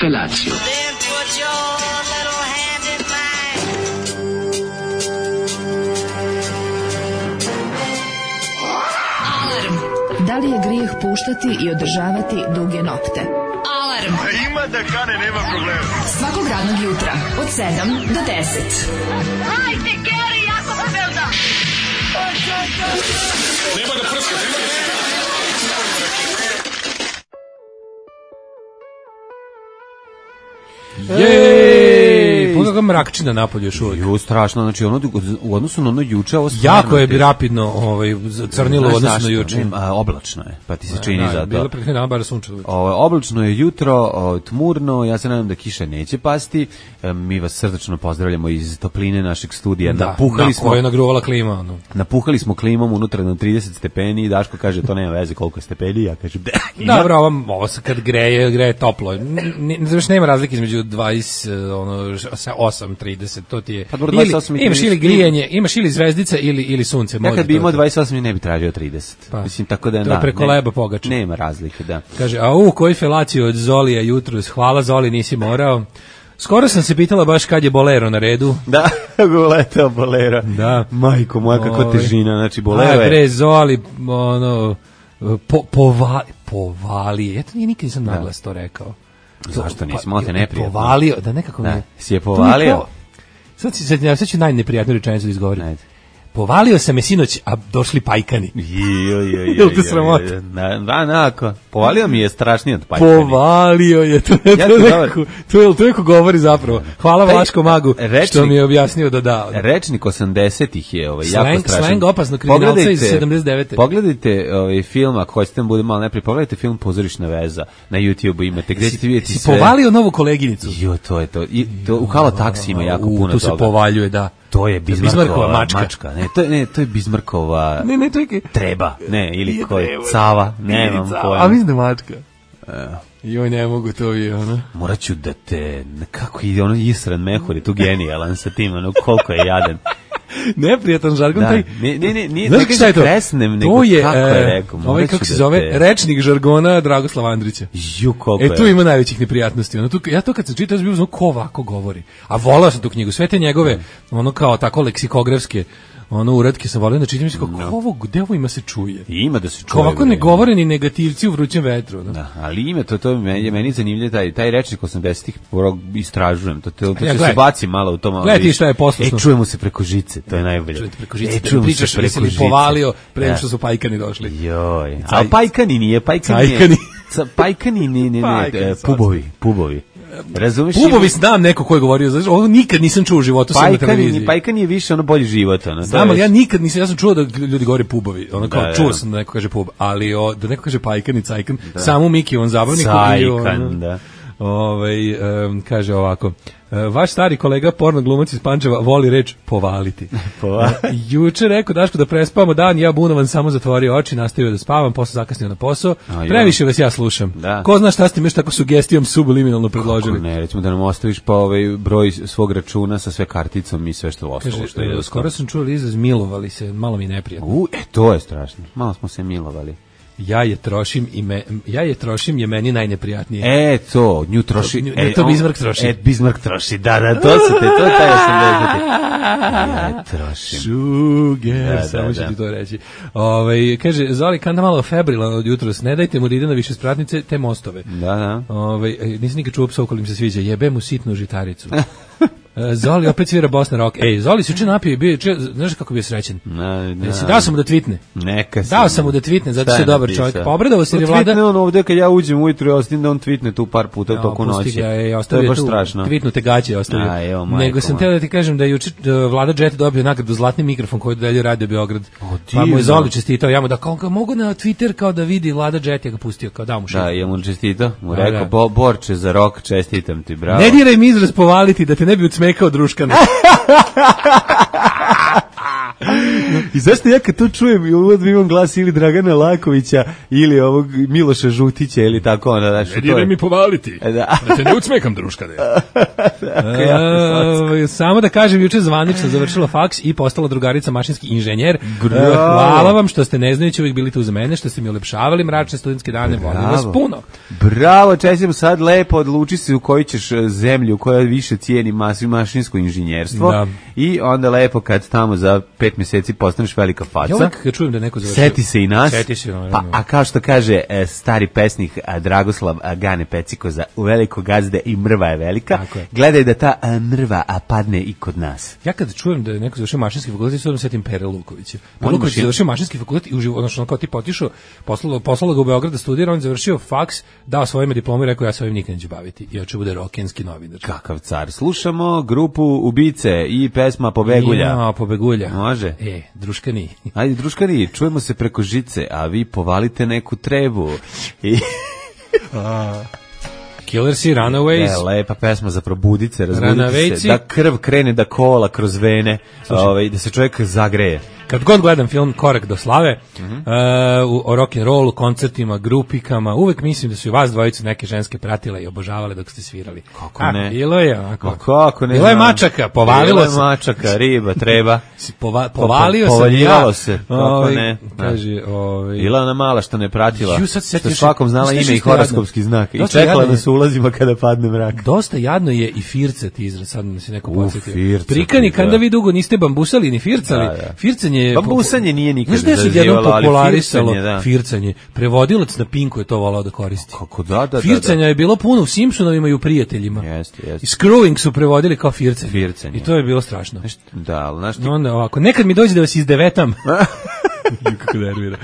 Felatio. Da li je grijeh puštati i održavati duge nokte? Alarm! Ima da kane, nema problema. Svakog radnog jutra, od 7 do 10. Hajde, Geri, jako se velda! Nema da prska, nema da prska. Jej! Pogledaj kako mrakčina napolje još uvijek. Ju, strašno, znači ono, u odnosu na ono juče, ovo stvarno... Jako je rapidno crnilo u odnosu na juče. Oblačno je, pa ti se čini za to. Bilo pre dana bar sunčalo. Oblačno je jutro, tmurno, ja se nadam da kiša neće pasti. Mi vas srdačno pozdravljamo iz topline našeg studija. Koja je nagruvala klima. Ono. Napuhali smo klimom unutra na 30 stepeni i Daško kaže to nema veze koliko je stepeni, ja kažem da ima. Dobro, ovo se kad greje toplo. Znači nema razlike između 28, 30, to ti je. Imaš ili grijanje, imaš ili zvezdica ili sunce. Ja kad bi imao 28 ne bi tražio 30. Pa, mislim, tako da to je preko leba pogača. Nema razlike, da. Kaže, koji felaciju od Zolija jutros, hvala Zoli, nisi morao. Skoro sam se pitala baš kad je Bolero na redu. Da, uleteo Bolero. Da. Majko moja, kako težina, znači Bolero je. Bre, Zoli, povalije. Ja to nikad nisam naglas to rekao. Zašto nisi, malo te neprijatno. Povalio, da nekako mi je. Si je povalio? Sad ću najneprijatniju rečenicu da izgovorim. Povalio sam je sinoć, a došli pajkani. Jel te sramota? Onako. Povalio mi je strašnije od pajkani. Povalio je, to neko govori zapravo. Hvala Vlaškom magu što mi je objasnio da. Rečnik 80-ih je jako strašan. Slang opasno kriminalca iz 79. Pogledajte film, ako hoćete da bude malo neprijatno, pogledajte film Pozorišna veza na YouTube imate, gde ćete vidjeti sve. Si povalio novu koleginicu? Jo, to je to. U Halo Taksi ima jako puno toga. Tu se povaljuje, da. To je Bizmarkova mačka. Ne, to je Bizmarkova treba. Ne, ili ko je Cava, nemam pojma. A mislim da mačka. Joj, ne mogu, to je ono. Morat ću da te, kako ide ono Isran Mehur je tu genijalan sa tim, ono koliko je jadan. Neprijatan žargon, taj. Nije da ga kresnem, nego kako je rekao. Ovaj, kako se zove, rečnik žargona Dragoslava Andrića. Tu ima najvećih neprijatnosti. Ja to kad sam čitao, sam bio znao ko ovako govori. A volao sam tu knjigu, sve te njegove, ono kao tako leksikografske, uratke sam volio da čitam, mislim kako gde ovo ima se čuje. Ima da se čuje. Ovako ne govore ni negativci u vrućem vetru. Da, ali ima to je meni zanimljivo, taj rečnik 80-ih istražujem, to se baci malo u to malo. Gledaj ti šta je poslušno. Čujemo se preko žice, to je najbolje. Čujete preko žice, pričaš se povalio pre nego što su pajkani došli. Joj, a pajkani nije. Pubovi. Razumeš? Pubovi znam neko ko je govorio, znači ovo nikad nisam čuo u životu na televiziji. Pajkan je više bolji život, Znam, ali ja nikad nisam, ja sam čuo da ljudi govore pubovi, čuo sam da neko kaže pub, ali da neko kaže pajkan i cajkan, samo Miki on zabavnik cajkan, da. Kaže ovako, vaš stari kolega porno glumac iz Pančeva voli reč povaliti. Juče rekao Daško da prespavamo dan, ja bunovan samo zatvorio oči, nastavio da spavam, posle zakasnio na posao. Previše vas ja slušam. Ko zna šta ste mi još tako sugestijom subliminalno predložili? Ne, recimo da nam ostaviš pa broj svog računa sa sve karticom i sve što ostalo. Skoro sam čuo izraz milovali se, malo mi neprijatno. To je strašno. Malo smo se milovali. Ja je trošim je meni najneprijatnije. To, nju troši. To Bismarck troši. Bismarck troši, da, to je taj 80. Ja trošim. Sugar, samo ću ti to reći. Kaže, Zoli, kanda malo febrilan od jutros, ne dajte mu da ide na više spratnice, te mostove. Da. Nisam nikad čuo psa koliko im se sviđa, jebe mu sitnu žitaricu. Zoli opet svira Bosna Rock. Zoli se uče napio i bio, znaš kako bio srećen? Dao sam mu da tweetne. Dao sam mu da tweetne, zato što je dobar čovjek. Pa obradovao se jer je vlada... Tweetne on ovde kad ja uđem ujutru i ostavim da on tweetne tu par puta toku noći. To je baš strašno. Tweetnute gaće ostavio. Nego sam teo da ti kažem da je juče Vlada Jet dobio nagradu Zlatni mikrofon koji dodeljuje Radio Beograd. Pa mu je Zoli čestitao, ja mu da kao mogu na Twitter kao da vidi Vlada Jet, ja ga pustio, kao dao mu šest. Da, ja mu čestitao, mu rekao, Borče za rock, čestitam ti, bravo. Ne diraj mi izraz povaliti da te ne bi ucmekao druškana. I zašto ja kad to čujem i uvod imam glas ili Dragana Lakovića ili ovog Miloša Žutića ili tako ono. Znači, Idem mi povaliti. Da te ne ucmekam, druškane. Samo da kažem, juče zvanično završila faks i postala drugarica mašinski inženjer. Hvala vam što ste ne znajući uvijek bili tu za mene, što ste mi ulepšavali mračne studentske dane. Volim vas puno. Bravo, čestitam, sad lepo odluči se u koju ćeš zemlju, koja više cijeni mašinsko inženjerstvo. Da. I onda lepo kad tamo za 5 mjeseci postaneš velika faca. Ja uvijek kad čujem da neko završio. Seti se i nas. Seti se, a kao što kaže stari pesnik Dragoslav Gane Pecikoza, u veliko gazde i mrva je velika. Gledaj da ta mrva padne i kod nas. Ja kad čujem da je neko završio mašinski fakultet, sve setim Pere Lukovića. Luković je završio mašinski fakultet i uživo, odnosno kao tipa otišao, poslalo ga u Beograd da studira, on je završio faks, dao svojima diplomu i rekao ja se ovim nikad neću baviti. I hoće bude rokenski novinar. Kakav car. Slušamo grupu Ubice i pesma Pobegulja. Ja, Pobegulja. Može. Druškani. Ajde, druškani, čujemo se preko žice, a vi povalite neku trebu. Killersi, Runaways. Lepa pesma za probudice, razbudite se, da krv krene da kola kroz vene, da se čovjek zagreje. Kad god gledam film Korak do slave, o rock'n'rollu, koncertima, grupikama, uvek mislim da su i vas dvojicu neke ženske pratile i obožavale dok ste svirali. Kako ne? Bilo je onako. Kako ne? Bilo je mačaka, povalilo se. Bilo je mačaka, riba, treba. Povalio se. Povaljivalo se. Kako ne? Kaže, bila ona mala što ne pratila. Što svakom znala ime i horoskopski znak. I čekala da se ulazima kada padne mrak. Dosta jadno je i fircat izraz, sad da se neko podsjetio. Prikani, kada vi dugo niste bambusali ni fircali. Fircanje bambusanje nije nikad zazivalo, ali fircanje. Prevodilac na Pinku je to volao da koristi. Kako da. Fircanja je bilo puno u Simpsonovima i u Prijateljima. Jeste. I Screwing su prevodili kao fircanje. I to je bilo strašno. Da, ali znaš ti... Onda ovako, nekad mi dođe da vas izdevetam. Kako nervira.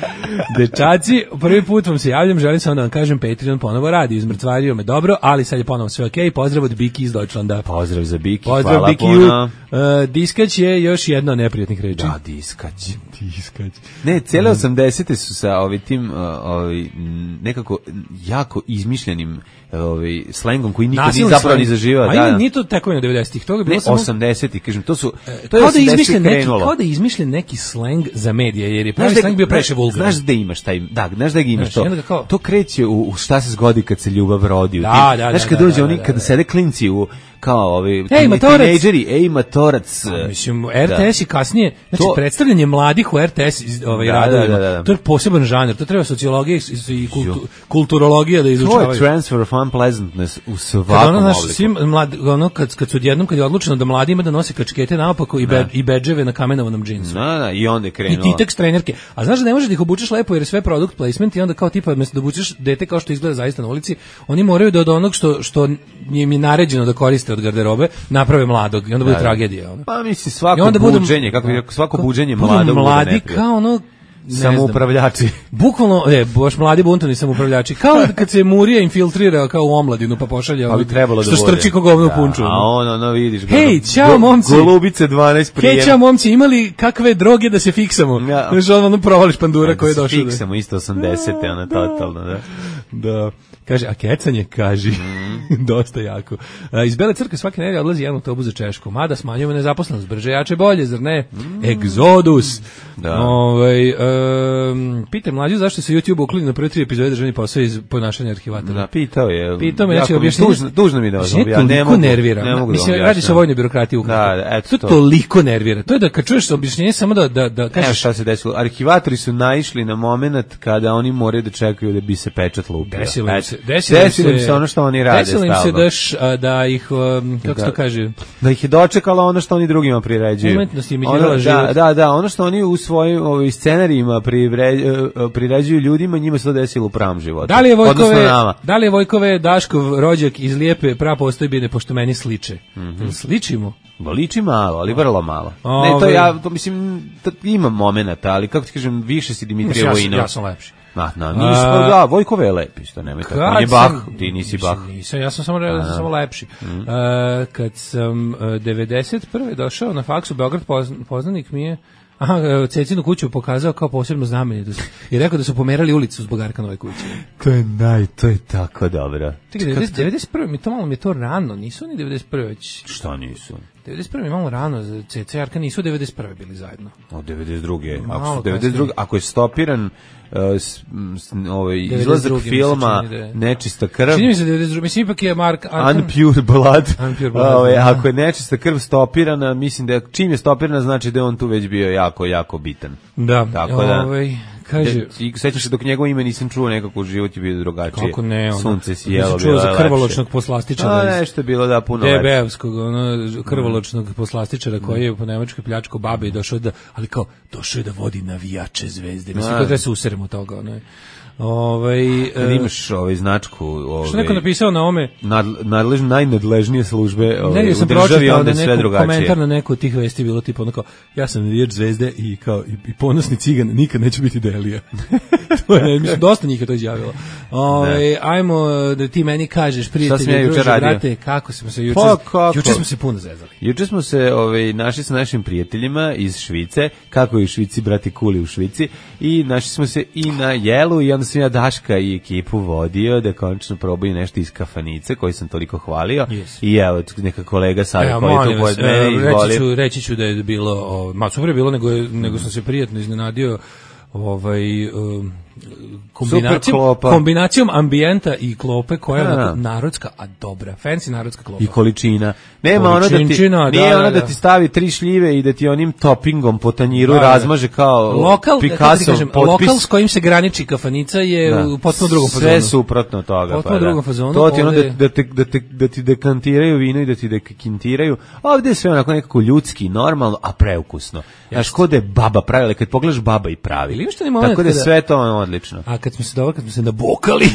Dečaci, prvi put vam se javljam, želim samo da vam kažem, Patreon ponovo radi, izmrtvario me dobro, ali sad je ponovo sve okej. Pozdrav od Biki iz Deutschlanda. Pozdrav za Biki, pozdrav hvala Biki puno. Diskać je još jedna od neprijatnih reči. Da, diskać. Ne, cijele 80-te su sa tim nekako jako izmišljenim slengom koji nikad nije zapravo ni zaživao. A nije to tako na 90-ih, toga je bilo samo 80-ih, kažem, to je 80-ih krenulo. Kao da je izmišljen neki sleng za medije, jer je pravi sleng bio previše vulgaran. Znaš da imaš taj, znaš da ga imaš to. To kreće u šta se zgodi kad se ljubav rodi. Znaš kad dođe oni, kada sede klinci u kao tinejdžeri, matorac. Mislim, RTS i kasnije, znači predstavljanje mladih u RTS radovima, to je poseban žanr, to treba sociologija i kulturologija da izučavaju. To je transfer of unpleasantness u svakom obliku. Kad je odlučeno da mladi ima da nose kačkete naopako i bedževe na kamenovanom džinsu. I onda je krenulo. I Titex trenerke. A znaš da ne možeš da ih obučeš lepo jer je sve product placement i onda kao tipa, mjesto da obučeš dete kao što izgleda zaista na ulici, oni moraju da od onog što im je naređeno da koriste od garderobe, naprave mladog i onda bude tragedija. Pa misli svako buđenje, kako bi rekao, svako buđenje mladog bude mladi kao ono samoupravljači. Bukvalno, baš mladi buntovni samoupravljači. Kao kad se Murija infiltrira kao u omladinu pa pošalje što strči ko govno u punču. A ono vidiš. Hej, čao momci. Golubice 12 prijem. Hej, čao momci, imali kakve droge da se fiksamo? Znaš, ono provališ pandura koji je došao. Fiksamo isto 80-te, ono totalno, da. Da. Kaže, a kecanje, kaži. Dosta jako. Iz Bele crkve svake nedelje odlazi jedan autobus za Češku. Mada smanjujemo nezaposlenost. Brže, jače, bolje, zar ne? Egzodus. Pitaj mlađu zašto se YouTube ukloni na prve 3 epizode državni posao iz ponašanja arhivatora. Da, pitao je. Pitao me, znači objašnjenje. Dužno mi da vas objašnjenje. Toliko nervira. Mislim, radi se o vojnoj birokratiji ukratko. To toliko nervira. To je da kad čuješ objašnjenje samo da kažeš. Evo šta se desilo. Arhivatori su naišli na moment kada oni moraju da čekaju da bi se pečat lupio. Desilo im se ono što oni rade. Desilo im se da ih, kako se to kaže? Da ih je dočekalo ono što oni drugima priređuju. Umetnost imitirala život. Da, ono što oni u svojim scenarijima priređuju ljudima, njima se to desilo u pravom životu. Da li je Vojkove Daškov rođak iz Lijepe prapostojbine, pošto meni sliče? Sličimo? Liči malo, ali vrlo malo. To mislim, ima momenata, ali kako ti kažem, više si Dimitrije Vojinov. Ja sam lepši. Vojkove je lepi, što nema tako. On je Bah, ti nisi Bah. Nisam, ja sam samo lepši. Kad sam 91. došao na faksu, Beograd poznanik mi je Cecinu kuću pokazao kao posebno znamenje i rekao da su pomerali ulicu zbog Arkanove kuće. To je tako dobro. 91. mi je to rano, nisu oni 91. već. Šta nisu? 91. je malo rano, za CC Arka nisu 91. bili zajedno. Od 92. Ako je stopiran izlazak filma Nečista krv. Čini mi se 92. Mislim, ipak je Mark Arkan. Unpure Blood. Ako je Nečista krv stopirana, mislim da čim je stopirana, znači da je on tu već bio jako, jako bitan. Da. Tako da... Kaže, sećaš se dok njegovo ime nisam čuo, nekako u životu je bio drugačije. Kako ne, sunce sijelo, čuo za krvoločnog poslastičara. Nešto je bilo da puno lepše. DB-evskog, krvoločnog poslastičara koji je po Nemačkoj pljačko babe i došao je da vodi navijače Zvezde. Mislim, da se useremo toga, kad imaš značku što neko napisao na ome najnadležnije službe u državi, onda sve drugačije. Komentar na neku od tih vesti bilo tipa ono kao, ja sam navijač Zvezde i kao i ponosni cigan, nikad neću biti Delija. To je, mislim, dosta njih je to izjavilo. Ajmo da ti meni kažeš, prijatelji, druže, brate, kako smo se juče smo se puno zezali. Juče smo se našli sa našim prijateljima iz Švice, kako je u Švici, brati Kuli u Švici, i našli smo se i na jelu i onda sam ja Daška i ekipu vodio da konačno probaju nešto iz kafanice koji sam toliko hvalio. I evo, neka kolega sad koji tu pored mene izvoli. Reći ću da je bilo, super je bilo, nego sam se prijatno iznenadio kombinacijom ambijenta i klope koja je narodska, a dobra, fancy narodska klopa. I količina. Nema ono da ti stavi 3 šljive i da ti onim toppingom po tanjiru razmaže kao Picasso potpis. Lokal s kojim se graniči kafanica je u potpuno drugom fazonu. Sve suprotno toga. Potpuno drugom fazonu. To ti ono da ti dekantiraju vino i da ti dekintiraju. Ovdje je sve onako nekako ljudski, normalno, a preukusno. Znaš, kod je baba pravila, kad pogledaš baba i pravi. Tako da je sve to odlično. A kad smo se nabokali,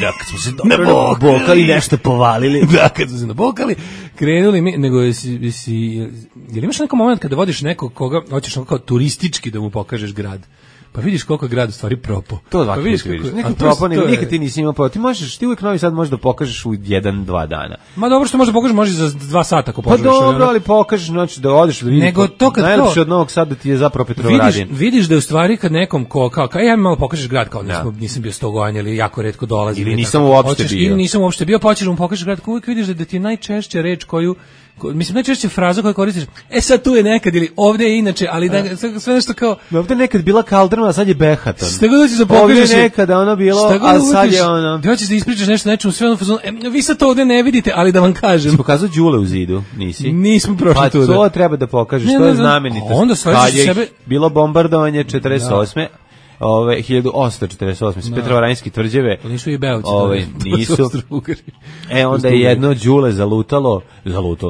nabokali, nešto povalili. Da, kad smo se nabokali, krenuli mi, nego jel imaš neki moment kada vodiš nekog koga hoćeš kao turistički da mu pokažeš grad? Pa vidiš koliko je grad u stvari propo. To ovako vidiš. Neki propo, nikad ti nisi imao propo. Ti uvijek Novi Sad možeš da pokažeš u 1-2 dana. Ma dobro što možeš da pokažeš, može za 2 sata ako poželiš. Pa dobro, ali pokažeš, znači da odeš da vidiš. Nego to kad najlepše od Novog Sada ti je zapravo Petrovaradin. Vidiš da je u stvari kad nekom kao ja mi malo pokažeš grad, kao nisam bio 100 godina ili jako retko dolazim. Ili nisam uopšte bio. Pa hoćeš da mu pokažeš grad, uvijek vidiš da ti je najčešća reč koju najčešće fraza koju koristiš, sad tu je nekad ili ovdje je inače, ali da sve nešto kao... Ovdje je nekad bila kaldrma, a sad je Behaton. Šta god hoćeš da pokažeš... Ovdje je nekada ono bilo, a sad je ono... Ti hoćeš da ispričaš nešto nečemu, sve ono fazonu, vi sad to ovdje ne vidite, ali da vam kažem. Si pokazao Đule u zidu, nisi? Nismo prošli tu. Pa to treba da pokažeš, to je znamenitost. Kad je bilo bombardovanje 48. 1848. Petrovaradinski tvrđave. Nisu i Beovci. Nisu. Onda je jedno Đule zalutalo,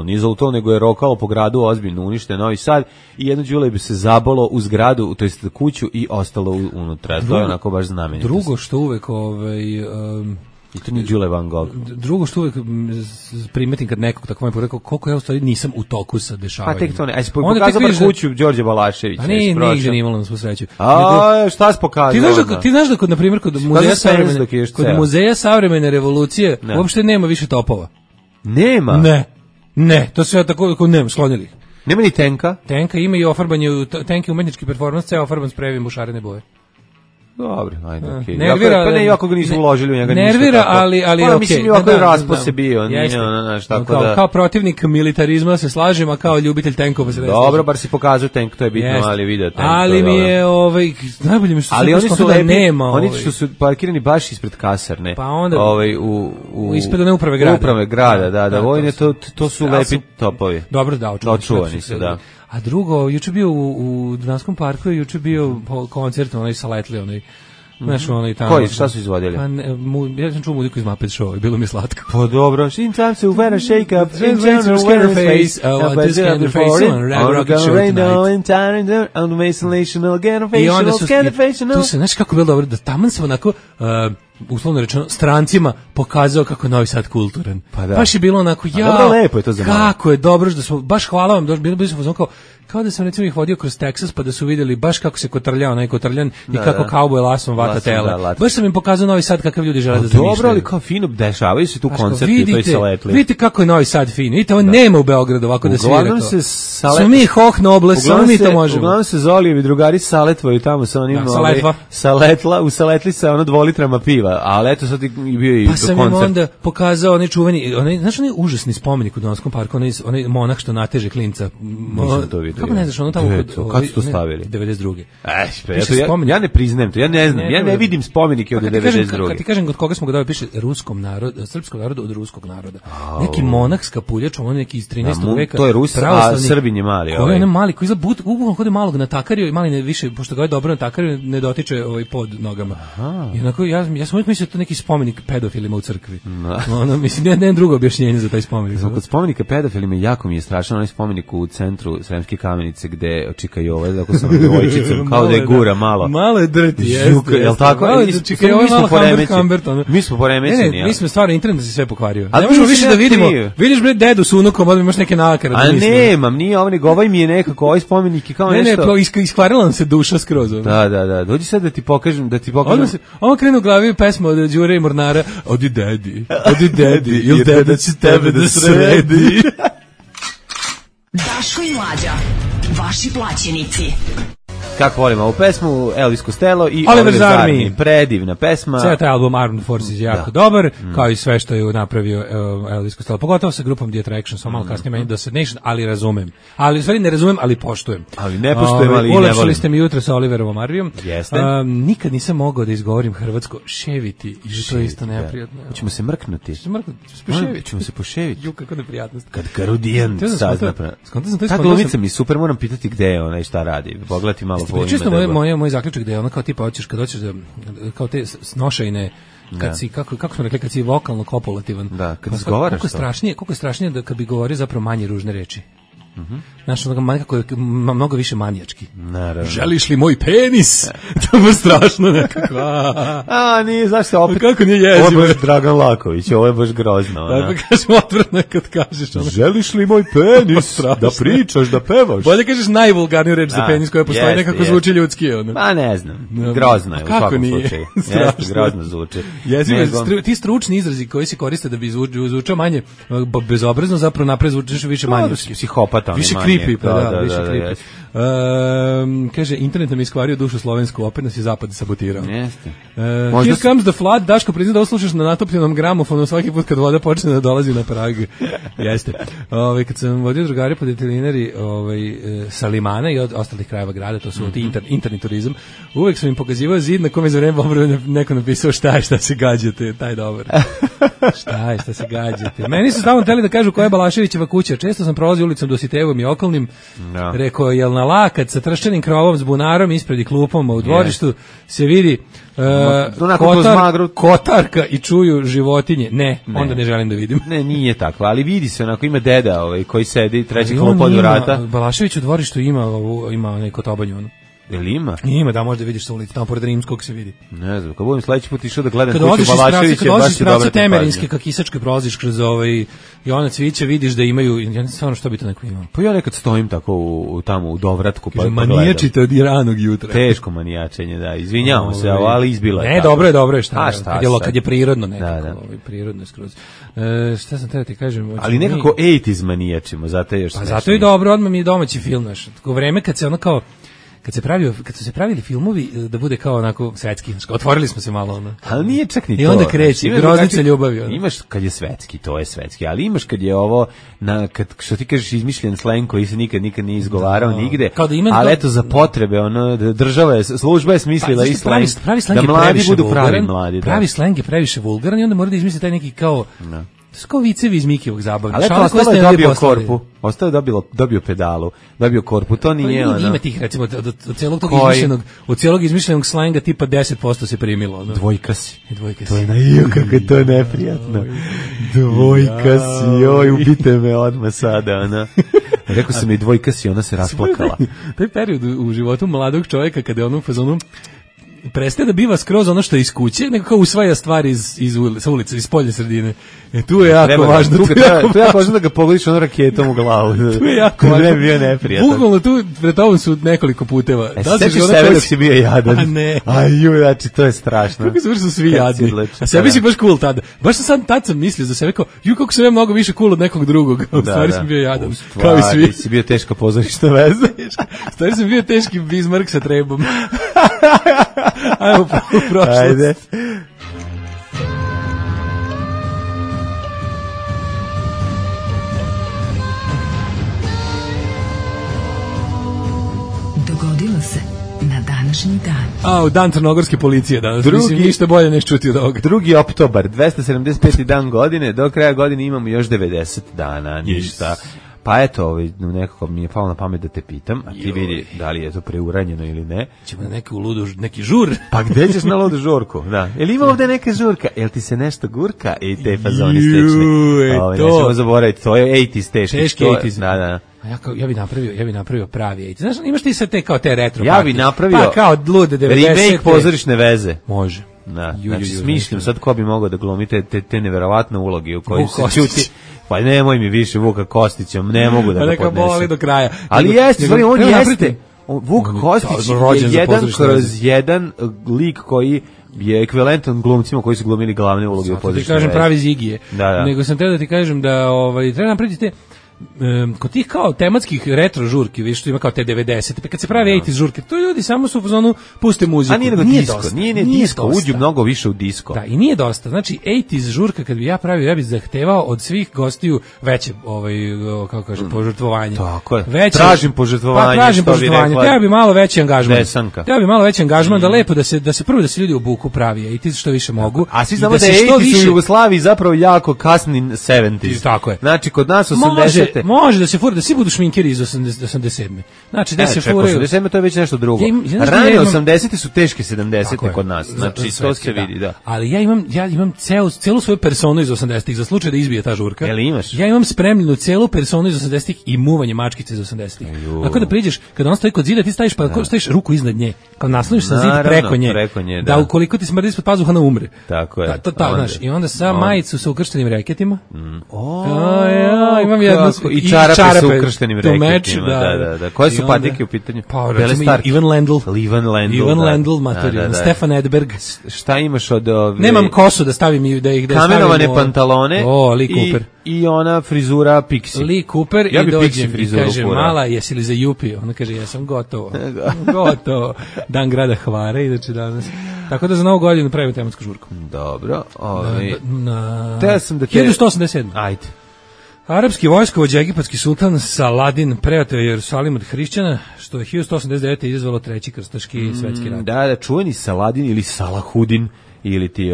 nije zalutalo, nego je rokalo po gradu, ozbiljno unište Novi Sad, i jedno Đule bi se zabolo u zgradu, to jest kuću, i ostalo unutra. To je onako baš znamenitost. Drugo što uvek i to nije Đule Van Gogh. Drugo što uvek primetim kad nekog tako me rekao, koliko ja u stvari nisam u toku sa dešavanjem. Pa tek to ne. Aj se pokazao bar kuću Đorđe Balaševića. A nigde nije imalo na svu sreću. Šta si pokazao? Ti znaš da kod, na primjer, kod muzeja savremene revolucije uopšte nema više topova. Nema? Ne, to sve tako nema, sklonili. Nema ni tenka? Tenka ima i ofarbanje, tenk je umetnički performans, ceo ofarban sprejevim u šarene boje. Dobro, ajde, okej. Nervira, pa ne, iako ga nisu uložili u njega ništa. Nervira, ali okej. Mislim, ovako je raspose bio, tako da... Kao protivnik militarizma se slažem, a kao ljubitelj tenkova se ne slažem. Dobro, bar si pokazao tenk, to je bitno, ali video tenk. Ali mi je, najbolje mi što se da nema. Oni što su parkirani baš ispred kasarne. Pa onda... Ispred one uprave grada. Uprave grada, da. Vojne, to su lepi topovi. Dobro, da, očuvani su, da. A drugo, juče bio u Dunanskom parku, juče bio koncert, onaj Saletli, onaj, znaš, onaj tamo. Koji, šta su izvodili? Ja sam čuo muziku iz Muppet Show, bilo mi je slatko. Pa dobro, sometimes you wanna shake up, sometimes you wanna face, this kind of face, on Rocket Show tonight. Tu se, znaš kako je bilo dobro, da taman se onako... uslovno rečeno, strancima pokazao kako je Novi Sad kulturan. Pa da. Baš je bilo onako, lepo je to za kako je dobro, da smo, baš hvala vam, bili smo kao da sam recimo ih vodio kroz Teksas, pa da su vidjeli baš kako se kotrlja onaj kotrljan i kako kauboj lasom vata tela. Baš sam im pokazao Novi Sad kakav ljudi žele da zamišljaju. Dobro, ali kao fino dešavaju se tu koncerti u toj Saletli. Vidite kako je Novi Sad fin. Vidite, ovo nema u Beogradu ovako da svira to. Smo mi hohno oblast, samo mi to možemo. Uglavnom se Zolijevi drugari saletvaju tamo sa onim... Saletva. Saletla, u Saletli sa 2 litrama piva. biva, ali eto sad i bio i Pa sam im koncert. onda pokazao onaj čuveni, znaš onaj užasni spomenik u Donaldskom parku, onaj monah što nateže klinca. Nisam to vidio. Kako ne znaš, ono tamo kad su to stavili? 92. Ja ne priznajem to, ja ne znam, ja ne vidim spomenike od 92. Kad ti kažem od koga smo ga dali, piše ruskom narodu, srpskom narodu od ruskog naroda. Neki monah s kapuljačom, on neki iz 13. veka. To je Rus, a Srbin je mali. Koji je onaj mali, koji izgleda bukvalno kod malog natakario i mali ne više, pošto ga je dobro natakario, ne dotiče pod nogama. I onako, ja sam uvijek mislio to neki spomenik pedofilima u crkvi. Ono, mislim, ne drugo objašnjenje za taj spomenik. Kod spomenika pedofilima jako mi je strašan onaj spomenik u centru Sremske Kamenice gde čika Jova, ako sam devojčicom, kao da je gura malo. Malo je drti, jeste. Jel tako? Čika Jova je malo Humbert. Mi smo poremećeni. Mi smo stvarno, internet se sve pokvario. Ne možemo više da vidimo. Vidiš bre dedu s unukom, odmah imaš neke nakare. A nemam, nije ovaj nego ovaj mi je nekako ovaj spomenik i kao nešto. Ne, iskvarila nam se duša skroz. Da. Dođi sad da ti pokažem. Ovo krenu u glavi pesma od Đure i Mornara. Odi dedi, ili deda će tebe da sredi. Daško i Mlađa, vaši plaćenici. Kako volim ovu pesmu, Elvis Costello i Oliver's Army. Predivna pesma. Ceo taj album Armed Forces je jako dobar, kao i sve što je napravio Elvis Costello, pogotovo sa grupom The Attraction, samo malo kasnije meni Destination, ali razumem. Ali u stvari ne razumem, ali poštujem. Ali ne poštujem, ali i ne volim. Ulepšali ste mi jutro sa Oliverovom Arvijom. Jeste. Nikad nisam mogao da izgovorim hrvatsko ševiti, i to je isto neprijatno. Hoćemo se mrknuti. Ćemo se poševiti. Ju, kako neprijatnost. Kad Karudijan sazna. Ta glumica mi super, moram pitati gde je ona i šta radi. Pogledati malo. Čisto moj zaključak da je ono kao tipa hoćeš kad doćeš da kao te snošajne kad si kako smo rekli kad si vokalno kopulativan. Da, kad izgovaraš koliko je strašnije da kad bi govorio zapravo manje ružne reči. Znaš, onoga kako je mnogo više manijački. Naravno. Želiš li moj penis? To je strašno nekako. Nije, zašto opet? Kako nije jezivo? Ovo je baš Dragan Laković, ovo je baš grozno. Da, pa kažem odvrno kad kažeš. Želiš li moj penis? Da pričaš, da pevaš. Bolje kažeš najvulgarniju reč za penis koja postoji, nekako zvuči ljudski. Pa ne znam, grozno je u svakom slučaju. Jeste, grozno zvuči. Ti stručni izrazi koji se koriste da bi zvučao manje bezobrazno, zapravo napred zvučiš više manjinski. Psihopata. Više creepy, više creepy. Kaže, internet nam je iskvario dušu slovensku, opet nas je zapad sabotirao. Jeste. Here comes the flood, Daško prizna da oslušaš na natopljenom gramofonu svaki put kad voda počne da dolazi na prag. Jeste. Kad sam vodio drugari po detelinari sa Limana i od ostalih krajeva grada, to su interni turizam, uvek sam im pokazivao zid na kome za vreme obrve neko napisao šta se gađate, taj dobar. Šta se gađate. Meni su stavno teli da kažu koja je Balaševićeva kuća. Često sam prolazio ulicom Dositejevom i okolnim. Rekao, jel na lakat sa trščanim krovom s bunarom ispred i klupom, u dvorištu se vidi kotarka i čuju životinje. Ne, onda ne želim da vidim. Ne, nije tako, ali vidi se, onako ima deda koji sedi treći klup od vrata. Balašević u dvorištu ima onaj kotobanju, ono. Jel ima? Ima, da, možda vidiš sa ulici, tamo pored Rimskog se vidi. Ne znam, kad budem sledeći put išao da gledam kuću Balaševića, baš je dobra Temerinske, ka Kisačke prolaziš kroz Jona Cvića, vidiš da imaju, ja ne znam stvarno što bi to neko imao. Pa ja nekad stojim tako tamo u dovratku, pa gledam. Manijačite od ranog jutra. Teško manijačenje, da, izvinjavamo se, ali izbilo je. Ne, dobro je, šta kad je prirodno nekako, prirodno je skroz. Šta sam ti kažem? Ali nekako 80s manijačimo, zato je još smešno. Pa zato je dobro, odmah mi je domaći film, znaš. Tako vreme kad se ono kao kad su se pravili filmovi da bude kao onako svetski, otvorili smo se malo ono. Ali nije čak ni to. I onda kreće groznica ljubavi. Ono. Imaš kad je svetski, to je svetski, ali imaš kad je ovo kad što ti kažeš izmišljen sleng koji se nikad nije izgovarao nigde. Ali eto za potrebe država je, služba je smislila i sleng. Da mladi budu pravi mladi. Pravi sleng je previše vulgaran i onda mora da izmisli taj neki kao Sko vicevi iz Mikijevog zabavnog. Ali ostalo je dobio korpu. Ostalo je dobio pedalu. Dobio korpu. To nije ono. Ima tih, recimo, od cijelog izmišljenog slenga tipa 10% se primilo. Ono. Dvojka si. To je kako je to neprijatno. Dvojka si. Ubite me odmah sada. Ona. Rekao sam i dvojka si, ona se rasplakala. Taj period u životu mladog čovjeka kada je ono u fazonu prestaje da biva skroz ono što je iz kuće, nego kao usvaja stvari sa ulice, iz spoljne sredine. Tu je jako važno. Tu je jako važno da ga pogodiš ono raketom u glavu. Tu je jako važno. Ne bi bio neprijatan. Bukvalno tu pred tobom su nekoliko puteva. Sećaš sebe dok si bio jadan. A ne. Znači to je strašno. Kako su svi jadni. A sebi si baš cool tada. Baš tad sam mislio za sebe kao, kako sam ja mnogo više cool od nekog drugog. U stvari sam bio jadan. Kao i svi. Si bio teška pozorišna veza. U stvari sam bio teški Bismarck sa trebom. Ajmo u prošlost. današnji dan. Dan crnogorske policije danas. Mislim, ništa bolje neš čuti od ovoga. 2. oktobar, 275. dan godine, do kraja godine imamo još 90 dana, ništa. Pa eto, nekako mi je palo na pamet da te pitam, a ti vidi da li je to preuranjeno ili ne. Ćemo na neki žur. Pa gde ćeš na ludu žurku? Da. Jel ima ovde neka žurka? Jel ti se nešto gurka? I te fazoni stečni. Nećemo zaboraviti, to je 80's teški. Teški 80's. Da. Ja bi napravio pravi 80's. Znaš, imaš ti sad te kao te retro Ja bi napravio pa kao lude 90. remake pozorišne veze. Može. Da, znači smišljam sad ko bi mogao da glumi te neverovatne uloge u kojoj se čuti. Pa nemoj mi više Vuka Kostića, ne mogu da ga podnesem. Neka boli do kraja. Ali jeste, stvari, on jeste. Vuk Kostić je 1/1 lik koji je ekvivalentan glumcima koji su glumili glavne uloge u pozorišnoj vezi. Ti kažem pravi Zigije. Da. Nego sam teo da ti kažem da treba napraviti te kod tih kao tematskih retro žurki, vidiš što ima kao te 90, pa kad se pravi 80's žurke, to ljudi samo su u fazonu puste muziku. A nije disko, nije disko, uđu mnogo više u disko. Da, i nije dosta. Znači 80's žurka kad bi ja pravio, ja bih zahtevao od svih gostiju veće kako kažem, požrtvovanje. Tako je. Tražim požrtvovanje. Pa tražim požrtvovanje. Treba bi malo veći angažman. Treba bi malo veći angažman da lepo da se prvo da se ljudi obuku pravi 80's što više mogu. A svi znamo da je 80's u Jugoslaviji zapravo jako kasni 70's. Tako je. Znači kod nas 80 Može da se fura, da svi budu šminkeri iz 87. Znači, da se furaju. 87 to je već nešto drugo. Rane 80 su teške 70 kod nas. Znači, to se vidi, da. Ali ja imam celu svoju personu iz 80-ih za slučaj da izbije ta žurka. Jel imaš? Ja imam spremljenu celu personu iz 80-ih i muvanje mačkice iz 80-ih. Ako da priđeš, kada on stoji kod zida, ti staviš ruku iznad nje, kao nasloniš sa zid preko nje, da ukoliko ti smrdi ispod pazuha, ona umre. Tako je. Znaš, i onda sa majicu sa ukrštenim reketima. Imam jednu i čarape sa ukrštenim reketima. Da. Koje su patike u pitanju? Pa, recimo Ivan Lendl, materijalno. Stefan Edberg. Šta imaš od... Nemam kosu da stavim i da ih stavim... Kamenovane pantalone. Lee Cooper. I ona frizura Pixi. Lee Cooper i dođem i kaže, mala, jesi li za Jupi? Ona kaže, ja sam gotovo. Dan grada Hvare, znači danas. Tako da za novu godinu pravimo tematsku žurku. Dobro. Te sam da te... 1187. Ajde. Arapski vojskovođa, egipatski sultan Saladin preoteo Jerusalim od hrišćana, što je 1189. izazvalo treći krstaški svetski rat. Da, čuveni Saladin ili Salahudin, ili ti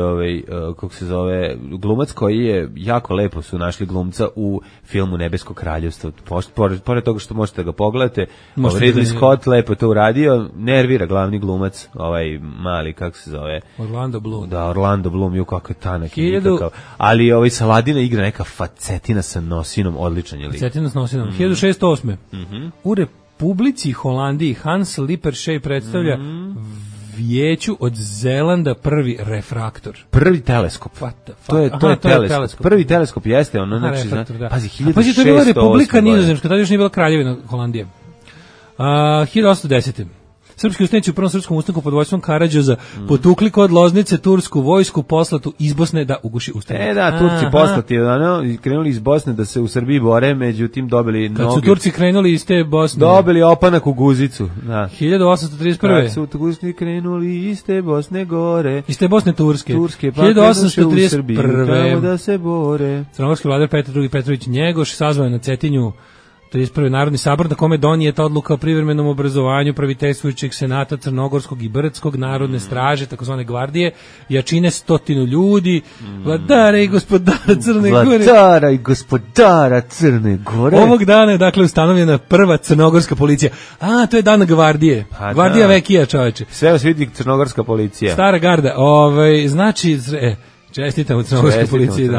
kako se zove, glumac koji je jako lepo su našli glumca u filmu Nebesko kraljevstvo. Pored toga što možete ga pogledate, Ridley Scott lepo to uradio, nervira glavni glumac, ovaj mali, kako se zove? Orlando Bloom. Da, Orlando Bloom, ju kako je tanak i nikakav. Ali ovaj Saladina igra neka facetina sa nosinom, odličan je lik. Facetina s nosinom. 1608. U Republici Holandiji Hans Lippershey predstavlja Vijeću od Zelanda prvi refraktor. Prvi teleskop. To je teleskop. Prvi teleskop jeste ono, znači, pazi, 1608. Pazi, to je bila Republika Nizozemska, tada još nije bila kraljevina Holandije. 1810. Srpski ustanici u prvom srpskom ustanku pod vojstvom Karađoza potukli kod Loznice tursku vojsku poslatu iz Bosne da uguši ustanak. Da, Turci poslati, krenuli iz Bosne da se u Srbiji bore, međutim dobili noge. Kad su Turci krenuli iz te Bosne. Dobili opanak u guzicu. Da. 1831. Kad su Turci krenuli iz te Bosne gore. Iz te Bosne Turske. Pa 1831. Tamo da se bore. Crnogorski vladar Petar II. Petrović Njegoš sazvao na Cetinju 31. Narodni sabor na kome donijeta odluka o privremenom obrazovanju praviteljstvujućeg senata Crnogorskog i Brdskog narodne straže, takozvane gvardije, jačine 100 ljudi, vladara i gospodara Crne Gore. Vladara i gospodara Crne Gore. Ovog dana je dakle ustanovljena prva crnogorska policija. To je dan gvardije. Gvardija vekija, čoveče. Sve vas vidi crnogorska policija. Stara garda. Znači... Čestitam u crnogorskoj policiji.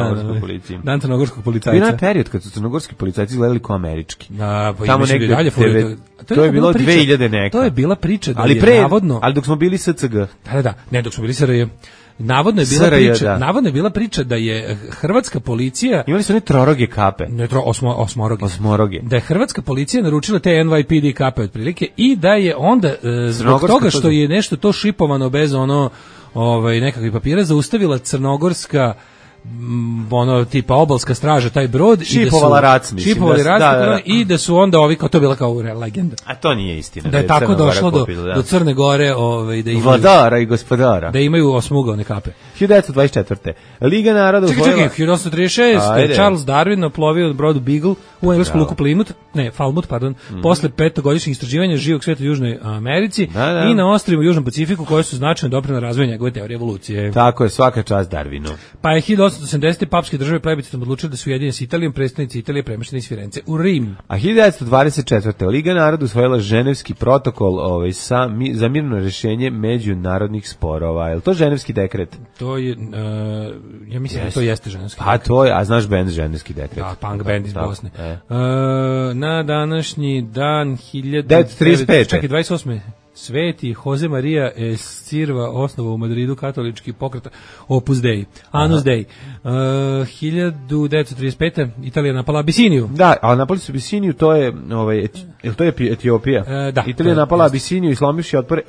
Dan crnogorskog policajca. Bio je period kad su crnogorski policajci izgledali kao američki. Da, pa tamo negde dalje to je bilo 2000 neka. To je bila priča da je navodno... Ali dok smo bili SCG. Da, ne, dok smo bili SRJ. Navodno je bila priča da je hrvatska policija... Imali su one troroge kape. Ne, osmoroge. Da je hrvatska policija naručila te NYPD kape otprilike i da je onda zbog toga što je nešto to šipovano bez nekakvih papira zaustavila crnogorska ono tipa obalska straža taj brod šipovali rat, i da su onda ovi kao to bila kao legenda. A to nije istina. Da je tako došlo do Crne Gore, da imaju vladara i gospodara. Da imaju osmugavne kape. 1924. Liga naroda Čekaj, 1836. Charles Darwin oplovio brodu Beagle u englesku luku Falmouth, posle 5-godišnjeg istraživanja živog sveta u Južnoj Americi i na ostrvima u Južnom Pacifiku koje su značajno doprinele razvoju njegove teorije evolucije. Tako je, svaka čast Darwinu. Pa je 1880. papske države plebiscitom odlučile da su ujedinjene s Italijom, predstavnici Italije premješteni iz Firence u Rim. A 1924. Liga naroda usvojila Ženevski protokol za mirno rješenje međunarodnih sporova. Je li to Ženevski dekret? To je, ja mislim da to jeste Ženevski dekret. A to je, a znaš band Ženevski dekret? Da, punk band iz Bosne. Na današnji dan 1935. Čekaj, 28. Sveti Jose Maria Escirva osnovao u Madridu katolički pokret Opus Dei, Anus Dei. 1935. Italija napala Abisiniju. Da, a napali su Abisiniju, to je Etiopija. Da, Italija napala Abisiniju i slomivši otpor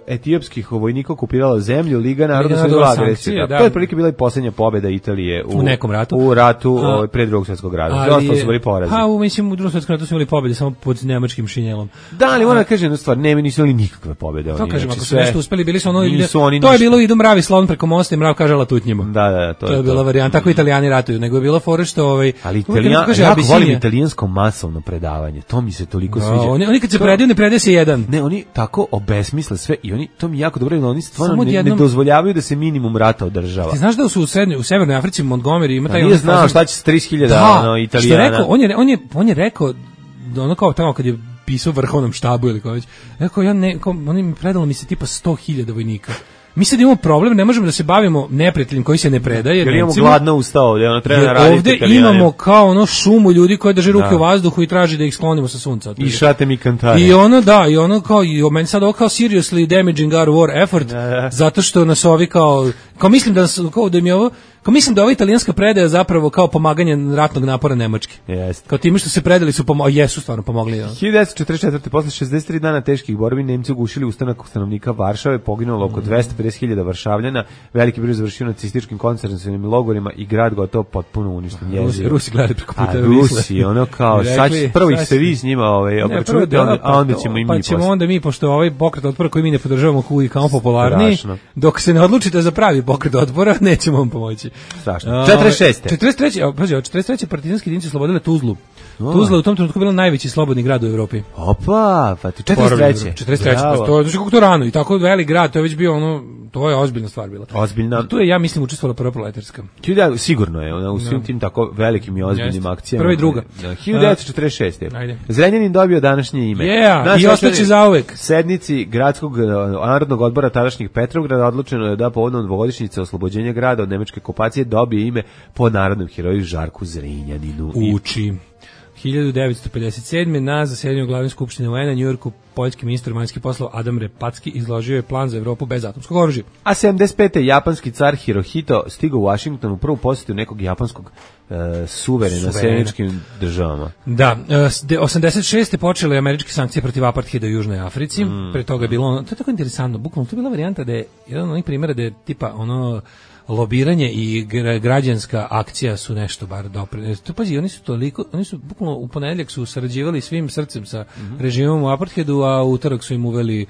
etiopskih vojnika okupirala zemlju, Liga naroda osvojila agresiju. To je prilike bila i posljednja pobjeda Italije u nekom ratu. U ratu pre Drugog svjetskog rata. Ostalo su bili porazi. Mislim u Drugom svjetskom ratu su imali pobjede samo pod nemačkim šinjelom. Da, ali moram da kažem jednu stvar, nisu imali nikakve pobjede. To kažem, ako su nešto uspeli, bili su to je bilo idu mravi slon preko mosta i mrav kaže latutnjimo. Da, to je bila varijanta, tako Italijani ratuju, nego je bilo fore što ali Italijani, ja volim italijansko masovno predavanje, to mi se toliko sviđa. Oni kad se predaju, ne predaje se jedan. Ne, oni tako obesmisle sve i oni, to mi jako dobro, oni stvarno ne dozvoljavaju da se minimum rata održava. Ti znaš da su u Severnoj Africi, u Montgomery, ima taj... Nije znao šta će s 30.000 Italijana. On je rekao, ono kao tamo kad je pisao vrhovnom štabu ili kao već, rekao, oni mi predalo mi se tipa 100.000 vojnika. Mi sad imamo problem, ne možemo da se bavimo neprijateljem koji se ne predaje. Jer imamo gladno usta ovdje, treba raditi ovdje Italijanima. Imamo kao šumu ljudi koji drže ruke u vazduhu i traži da ih sklonimo sa sunca. I šate mi kantare. I meni sad ovo kao seriously damaging our war effort, zato što nas ovi kao mislim da ova italijanska predaja zapravo kao pomaganje ratnog napora Nemačke. Jeste. Kao time što se predali su jesu stvarno pomogli. 1944. posle 63 dana teških borbi Nemci ugušili ustanak stanovnika Varšave, poginulo oko 250.000 Varšavljana, veliki broj završio nacističkim koncentracionim logorima i grad gotovo potpuno uništen. Rusi gledali preko puta. Rusi, ono kao, prvo ih se vi s njima obračunate, a onda ćemo i mi. Pa ćemo onda mi, pošto ovaj pokret otpora koji mi ne podržavamo koji kao popularni, dok se ne odlučite za pravi pokret otpora, nećemo vam pomoći. Strašno. 43. partizanske jedinice oslobodile Tuzlu. Tuzla je u tom trenutku bila najveći slobodni grad u Evropi. Opa, pa 43. To je kako to rano i tako velik grad, to je već bio to je ozbiljna stvar bila. Ozbiljna. Tu je, ja mislim, učestvovala prva proletarska. Sigurno je, ona u svim tim tako velikim i ozbiljnim akcijama. Prva i druga. 1946. Zrenjanin dobio današnje ime. I ostaće zauvek. Sednici gradskog narodnog odbora tadašnjih Petrovgrada odlučeno je da povodom dvogodišnjice oslobođenja grada od nemačke okupacije dobije ime po narodnom heroju Žarku Zrenjaninu. Uči. 1957. na zasedanju glavne skupštine UN-a u Njujorku poljski ministar vanjskih poslova Adam Repatski izložio je plan za Evropu bez atomskog oružja. A 75. japanski car Hirohito stigao u Washington u prvu posjetu nekog japanskog suverena sjeničkim državama. Da, 86. počele američke sankcije protiv apartheida u Južnoj Africi. Pre toga je bilo to je tako interesantno, bukvalno to je bila varijanta da je jedan od onih primjera da je tipa lobiranje i građanska akcija su nešto bar doprineli. Pazi, oni su bukvalno u ponedjeljak su sarađivali svim srcem sa režimom u apartheidu, a u utorak su im uveli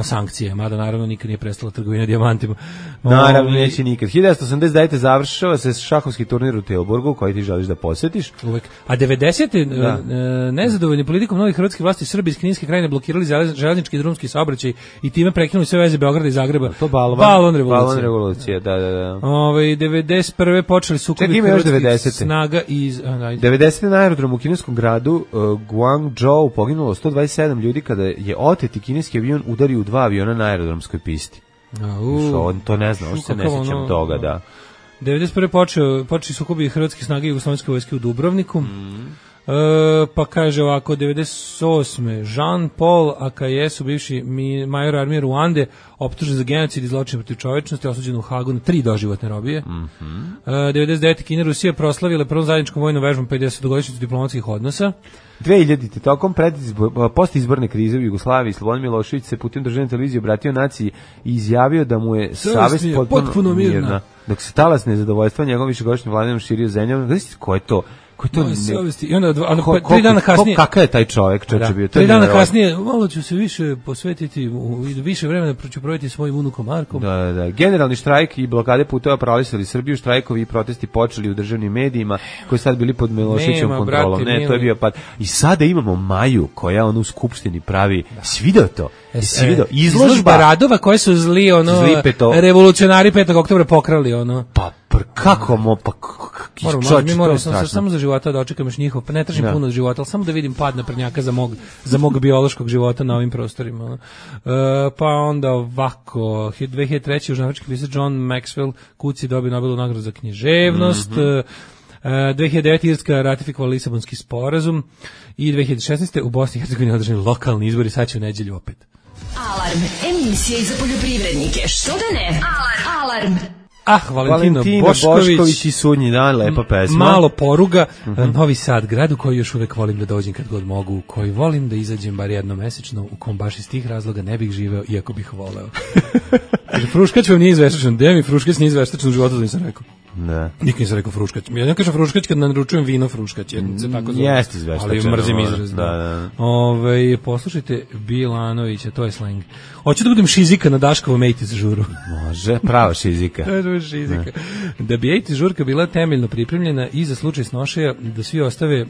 sankcije, mada naravno nikad nije prestala trgovina dijamantima. Naravno, neće nikad. 1989. završava se šahovski turnir u Tilburgu, koji ti želiš da posjetiš. Uvek. A 90. Nezadovoljni politikom novih hrvatskih vlasti Srbi iz Kninske krajine blokirali železnički i drumski saobraćaj i time prekinuli sve veze Beograda i Zagreba. To balvan revolucija. Da. 91. počeli sukobi hrvatskih snaga iz... 90. na aerodromu u kineskom gradu Guangzhou poginulo 127 ljudi kada je oteti kineski avion udario u 2 aviona na aerodromskoj pisti. On to ne zna, on se ne sjećam toga, da. 91. počeli sukobi hrvatskih snaga i jugoslovenske vojske u Dubrovniku. Pa kaže ovako, 98. Jean-Paul Akayesu, bivši major armije Ruande, optužen za genocid i zločin protiv čovečnosti, osuđen u Hagu na 3 doživotne robije. 99. Kina i Rusija proslavile prvom zajedničkom vojnom vežbom 50-godišnjicu diplomatskih odnosa. 2000. tokom postizborne krize u Jugoslaviji Slobodan Milošević se putem državne televizije obratio naciji i izjavio da mu je savest potpuno mirna. Dok se talas nezadovoljstva njegovom višegodišnjim vladinom širio zemljom. Znači, ko je to? I onda 3 dana kasnije, kakav je taj čovjek, čoveče bio? 3 dana kasnije, malo ću se više posvetiti, više vremena ću provesti svojim unukom Markom. Da. Generalni štrajk i blokade puteva paralisali Srbiju, štrajkovi i protesti počeli u državnim medijima, koji sad bili pod Miloševićevom kontrolom. To je bio pad. I sada imamo Maju, koja u skupštini pravi, si video to? Izložba radova koje su zli revolucionari 5. oktobra pokrali, Pa kako mi moramo samo za života da očekam još njihov, pa ne tražim puno od života, ali samo da vidim pad naprednjaka za mog biološkog života na ovim prostorima. Pa onda ovako, 2003. južnoafrički pisac John Maxwell Kuci dobio Nobelovu nagradu za književnost. 2009. Irska ratifikovala Lisabonski sporazum i 2016. u Bosni i Hercegovini održani lokalni izbori, sad će u nedelju opet. Alarm, emisija za poljoprivrednike, što da ne? Alarm. Valentino Bošković i Sudnji dan, lepa pesma. Malo poruga, Novi Sad, grad u koji još uvek volim da dođem kad god mogu, u koji volim da izađem bar jednom mesečno, u kom baš iz tih razloga ne bih živeo, iako bih voleo. Fruškać vam nije izveštačan, gde mi Fruškać nije izveštačan u životu, da nisam rekao. Ne. Nikad nisam rekao Fruškać. Ja ne kažem Fruškać kad naručujem vino Fruškać, se tako zove. Jeste izveštačan. Ali mrzim izraz. Da. Poslušajte Bilanovića, to je sleng. Hoću da budem šizika na Daškovom 80 žuru. Može, prava šizika. Šizika. Da bi 80 žurka bila temeljno pripremljena i za slučaj snošaja, da svi ostave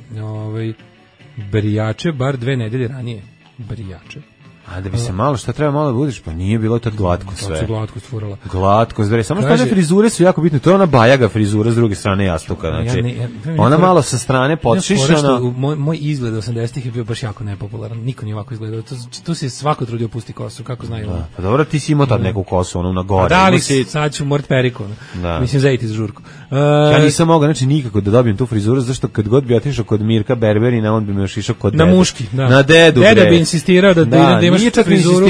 brijače bar 2 nedelje ranije. Brijače. A da bi se malo, šta treba malo da budiš, pa nije bilo tad glatko sve. To su glatko stvorala. Glatko, zvere. Samo što one frizure su jako bitne. To je ona bajaga frizura s druge strane jastuka. Znači, ona malo sa strane podšišana. Moj izgled 80-ih je bio baš jako nepopularan. Niko nije ovako izgledao. Tu se svako trudio pusti kosu, kako znaju. Da, pa dobro, ti si imao tad neku kosu, ono na gore. Da, ali sad ću morat periku. Mislim, zajeti za žurku. Ja nisam mogao, znači, nikako da dobijem tu frizuru, zašto kad god bi otišao kod Mirka Berberina, on bi me još išao kod dede. Na muški, da. Na dedu, Deda bi insistirao da imaš frizuru.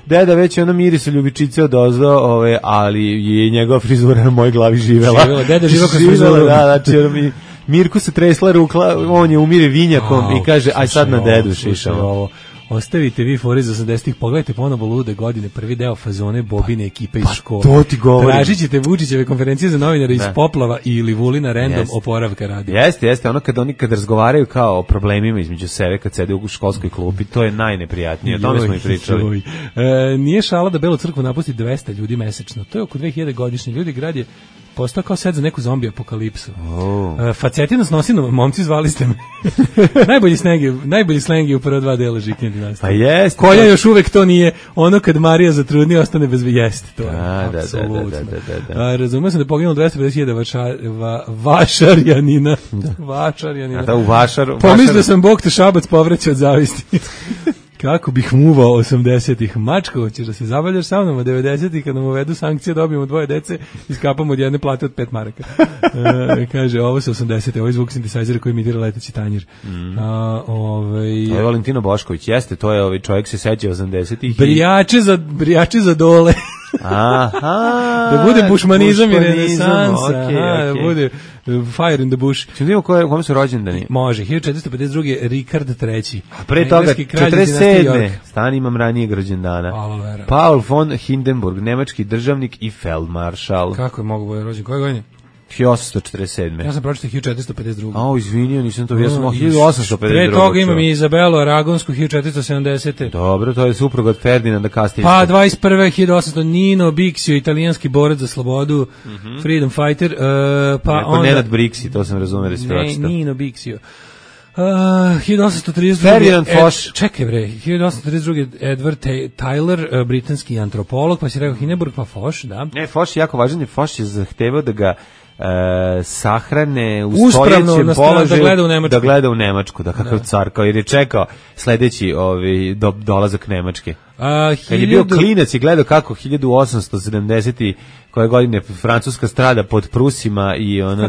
Deda već ono mirisa ljubičice odozdo, ali je njegova frizura na mojoj glavi živela. Deda živela kroz frizuru. Da, znači Mirku se tresla rukla, on je umire vinjakom i kaže, aj sad na dedu šišamo. Ostavite vi fore za 80-ih, pogledajte ponovo Lude godine, prvi deo fazone Bobine ekipe iz škole. To ti govorim. Tražit ćete Vučićeve konferencije za novinare iz poplava ili Vulina random oporavka radi. Jeste, ono kad razgovaraju kao o problemima između sebe, kad sede u školskoj klupi, to je najneprijatnije, o tome smo i pričali. Nije šala da Belu crkvu napusti 200 ljudi mesečno, to je oko 2000 godišnji ljudi, grad je postao kao set za neku zombi apokalipsu. Facetina s nosinom, momci zvali ste me. najbolji sleng je u prva 2 dela Žiknje dinastije. Pa jest. Koja još uvek to nije, ono kad Marija zatrudni ostane bez jeste. To je apsolutno. Razumio sam da je poginulo 250.000 vašarjanina. Vašarjanina. Da, u Vašar. Pomislio sam Bog te Šabac povraća od zavisti. Kako bih muvao 80-ih. Mačko, ćeš da se zabavljaš sa mnom, 90-ih kad nam uvedu sankcije, dobijemo 2 dece i skapamo od jedne plate od 5 maraka. Kaže, ovo su 80-te, ovo je zvuk sintesajzera koji imitira leteći tanjir. To je Valentino Bošković, jeste, to je čovjek se seća 80-ih. Brijače za dole. Da bude bušmanizam i renesansa, da bude fire in the bush. Čemo vidimo kome su rođendani? Može, 1452. Rikard III. A pre toga 47. Stan imam ranijeg rođendana. Paul von Hindenburg, nemački državnik i feldmaršal. Kako je mogu bude rođen? Koje godine? 1847. Ja sam pročitao 1452. Izvinio, nisam to, ja sam 1852. Pre toga imam i Izabelu Aragonsku, 1470. Dobro, to je suprug od Ferdinanda Kastiljskog. Pa 21. 1800. Nino Bixio, italijanski borac za slobodu, freedom fighter. Pa onda Nenad Brixi, to sam razumio da si pročitao. Nino Bixio. 1832. Ferdinand Foch. Čekaj bre, 1832. Edward Tyler, britanski antropolog, pa si rekao Hindenburg, pa Foch, da. Ne, Foch je jako važan, Foch je zahtevao da ga sahrane u stojećem položaju da gleda u Nemačku, da kakav car, kao jer je čekao sledeći dolazak Nemačke. Kad je bio klinac i gledao kako 1870 koje godine Francuska strada pod Prusima i ona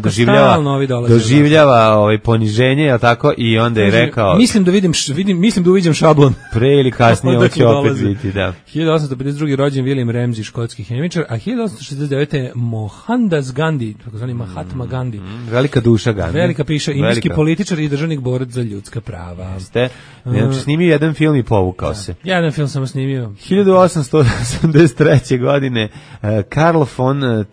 doživljava poniženje, je tako, i onda je rekao mislim da uviđam šablon. Pre ili kasnije on će opet biti, da. 1852. rođen William Ramsay, škotski hemičar, a 1869. Mohandas Gandhi, takozvani Mahatma Gandhi. Velika duša Gandhi. Velika piša, indijski političar i državnik borac za ljudska prava. Znači, snimio jedan film i povukao se. Jedan film samo snimio. 1883. godine Karl von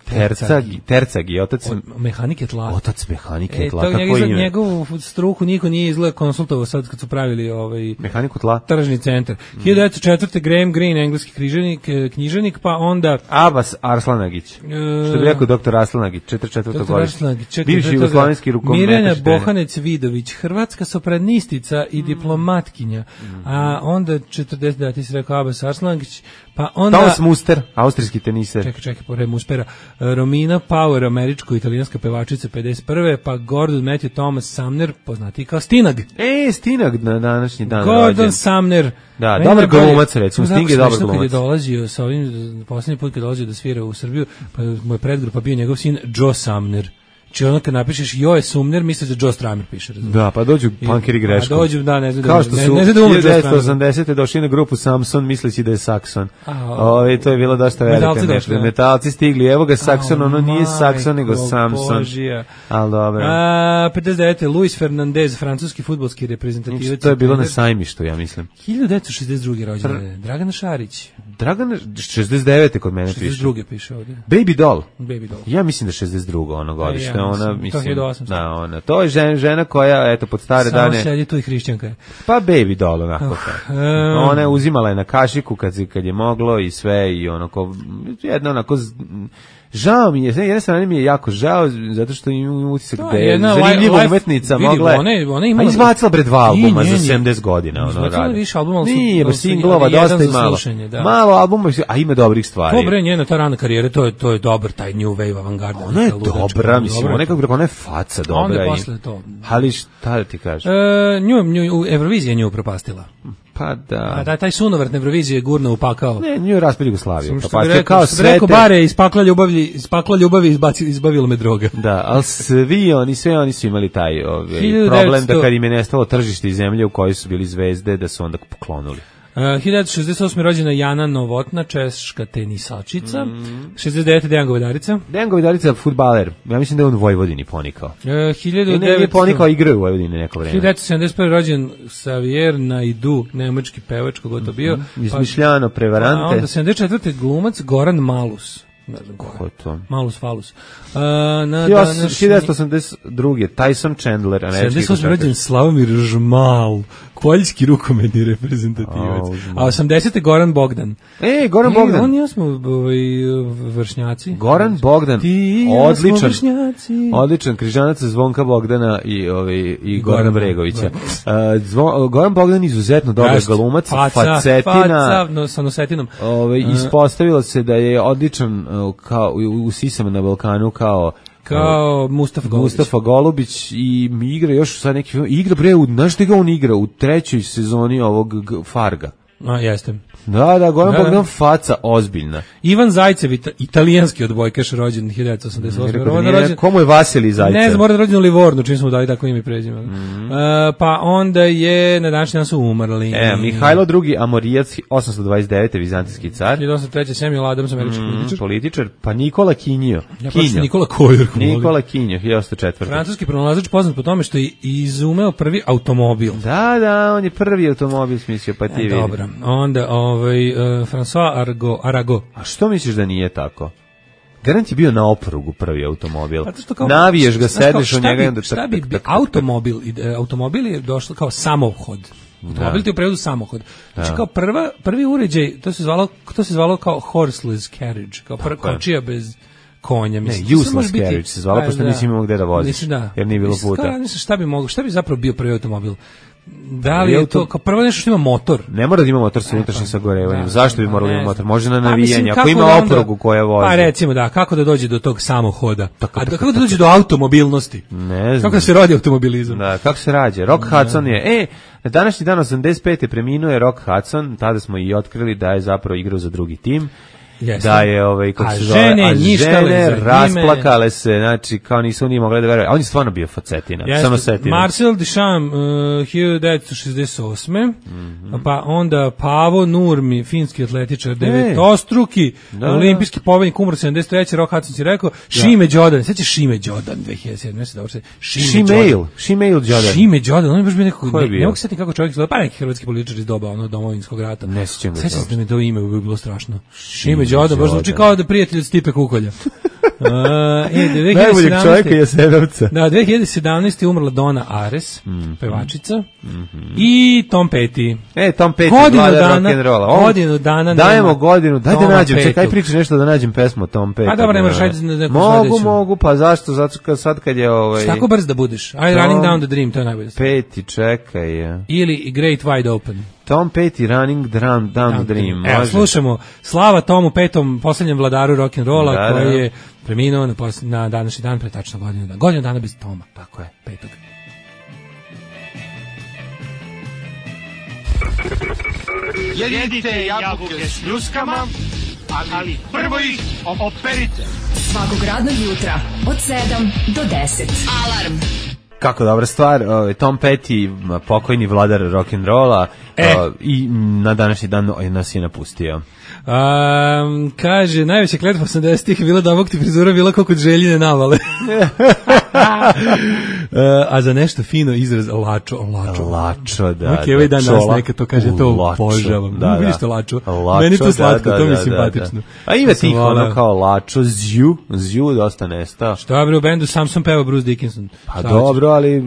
Terzagi, otac mehanike tla. Otac mehanike tla, kako ime? Njegovu struku niko nije izgleda konsultovao sad kad su pravili mehaniku tla. Tržni centar. 1904. Graham Greene, engleski književnik, pa onda Abbas Arslanagić. Što bi rekao doktor Arslanagić, 44. godište. Bivši jugoslovenski rukometaš. Mirjana Bohanec Vidović, hrvatska sopranistica i diplomatkinja. A onda 40. ti si rekao Abbas Arslanagić, pa onda Thomas Muster, austrijski teniser. Čekaj, pored Muspera. Romina Power, američko-italijanska pevačica 51. Pa Gordon Matthew Thomas Sumner, poznati kao Stinag. Stinag na današnji dan. Gordon Sumner. Da, dobar glumac, recimo, Sting je dobar glumac. Kad je dolazio sa ovim, posljednji put kad dolazio da svira u Srbiju, pa moj predgrupa bio njegov sin Joe Sumner. Či ono kad napišeš Joe Sumner, misliš da Joe Stramer piše, razumiješ? Da, pa dođu punkeri greškom. Dođu, da, ne znam kao što su 1980. došli na grupu Samson, misleći da je Saxon. To je bilo dosta velika nešta. Metalci stigli, evo ga Saxon, ono nije Saxon, nego Samson. Ali dobro. 59. Luis Fernandez, francuski fudbalski reprezentativac. To je bilo na sajmištu, ja mislim. 1962. rođenje. Dragana Šarić. Dragana, 69. kod mene piše. 62. piše ovdje. Baby Doll. Baby Doll. Ja mislim da 62. ono godište. Ona, mislim, to je 1800. Da, ona. To je žena koja, eto, pod stare dane... Samo sedi tu i hrišćanka. Pa Baby Doll, onako. Ona je uzimala je na kašiku kad je moglo i sve i onako, jedna onako... Žao mi je, jedna strana mi je jako žao, zato što imam utisak da je zanimljiva umetnica mogla je... A izbacila bre 2 albuma za 70 godina. Izbacila više albuma, ali nije, baš singlova, dosta i malo. Malo albuma, a ima dobrih stvari. To bre, njena ta rana karijera, to je dobar, taj new wave avangarda. Ona je dobra, mislim, ona je faca dobra. Onda posle to. Ali šta da ti kažeš? Evrovizija nju upropastila. Pa da. A taj sunovrat na Evroviziji je gurno upakao. Ne, nju je raspad Jugoslaviju. Pa kao sve rekao bare ispakla ljubavi izbavilo me droga. Da, ali sve oni su imali taj problem da kad im je nestalo tržište i zemlje u kojoj su bili zvezde, da su onda poklonuli. 1968. rođena Jana Novotna, češka tenisačica. 69. Dejan Govedarica. Dejan Govedarica je fudbaler. Ja mislim da je on u Vojvodini ponikao. 1900 je ponikao igrao u Vojvodini neko vreme. 1971. rođen Xavier Naidoo, nemački pevač, kogo to bio. Izmišljano, prevarante. A onda 74. glumac Goran Malus. Ne znam ko je to. Malus Falus. 1982. Tyson Chandler. 78. rođen Slavomir Žmal, poljski rukometni reprezentativac. A 80. Goran Bogdan. Goran Bogdan. On i ja smo vršnjaci. Goran Bogdan. Odličan križanac Zvonka Bogdana i Gorana Bregovića. Goran Bogdan izuzetno dobar glumac, facetina. Sa nosetinom. Ispostavilo se da je odličan kao u Sisama na Balkanu kao Mustafa Golubić i igra još sad neki film. Igra znaš gde ga on igra u 3. sezoni ovog Farga. Jeste. Da, Goran Bogdan faca ozbiljna. Ivan Zajcev, italijanski odbojkaš, rođen 1988. Komu je Vasilij Zajcev? Ne znam, mora da rođen u Livornu, čim smo dali tako ime i prezime. Pa onda je, na današnji dan su umrli. Mihajlo II. Amorijac, 829. vizantijski car. 1903. Samuel Adams, američki političar. Pa Nikola Kinjo. Nikola Kojer. Nikola Kinjo, 1904. Francuski pronalazač poznat po tome što je izumeo prvi automobil. Da, on je prvi automobil smislio, pa ti vidi. Dobro, onda François Arago. A što misliš da nije tako? Garant je bio na oprugu prvi automobil. Naviješ ga, sedneš u njega i onda... Šta bi automobil je došlo kao samohod. Automobil ti je u prevodu samohod. Znači kao prvi uređaj, to se zvalo kao horseless carriage, kao kočija bez... konja. Ne, useless carriage se zvala, pošto nisi imao gde da voziš, jer nije bilo puta. Šta bi zapravo bio prvi automobil? Da li je to kao prvo nešto što ima motor? Ne mora da ima motor sa unutrašnjim sagorevanjem. Zašto bi moralo imati motor? Može na navijanje. Ako ima oprugu koja vozi. Pa recimo da, kako da dođe do tog samohoda? Kako da dođe do automobilnosti? Ne znam. Kako da se rodi automobilizam? Da, kako se rađe? Rock Hudson je, na današnji dan 85. preminuo je Rock Hudson, tada smo i otkrili da je zapravo igrao za drugi tim. Jeste. Da je kako se zove, žene rasplakale se, znači kao nisu ni mogli da veruju. On je stvarno bio facetina, samo setina. Marcel Duchamp 1968. Pa onda Pavo Nurmi, finski atletičar, devetostruki olimpijski pobednik, umro 73. Rock Hudson si rekao, Šime Đodan, sećaš Šime Đodan 2007. Šime Đodan. Šime Đodan, on je baš bio nekako, ne mogu setiti kako čovjek izgleda, pa neki hrvatski političar iz doba domovinskog rata. Ne sećam ga. Sećam se da mi to ime bi bilo strašno. Šime Đodan, baš zvuči kao da prijatelj od Stipe Kukolja. Najboljeg čovjeka je Sedovca. Da, 2017. umrla Donna Ares, pevačica, i Tom Petty. Tom Petty, vladar rock'n'rolla. Godinu dana. Dajemo godinu, daj da nađem, čekaj pričaš nešto da nađem pesmu o Tom Petty. Pa dobro, ne moraš, ajde neku sledeću. Mogu, pa zašto? Zato sad kad je Tako brz da budeš. Ajde, Running Down the Dream, to je najbolje. Petty, čekaj. Ili Great Wide Open. Tom Petty, Running Down the Dream. Evo, slušamo slava Tomu Petom, posljednjem vladaru rock'n'rolla, koji je preminuo na današnji dan, pre tačno godinu dana. Godinu dana bez Toma, tako je, petog. Jedite jabuke s ljuskama, ali prvo ih operite. Svakog radnog jutra od 7 do 10. Alarm. Kako dobra stvar, Tom Petty, pokojni vladar rock'n'rolla, i na današnji dan nas je napustio. Kaže, najveća kletva 80-ih je bila da ovog ti frizura bila kao kod Željine navale. A za nešto fino izraz lačo, da. Ok, ovaj dan nas neka to kaže, to obožavam. Vidiš to lačo? Meni to slatko, to mi je simpatično. A ima tih ono kao lačo, zju dosta nestao. Šta bre, u bendu Samson peva Bruce Dickinson. Pa dobro, ali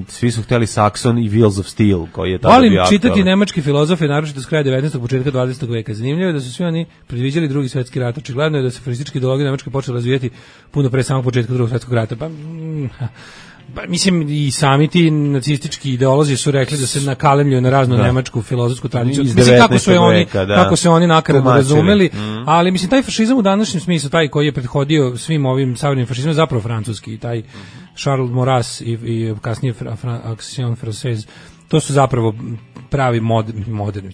svi su hteli Saxon i Wheels of Steel, koji je tada bio aktualan. Volim čitati nemački filozofe, naročito s kraja 19. početka 20. veka. Zanimljivo je da su svi oni predviđali drugi svjetski rat. Očigledno je da se fašistička ideologija Nemačke počela razvijati puno pre samog početka drugog svjetskog rata. Pa mislim i sami ti nacistički ideolozi su rekli da se nakalemljuju na raznu nemačku filozofsku tradiciju. Mislim kako se oni nakaradno razumeli, ali mislim taj fašizam u današnjem smislu, taj koji je prethodio svim ovim savremenim fašizmom, zapravo francuski, taj Charles Maurras i kasnije Action Française, to su zapravo pravi moderni,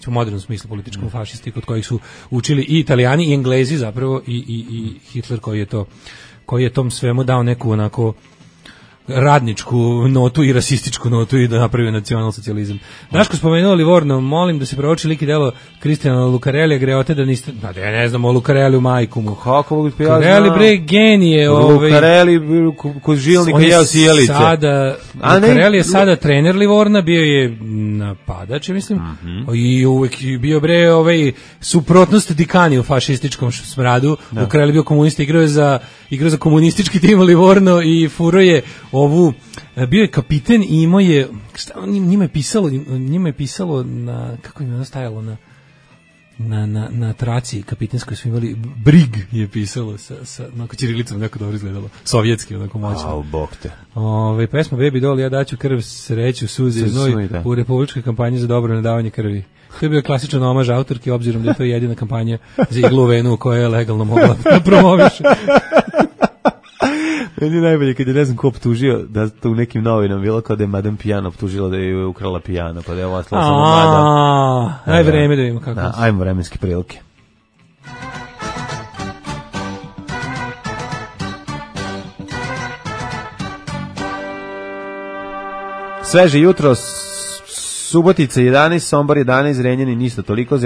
u modernom smislu političkom fašisti kod kojih su učili i Italijani i Englezi zapravo i Hitler koji je tom svemu dao neku onako radničku notu i rasističku notu i da napravi nacionalsocijalizam. Daško spomenuo Livorno, molim da se prouči lik i delo Kristijana Lucarellija, greote da niste, ja ne znam o Lucarelliju majku mu. Kako mogu ti ja Lucarelli bre genije. Lucarelli kod žilnika jeo sjelice. Lucarelli je sada trener Livorna, bio je napadač, mislim, i uvek bio bre suprotnost Dikani u fašističkom smradu. Lucarelli bio komunista, igrao za komunistički tim Livorno i furo je bio je kapiten i imao je, njima je pisalo na, kako im je ono stajalo na traci kapitenskoj su imali, Brig je pisalo sa onako ćirilicom, neko dobro izgledalo, sovjetski, onako moćno. Bog te. Pesma Baby Doll, ja daću krv, sreću, suze i znoj u republičkoj kampanji za dobro nadavanje krvi. To je bio klasičan omaž autorki, obzirom da je to jedina kampanja za iglu venu koja je legalno mogla da promoviše. Meni najbolje kad je ne znam ko optužio da to u nekim novinama bilo kao da je Madame Piano optužila da je ukrala pijano, pa da je ovo ostala samo Madame. Aj vreme da vidimo kako. Da, ajmo vremenske prilike. Sveže jutro, Subotica 11, Sombor 11, Zrenjanin isto toliko,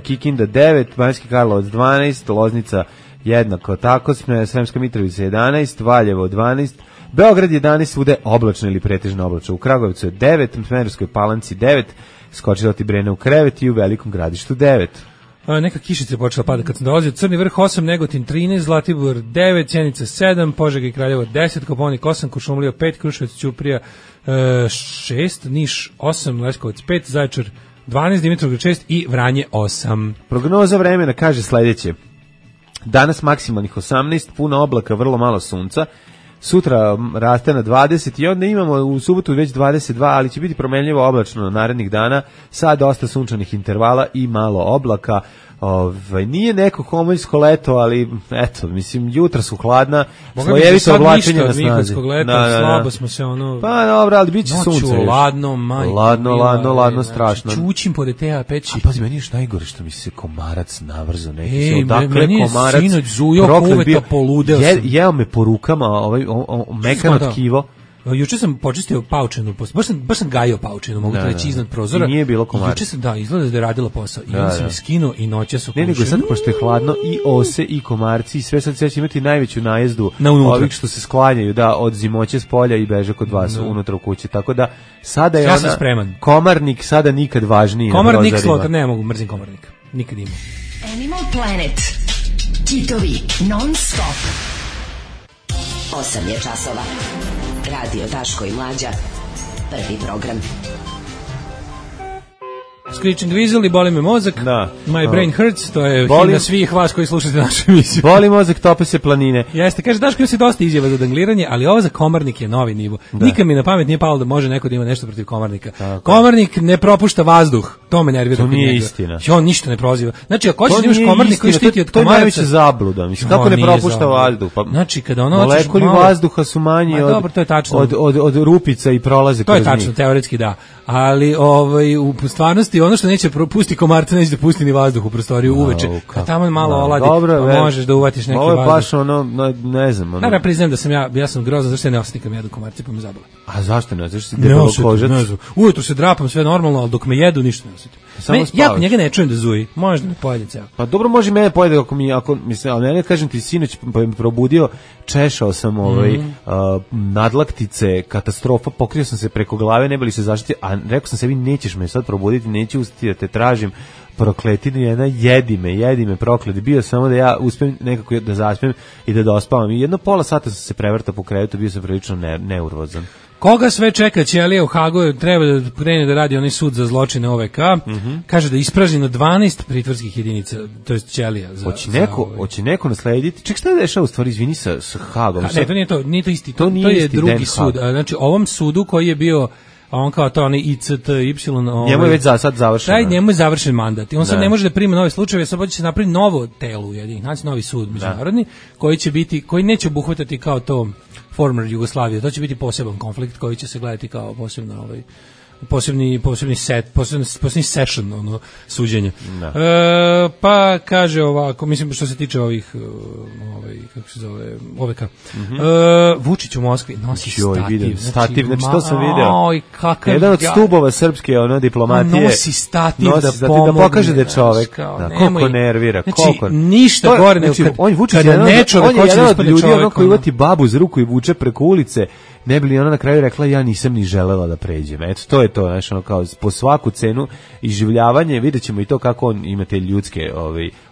Kikinda 9, Banjski Karlovac 12, Loznica jednako tako, Sremska Mitrovica 11, Valjevo 12, Beograd 11, svude oblačno ili pretežno oblačno. U Kragujevcu je 9, u Smederevskoj Palanci 9, skočila ti Brene u krevet i u Velikom Gradištu 9. Neka kišica je počela pada kad sam dolazio. Crni vrh 8, Negotin 13, Zlatibor 9, Sjenica 7, Požega i Kraljevo 10, Kopaonik 8, Kuršumlija 5, Kruševac, Ćuprija 6, Niš 8, Leskovac 5, Zaječar 12, Dimitrovgrad 6 i Vranje 8. Prognoza vremena kaže sledeće. danas maksimalnih 18, puno oblaka, vrlo malo sunca, sutra raste na 20 i onda imamo u subotu već 22, ali će biti promenljivo oblačno narednih dana sa dosta sunčanih intervala i malo oblaka. Nije neko homoljsko leto, ali eto, mislim, jutra su hladna, slojevito oblačenje na snazi. Slabo smo se ono... Pa dobro, ali bit će sunce. Noću, ladno, majko. Ladno, strašno. Čućim po DTA peći. A pazi, meni još najgore što mi se komarac navrzo neki. Meni je sinoć zujao uveta poludeo sam. Jeo me po rukama, mekano tkivo. Juče sam počistio paučinu, baš sam gajio paučinu, mogu reći iznad prozora. I nije bilo komaraca. Juče sam, izgleda da je radila posao. I on sam je skinuo i noća su kušio. Ne, nego sad, pošto je hladno, i ose, i komarci, i sve sad će imati najveću najezdu ovih što se sklanjaju, od zimoće s polja i beže kod vas unutra u kući. Tako da, sada je sam spreman. Komarnik sada nikad važniji. Komarnik slotar, ne mogu, mrzim komarnik. Nikad ima. Animal Planet. Kitovi non stop. 8 je časova. Radio Daško i Mlađa. Prvi program. Screeching Weasel i boli me mozak. Da. My brain hurts, to je himna svih vas koji slušate našu emisiju. Boli mozak, tope se planine. Jeste, kaže Daško, se dosta izjava za dangliranje, ali ovo za komarnik je novi nivo. Nikad mi na pamet nije palo da može neko da ima nešto protiv komarnika. Tako. Komarnik ne propušta vazduh. To me nervira. To nije istina. On ništa ne proziva. Znači, ako hoćeš da imaš komarnik koji štiti od komaraca... To je najveća zabluda. Mislim, kako ne propušta vazduh? Pa, znači, kada ono molekuli vazduha su manji od rupica i prolaze kroz njih. To je tačno, teoretski da. Ali u stvarnosti ono što neće pusti komarca, neće da pusti ni vazduh u prostoriju uveče. Kad tamo malo oladi, možeš da uvatiš neki vazduh. Ovo je baš ne znam. Naravno, priznajem da sam ja sam grozan, zašto se ne osjetim kad me jedu komarci, pa me zabole. A zašto ne? Zašto si debelo kožac? Ne znam. Ujutru se drapam sve normalno, ali dok me jedu ništa ne osjetim. Ja njega ne čujem da zuji, možda me pojede ceo. Pa dobro, može mene pojede ako mislim, ali mene kažem ti sinoć pa me probudio, češao sam nadlaktice, katastrofa, pokrio sam se preko glave, ne bili se zaštiti, a rekao sam sebi nećeš me sad probuditi, neću ustati da te tražim, prokletinu jedna, jedi me prokleti, bio samo da ja uspem nekako da zaspem i da dospavam i jedno pola sata sam se prevrtao po krevetu, bio sam prilično neurozan. Koga sve čeka Ćelija u Hagu, treba da krene da radi onaj sud za zločine OVK, kaže da je ispražnjeno 12 pritvorskih jedinica, to je Ćelija. Hoće neko naslediti? Ček, šta je dešao u stvari, izvini, sa Hagom? Ne, to nije to isti, to je drugi sud. Znači, ovom sudu koji je bio, on kao to, onaj ICTY... Njemu je već sad završeno. Njemu je završen mandat i on sad ne može da prima nove slučajeve, sad će se napraviti novo telo u jedinih, znači novi sud međunarodni, koji neće obuhvatati kao to former Jugoslavije, to će biti poseban konflikt koji će se gledati kao posebni session suđenja. Pa kaže ovako, mislim što se tiče ovih kako se zove OVK. Vučić u Moskvi nosi stativ, znači to sam video. Jedan od stubova srpske diplomatije. Nosi stativ da pokaže da je čovek. Koliko nervira, koliko. Ništa gore nego kada nečovek hoće da ispane čovek. Koji uvati babu za ruku i vuče preko ulice, ne bi li ona na kraju rekla ja nisam ni želela da pređem. Eto, to je to, znači kao po svaku cenu iživljavanje, videćemo i to kako on ima te ljudske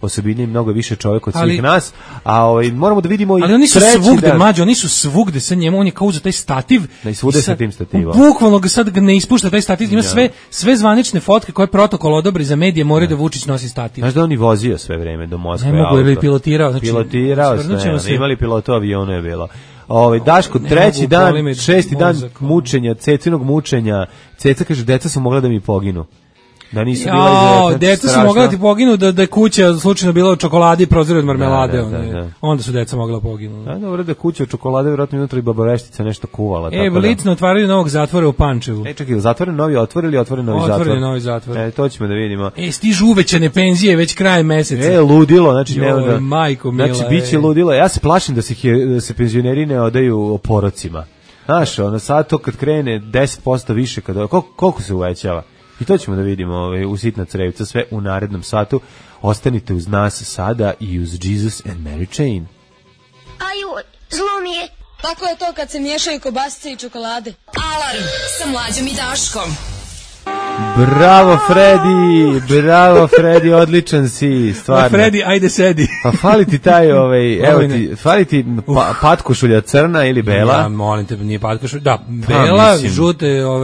osobine, mnogo više čovjek od svih nas, a moramo da vidimo i ali oni su svugde, mlađe, oni su svugde sa njemu, on je kao uzeo taj stativ i svude sa tim stativom. Bukvalno ga sad ne ispušta taj stativ, ima sve zvanične fotke koje protokol odobri za medije, moraju da Vučić nosi stativ. Znaš da on i vozio sve vreme do Moskve. Ne mogu, ili pilotirao. Imali pilotu avionu je bilo. Daško, treći dan, šesti dan mučenja, Cecinog mučenja. Ceca kaže, deca su mogla da mi poginu. Da nisu bila deca su mogla da ti poginu, da je kuća slučajno bila od čokolade i prozori od marmelade. Onda su deca mogla poginu. Dobro, da kuća od čokolade, vjerojatno unutra i babaveštica nešto kuvala. Licno otvaraju novog zatvora u Pančevu. Čekaj, zatvoren novi otvor ili otvoren novi zatvor? Otvoren novi zatvor. To ćemo da vidimo. Stižu uvećane penzije već krajem meseca. Ludilo, znači majko mila. Znači, biće ludilo. Ja se plašim da se penzioneri ne odaju porocima. Znaš, sad to kad krene 10% više, koliko se uvećava? I to ćemo da vidimo u Sitna crevca sve u narednom satu. Ostanite uz nas sada i uz Jesus and Mary Chain. Aju, zlo mi je. Tako je to kad se miješaju kobasice i čokolade. Alarm sa Mlađom i Daškom. Bravo Fredi, odličan si, stvarno. Fredi, ajde sedi. Pa fali ti taj, fali ti patkošulja crna ili bela? Ja, molim te, nije patkošulja, da, bela,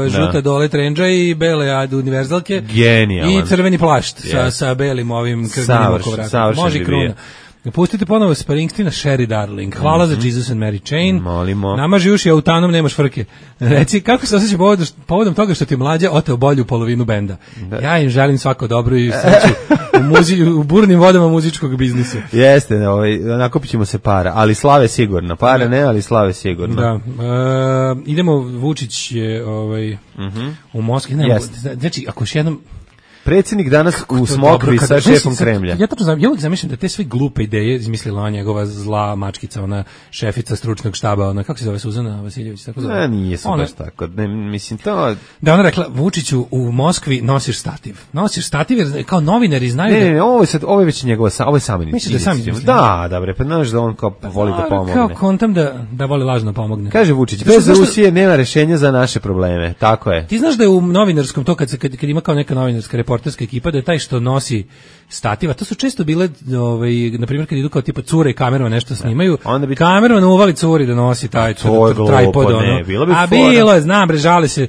žuta dole trendža i bele univerzalke. Genijalan. I crveni plašt sa belim ovim krvnim oko vrata. Može kruna. Pustite ponovo Springsteena Sherry Darling. Hvala za Jesus and Mary Chain. Molimo. Namaži uši autanom, nemaš frke. Reci, kako se osjeća povodom toga što ti mlađa oteo bolju polovinu benda? Da. Ja im želim svako dobro i sreću u burnim vodama muzičkog biznisa. Jeste, nakupit ćemo se para, ali slave sigurno. Pare ne, ali slave sigurno. Da. Idemo, Vučić je u Moskvi. Znači, ako još jednom... Predsjednik danas u smokvi sa šefom Kremlja. Ja tačno znam, ja uvijek zamišljam da te sve glupe ideje izmislila ona njegova zla mačkica, ona šefica stručnog štaba, ona, kako se zove, Suzana Vasiljević, tako zove? Nije su baš tako, ne, mislim to... Da, ona rekla, Vučiću, u Moskvi nosiš stativ. Nosiš stativ jer kao novinari znaju ne, ovo je već njegova, ovo je sama inicijativa. Da, bre, pa znaš da on kao voli da pomogne. Kao kontam da voli lažno pomogne. Kaže Vučić, bez Rusije nema rešenja za naše probleme, tako je. Ti znaš da je u novinarskom, to kad ima kao neka novinarska reporterska ekipa, da je taj što nosi stativa, to su često bile, na primjer kad idu kao tipa cure i kamerama nešto snimaju, kamerama uvali curi da nosi taj tripod, bilo je, znam bre, žale se,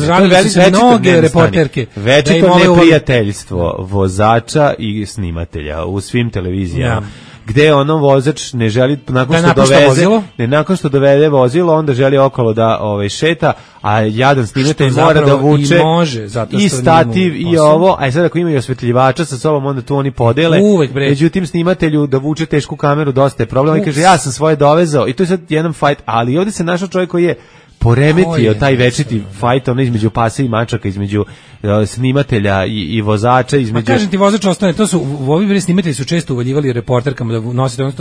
žalili su se mnoge reporterke. Večito neprijateljstvo vozača i snimatelja u svim televizijama. Gde ono vozač ne želi nakon što dovede vozilo, onda želi okolo da šeta, a jadan snimatelj mora da vuče i stativ i ovo, a sad ako imaju osvetljivača sa sobom, onda tu oni podele. Međutim, snimatelju da vuče tešku kameru dosta je problem, i kaže ja sam svoje dovezao i to je sad jedan fight, ali ovdje se našao čovjek koji je poremetio taj večiti fajt, ono između pasa i mačaka, između snimatelja i vozača, između... Pa kažem ti, vozač ostane, to su, ovi snimatelji su često uvaljivali reporterkama da nosite ono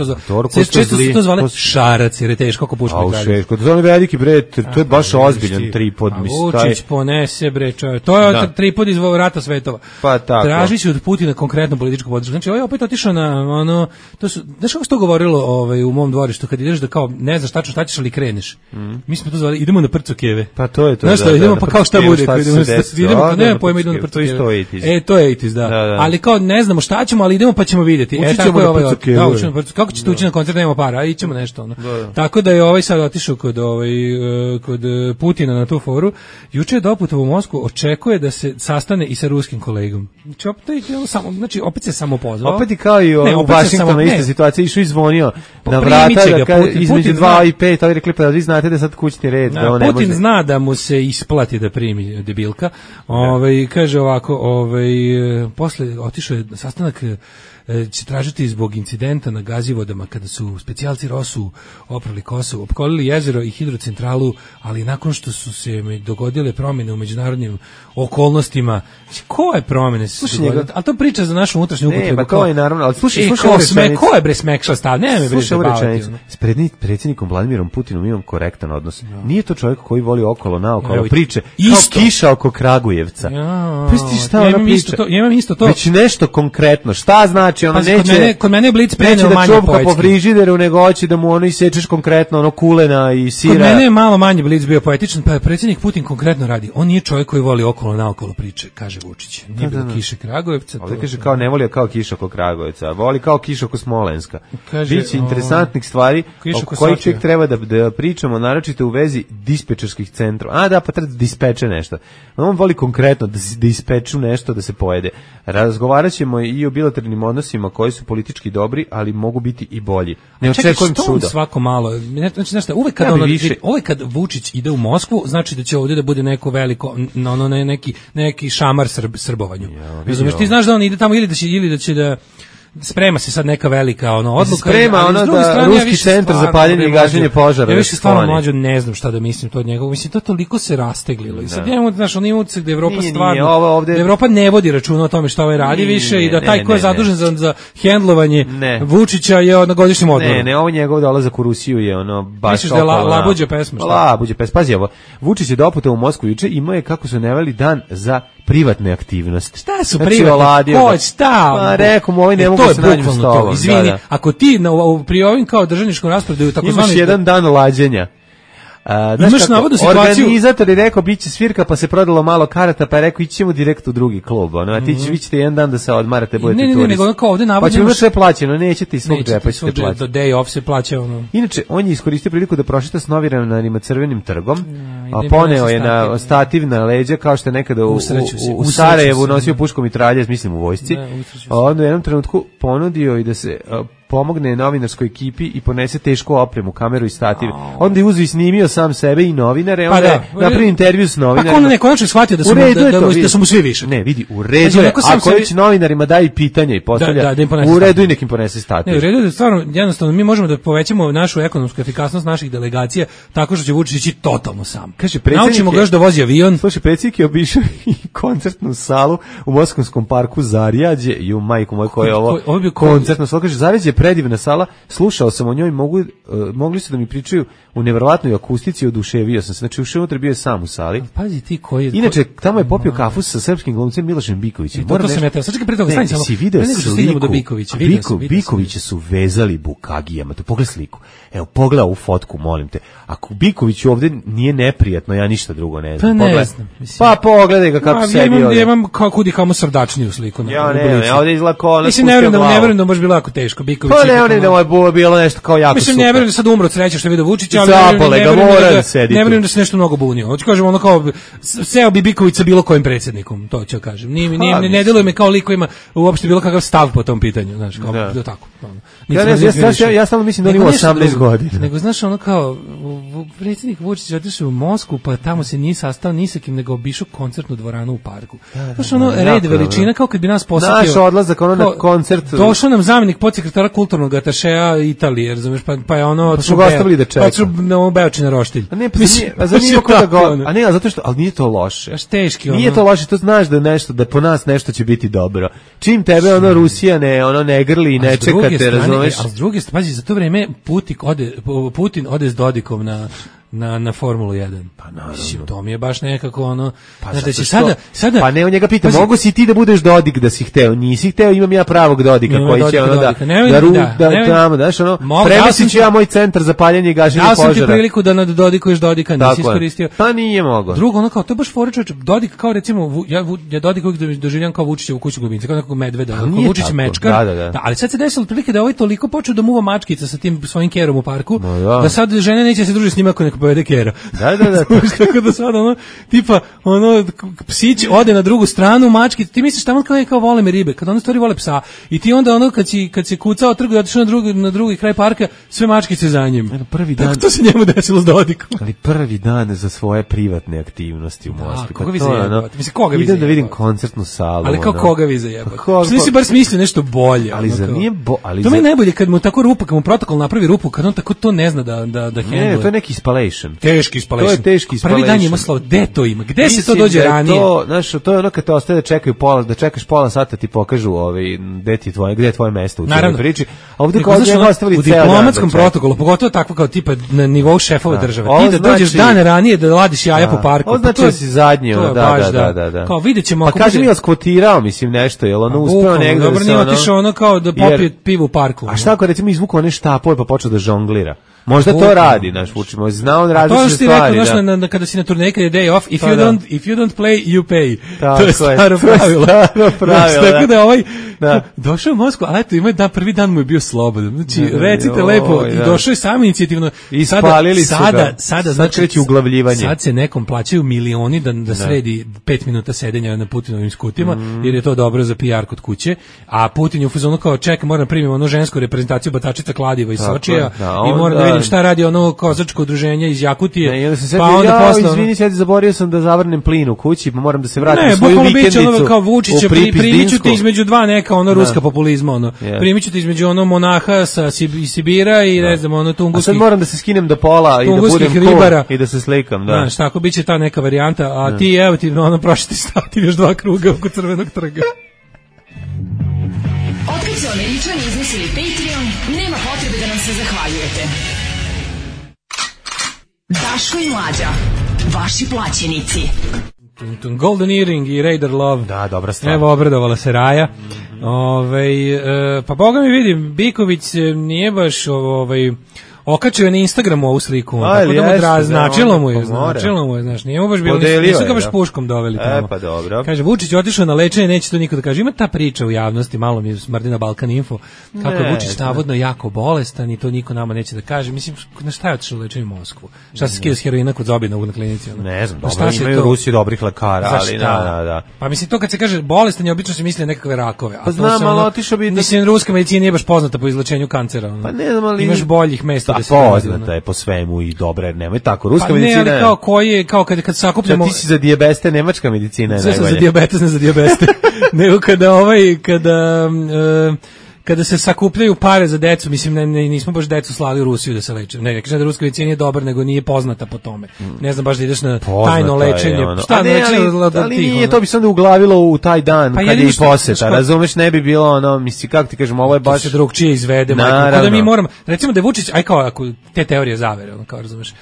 često su to zvali šarac, jer je teško ako pušta na kraju. To je veliki bre, to je baš ozbiljan tripod. Vučić ponese bre, čovjek. To je tripod iz Rata svetova. Pa tako. Tražići od Putina konkretnu političku podršku. Znači, ovaj opet otišao na ono, to su, znaš kako se to govorilo u mom dvorištu, kad ideš da kao, ne znaš tačno šta ćeš, ali kreneš. Mi smo to zvali, idemo na Prcokeve. Pa to je to. Znaš što, idemo pa kao šta bude, idemo, nema pojma, idemo na Prcokeve. To je itis, da. Ali kao ne znamo šta ćemo, ali idemo pa ćemo vidjeti. Tako je ovaj. Kako ćete ući na koncert, nema para, a ićemo nešto ono. Tako da je ovaj sad otišao kod Putina na tu foru. Juče je doputovao u Moskvu, očekuje da se sastane i sa ruskim kolegom. Znači opet se samo pozvao. Opet i kao i u Vašingtonu ista situacija, išao i zvonio na vrata između 2 i 5, ali rekli pa vi znate da sad kućni red. Putin zna da mu se isplati da primi debilka. Kaže ovako, posle otišao je sastanak, će tražiti zbog incidenta na Gazivodama kada su specijalci ROSU oprali Kosovo, opkolili jezero i hidrocentralu, ali nakon što su se dogodile promjene u međunarodnim okolnostima. Koje promjene se dogodile? Ali to priča za našu unutrašnju upotrebu. Ne, pa to je naravno, ali slušaj ko je bre smekšao stav? Ne me bre zabavati. S predsjednikom Vladimirom Putinom imam korektan odnos. Nije to čovjek koji voli okolo naokolo priče, kao kiša oko Kragujevca. Pusti šta ona priča. Ja imam isto to. Već nešto konkretno. Šta znači? Ono neće, kod mene je blic preneo manje poetski. Neće da čupka po frižideru, nego hoće da mu ono isečeš konkretno ono kulena i sira. Kod mene je malo manje blic bio poetičan, pa predsjednik Putin konkretno radi. On nije čovjek koji voli okolo naokolo priče, kaže Vučić. Nije bilo kiše Kragujevca. Ovdje kaže kao ne voli kao kiša oko Kragujevca, voli kao kiša oko Smolenska. Biće interesantnih stvari o kojih tek treba da pričamo, naročito u vezi dispečerskih centrova. Da, pa treba da dispeče nešto. On voli konkretno da ispeču nešto da se pojede. Razgovarat ćemo i o bilateralnim odnosima koji su politički dobri, ali mogu biti i bolji. Ne očekujem čuda. Svako malo, znači uvek kad Vučić ide u Moskvu, znači da će ovdje da bude neko veliko, neki šamar srbovanju. Razumeš, ti znaš da on ide tamo ili da će da sprema se sad neka velika odluka. Sprema da ruski centar za paljenje i gašenje požara. Ja više stvarno mlađo ne znam šta da mislim to od njega. Mislim, to toliko se rasteglilo. I sad imamo, znaš, on ima utisak da Evropa stvarno, da Evropa ne vodi računa o tome šta ovaj radi više i da taj ko je zadužen za hendlovanje Vučića je na godišnjem odmoru. Ne, ovo njegov dolazak u Rusiju je baš... Misliš da je labuđa pesma? Labuđa pesma. Pazi ovo, Vučić je doputovao u Moskvu juče, imao je, kako su neveli, dan za privatne aktivnosti. Šta su privatne? Ko šta? Pa rekao mu, ovaj ne mogu se nađu s tobom. Izvini, ako ti pri ovim kao državničkom rasporedu imaš jedan dan lađenja. Imaš navodnu situaciju. Organizator je rekao biće svirka, pa se prodalo malo karata, pa je rekao ićemo direkt u drugi klub. A vi ćete jedan dan da se odmarate, budete turisti. Ne, nego kao ovde navodno. Pa ćemo sve plaćeno, nećete iz svog džepa ćete plaćati. Do day off se plaća ono. Inače, on je iskoristio priliku da prošeta s novinarima Crvenim trgom, a poneo je na stativ na leđa, kao što je nekada u Sarajevu nosio puškom mitraljez, mislim u vojsci. A onda u jednom trenutku ponudio i da se pomogne novinarskoj ekipi i ponese tešku opremu, kameru i stativ. Onda je uzeo i snimio sam sebe i novinare, onda je napravio intervju s novinarima. Pa on nekonačno shvatio da su mu svi više. Ne, vidi, u redu je, ako već novinarima daje pitanje i postavlja, u redu i nekim ponese stativ. Ne, u redu je stvarno, jednostavno, mi možemo da povećamo našu ekonomsku efikasnost naših delegacija tako što će Vučić ići totalno sam. Kaže, naučimo ga još da vozi avion. Slušaj, predsjednik je obišao i koncertnu salu u Moskvanskom parku Zarjađe i u majku moj koja je ovo koncertna sala. Kaže, Zarjađe je predivna sala, slušao sam o njoj, mogli su da mi pričaju u neverovatnoj akustici, oduševio sam se. Znači, ušao unutra, bio je sam u sali. Pazi ti koji... Inače, tamo je popio kafu sa srpskim glumcem Milošem Bikovićem. To sam ja teo. Sad čekaj pre toga, stani samo. Si video sliku, Bikovića su vezali bukagijama. To pogledaj sliku. Evo, pogledaj ovu fotku, molim te. Ako Biković ovde nije neprijatno, ja ništa drugo ne znam. Pa ne znam. Pa pogledaj ga kako sebi ovde. Ja imam kudi kamo srdačniju sliku. Ja ovde izlako... Mislim, ne verujem da može bilo jako teško. Biković pa ne da je bilo nešto kao jako super. Mislim, ne verujem da sad umro od sreće što je vidio Vučića, ali ne verujem da se nešto mnogo bunio. Hoću kažem, ono kao, seo bi Biković sa bilo kojim predsjednikom, to ću kažem. Ne deluje me kao lik koji ima uopšte bilo kakav stav po tom pitanju, znaš, kao da tako. Ja samo mislim da on ima 18 godina. Nego, znaš, ono kao, predsjednik Vučić otišao u Moskvu, pa tamo se nije sastao ni sa kim, nego obišao koncertnu dvoranu u parku. Znaš, ono, red veličina, kao kad bi nas posjetio. Naš odlazak, ono na koncert. Došao nam zamjenik podsekretara kulturnog atašeja Italije, razumeš, pa je ono... Pa su ga ostavili da čeka. Pa su Beočina roštilj. A ne, pa zanimljivo kada ga... A ne, zato što, ali nije to loše. Aš teški, ono. Nije to loše, to znaš da nešto, da po nas nešto će biti dobro. Čim tebe, ono, Rusija ne grli i ne čeka te, razumeš? A s druge strane, pazi, za to vreme Putin ode s Dodikom na Formulu 1. Pa naravno. To mi je baš nekako ono... Pa znači, sada... Pa ne, on njega pita, mogu si ti da budeš Dodik da si hteo? Nisi hteo, imam ja pravog Dodika koji će ono da daš ono, premesit ću ja moj centar za paljenje i gašenje požara. Dao sam ti priliku da nadodikuješ Dodika, nisi iskoristio. Pa nije mogo. Drugo, ono kao, to je baš fora čovječe, Dodik kao recimo, ja Dodik uvijek doživljam kao Vučićevu kuću ljubimca, kao nekog medveda, kao Vučić mečkar. Da, ali sad se desilo otprilike da ovaj toliko počeo da muva mačkica sa tim svojim kerom u parku, da sad žene neće se družiti s njima ako neko povede kera. Da. Tako da sad ono, tipa, ono, psić ode na drugu stranu, mački, ti misliš tamo kao vole me ribe, kad ono stvari vole psa, i ti onda ono, kad se kucao trgu i otišao na drugi kraj parka, sve mačkice za njim. Prvi dan. Tako to se njemu desilo s Dodikom. Ali prvi dan za svoje privatne aktivnosti u Moskvi. Koga vi zajebate? Mislim, koga vi zajebate? Idem da vidim koncertnu salu. Ali kao koga vi zajebate? Što nisi bar smislio nešto bolje? Ali za nije to mi je najbolje kad mu tako rupa, kad mu protokol napravi rupu, kad on tako to ne zna da handle. Ne, to je neki installation. Teški installation. To je teški installation. Prvi dan ima slovo, gde to ima? Gde se to dođe ranije? To je ono kad te ostaje da čekaš pola sata ti pokažu gde je tvoje mesto u cijeloj priči. A ovdje kao njega ostavili ceo dan. U diplomatskom protokolu, pogotovo tako kao tipa na nivou šefova države. Ti da dođeš dan ranije da ladiš jaja po parku. Ovo znači da si zadnji. Da. Kao vidjet ćemo. Pa kaži mi oskvotirao, mislim, nešto, jel ono uspeo negdje. Dobro, nije otišao ono kao da popije pivo u parku. A šta ako recimo izvukao one štapove pa počeo da žonglira? Možda to radi, naš Vučić, zna on različite stvari. To što ti rekao, kada si na turneji, kada je day off, if you don't play, you pay. To je staro pravilo. Tako da ovaj došao u Moskvu, ali eto, ima prvi dan mu je bio slobodan. Znači, recite lepo, i došao je sam inicijativno. Ispalili su ga. Sada kreće uglavljivanje. Sad se nekom plaćaju milioni da sredi 5 minuta sedenja na Putinovim skutima, jer je to dobro za PR kod kuće, a Putin je u fazonu kao, čekaj, moram primiti ono žensku reprezentaciju batačica kladiva iz Sočija i moram da vidim šta radi ono kozačko udruženje iz Jakutije. Pa onda posle izvini, sad zaboravio sam da zavrnem plin u kući, pa moram da se vratim u svoju vikendicu. Ne, kao Vučića, primiću te između dva neka ono ruska populizma, ono. Primiću te između ono monaha iz Sibira i ne znam, ono tunguskih. A sad moram da se skinem do pola i da budem cool i da se slikam, da. Znaš, tako biće ta neka varijanta, a ti evo ti ono prošli staviti još 2 kruga oko Crvenog trga. Otkad su Američani izmislili Patreon, nema potrebe da nam se zahvaljujete. Daško i Mlađa, vaši plaćenici. Golden Earring i Raider Love. Da, dobra stvar. Evo, obradovala se Raja. Pa boga mi vidim, Biković nije baš okačio je na Instagramu ovu sliku, tako da mu značilo mu je, znaš, nije mu baš bilo, nisu ga baš puškom doveli tamo. Pa dobro. Kaže, Vučić otišao na lečenje, neće to niko da kaže. Ima ta priča u javnosti, malo mi smrdi na Balkan Info, kako je Vučić navodno jako bolestan i to niko nama neće da kaže. Mislim, na šta je otišao lečenje u Moskvu? Šta se skida s heroina kod Zobina na klinici? Ne znam, dobro, imaju u Rusiji dobrih lekara, ali da. Pa mislim, to kad se kaže bolestan, je obično se misli na nekakve rakove. Pa znam, ali otišao bi... Mislim, ruska medicina nije baš poznata po izlečenju kancera. Pa ne znam, ali... Imaš boljih mesta da se... Poznata je po svemu i dobra, nemoj tako. Ruska medicina... Pa ne, ali kao kad sakupljamo... Ti si za dijabeste, nemačka medicina je najbolje. Sve sam za dijabetes, ne za dijabeste. Nego kada se sakupljaju pare za decu, mislim, nismo baš decu slali u Rusiju da se leče. Ne, kažem da ruska medicina nije dobar, nego nije poznata po tome. Ne znam baš da ideš na tajno lečenje. Šta ali nije, to bi se onda uglavilo u taj dan, kad je i poseta, razumeš, ne bi bilo ono, misli, kako ti kažem, ovo je baš... To se drugčije izvede, majko, da mi moramo, recimo da je Vučić, aj kao, ako te teorije zavere, ono, kao razumeš,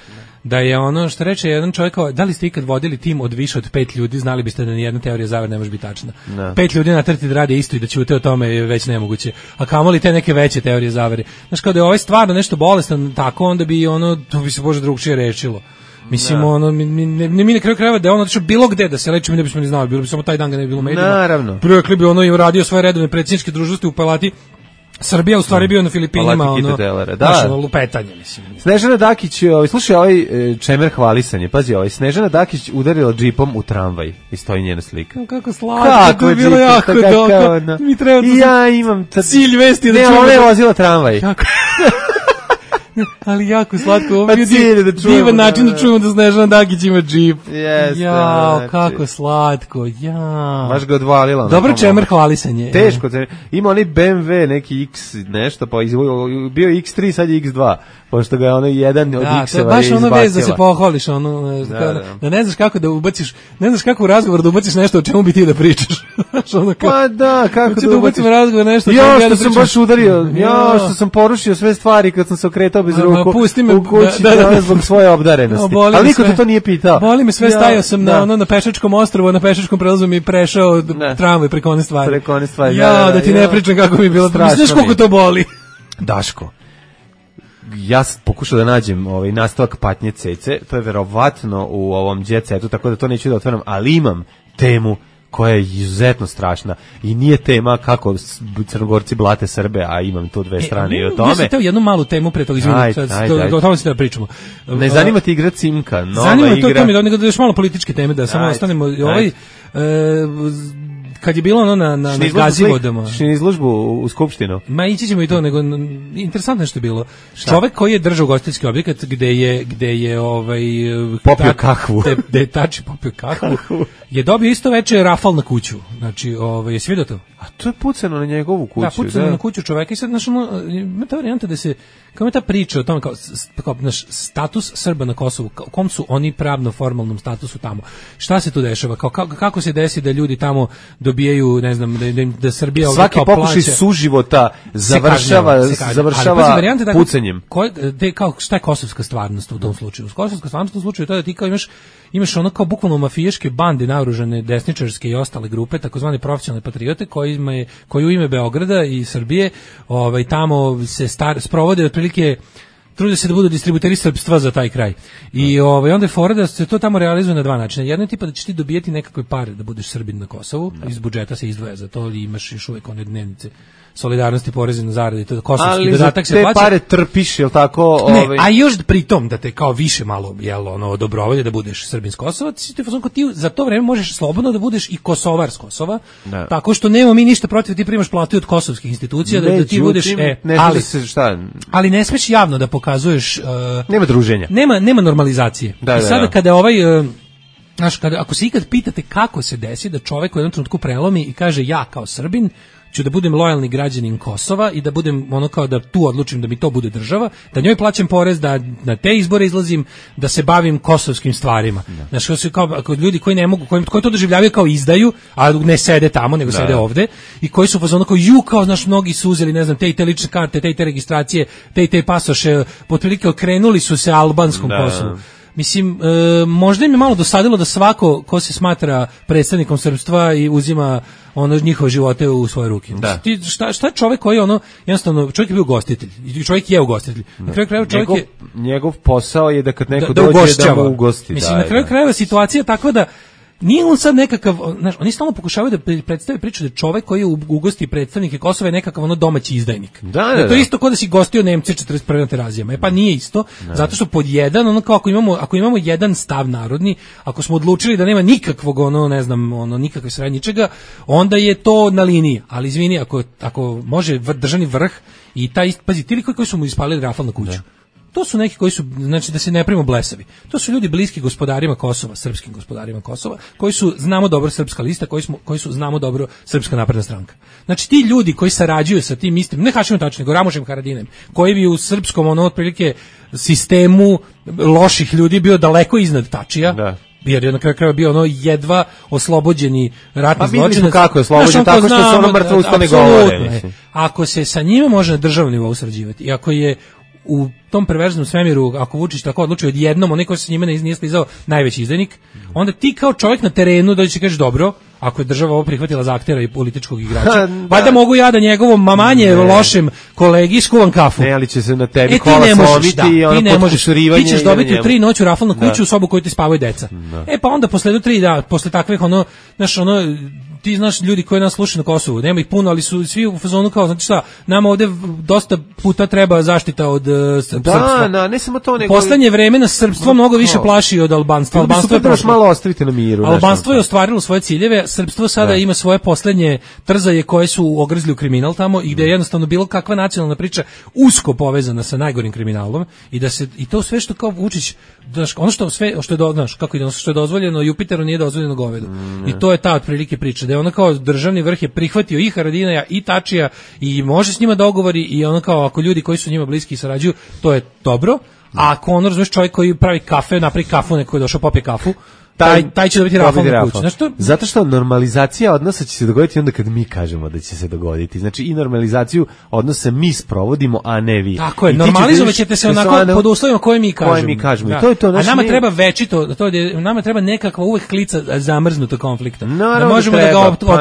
da je ono što reče jedan čovjek, kao, da li ste ikad vodili tim od više od 5 ljudi, znali biste da nijedna teorija zavere ne može biti tačna. 5 ljudi natrti da rade isto i da ćute o tome je već nemoguće. A kamoli te neke veće teorije zavere. Znaš, kao da je ovaj stvarno nešto bolestan, tako onda bi ono, to bi se Bože drugčije rešilo. Mislim, ono, mi na kraju krajeva da je on otišao bilo gde da se leči, mi ne bismo ni znali, bilo bi samo taj dan ga ne bi bilo u medijima. Naravno. Rekli bi ono i radio svoje redovne predsjedničke dužnosti u Palati. Srbija u stvari bio na Filipinima, ono, lupetanje, mislim. Snežana Dakić, slušaj, ovaj čemer hvalisanje, pazi, Snežana Dakić udarila džipom u tramvaj i stoji njena slika. Kako slatko, to je bilo jako dobro. Mi treba da ja imam cilj vesti da čujemo. Ne, ona je vozila tramvaj. Ali jako slatko, ovo je divan način da čujemo da Snežana Dakić ima džip. Jao, kako slatko, jao. Baš ga odvalila. Dobro čemer hvalisanje. Teško, ima onaj BMW, neki X nešto, pa bio X3, sad je X2, pošto ga je ono jedan od X-eva izbacila. Baš ono vez da se pohvališ, da ne znaš kako da ubaciš, ne znaš kako u razgovor da ubaciš nešto o čemu bi ti da pričaš. Pa da, kako da ubaciš razgovor nešto. Ja što sam baš udario, ja što sam porušio sve stvari kad sam se okretao bez ruku u kući zbog svoje obdarenosti. Ali niko te to nije pitao. Boli me sve, stajao sam na Pešačkom ostrvu, na Pešačkom prelazu mi prešao tramvaj preko one stvari. Ja, da ti ne pričam kako mi je bilo. Znaš koliko to boli? Daško, ja sam pokušao da nađem nastavak patnje Cece, to je verovatno u ovom Jet Setu, tako da to neću da otvaram, ali imam temu koja je izuzetno strašna i nije tema kako Crnogorci blate Srbe, a imam tu dve strane i o tome. Ja sam teo jednu malu temu pre toga, o tome se da pričamo. Ne zanima ti igra Cimka, nova zanima igra? Zanima to nego da još malo političke teme, da samo ostanemo kad je bilo ono na Gazivodama. Šli izložbu u Skupštinu? Ma ići ćemo i to, nego interesantno što je bilo. Čovek koji je držao ugostiteljski objekat gde je popio kahvu. Gde je tači popio kahvu, je dobio isto veče rafal na kuću. Znači, je svi do to? A to je pucano na njegovu kuću. Da, pucano na kuću čoveka i sad, znaš, ima ta varijanta da se, kao je ta priča o tome, kao naš status Srba na Kosovu, u kom su oni pravno formalnom statusu tamo. Šta se tu dešava? Kako se desi da ljudi tamo dobijaju, ne znam, da Srbija ovdje kao plaća. Svaki pokušaj suživota završava pucanjem. Šta je kosovska stvarnost u tom slučaju? Kosovska stvarnost u slučaju je to da ti kao imaš ono kao bukvalno mafijaške bande naoružane desničarske i ostale grupe, takozvane profesionalne patriote koji u ime Beograda i Srbije tamo se sprovode otprilike, trude se da budu distributeri srpstva za taj kraj. I onda je fora da se to tamo realizuje na dva načina. Jedno je tipa da ćeš ti dobijeti nekakve pare da budeš Srbin na Kosovu, iz budžeta se izdvaja za to, ali imaš još uvek one dnevnice solidarnosti, porezi na zarade i to kosovski dodatak se plaća. Ali te pare trpiš, jel tako? Ne, a još pritom da te kao više malo dobrovolje da budeš Srbin s Kosova, ti za to vreme možeš slobodno da budeš i Kosovar s Kosova, tako što nemamo mi ništa protiv, ti primaš platu od kosovskih institucija, da ti budeš, ali ne smeš javno da pokazuješ, nema druženja. Nema normalizacije. I sada kada znaš, ako se ikad pitate kako se desi da čovek u jednom trenutku prelomi i kaže ja kao Srbin ću da budem lojalni građanin Kosova i da budem ono kao da tu odlučim da mi to bude država, da njoj plaćam porez, da na te izbore izlazim, da se bavim kosovskim stvarima. Znači, kao ljudi koji ne mogu, koji to doživljavaju kao izdaju, a ne sede tamo, nego sede ovde, i koji su fazonu kao znaš, mnogi su uzeli, ne znam, te i te lične karte, te i te registracije, te i te pasoše, otprilike okrenuli su se albanskom Kosovu. Mislim, možda im je malo dosadilo da svako ko se smatra predstavnikom srpstva i uzima ono njihove živote u svoje ruke. Da. Šta je čovjek koji ono, jednostavno, čovjek je bio ugostitelj. I čovjek je ugostitelj. Na kraju krajeva čovjek njegov posao je da kad neko da dođe ugošćava. da mu ugosti. Mislim, na kraju krajeva situacija je takva da nije on sad nekakav, znaš, oni stalno pokušavaju da predstave priču da čovek koji je ugosti predstavnike Kosova je nekakav ono domaći izdajnik. Da. To je isto kao da si gostio Nemce 41. na Terazijama. Pa nije isto, zato što pod jedan, ono kao ako imamo jedan stav narodni, ako smo odlučili da nema nikakvog ono, ne znam, ono nikakve sranje ničega, onda je to na liniji. Ali izvini, ako može državni vrh i taj pazi, ti koji su mu ispalili rafal na kuću. To su neki koji su, znači da se ne primimo blesavi. To su ljudi bliski gospodarima Kosova, srpskim gospodarima Kosova, koji su, znamo dobro, Srpska lista, koji su, znamo dobro, Srpska napredna stranka. Znači ti ljudi koji sarađuju sa tim istim, ne Hašimom Tačijem, nego Ramušem Haradinajem, koji bi u srpskom, ono, otprilike, sistemu loših ljudi bio daleko iznad Tačija, da. Jer je na kraju krajeva bio ono jedva oslobođeni ratni zločinac. Pa vidimo kako je oslobođen, tako što se ono mrtvo usto ne govore. Ako se sa njima može na državnom nivou sarađivati i ako je u tom perverznom svemiru, ako Vučić tako odlučio odjednom, onaj ko se s njima nije slizao najveći izdajnik, onda ti kao čovjek na terenu dođe i kažeš dobro, ako je država ovo prihvatila za aktera i političkog igrača, valjda mogu ja da njegovom manje lošem kolegi skuvam kafu. Ne, ali će se na tebi kola slomiti i ono podkusurivanje. Ti ćeš dobiti u 3 noću rafal na kuću u sobu koju ti spavaju deca. Pa onda posle takvih ono, znaš, ono, ti znaš ljudi koji nas slušaju na Kosovu, nema ih puno, ali su svi u fazonu kao, znači šta, nama ovde dosta puta treba zaštita od srpstva. Da, ne samo to, nego poslednje vreme nas srpstvo mnogo više plaši od albanstva. Albanstvo je prošlo. Malo ostavite na miru. Albanstvo je ostvarilo svoje ciljeve, srpstvo sada ima svoje poslednje trzaje koje su ogrzli u kriminal tamo i gde je jednostavno bilo kakva nacionalna priča usko povezana sa najgorim kriminalom i to sve što kao Vučić, ono što je što je dozvoljeno Jupiteru nije dozvoljeno govedu. I to je ta otprilike priča, da je ono kao državni vrh je prihvatio i Haradinaja i Tačija i može s njima dogovori i ono kao ako ljudi koji su njima bliski sarađuju, to je dobro. A ako ono, razumeš, čovjek koji pravi kafe, napravi kafu, neko je došao popije kafu, taj će dobiti rafal na kuću. Zato što normalizacija odnosa će se dogoditi onda kad mi kažemo da će se dogoditi. Znači i normalizaciju odnosa mi sprovodimo, a ne vi. Tako je, normalizovat ćete se onako pod uslovima koje mi kažemo. Da. To je a nama treba večito, nama treba nekakva uvek klica zamrznuta konflikta. Naravno, da možemo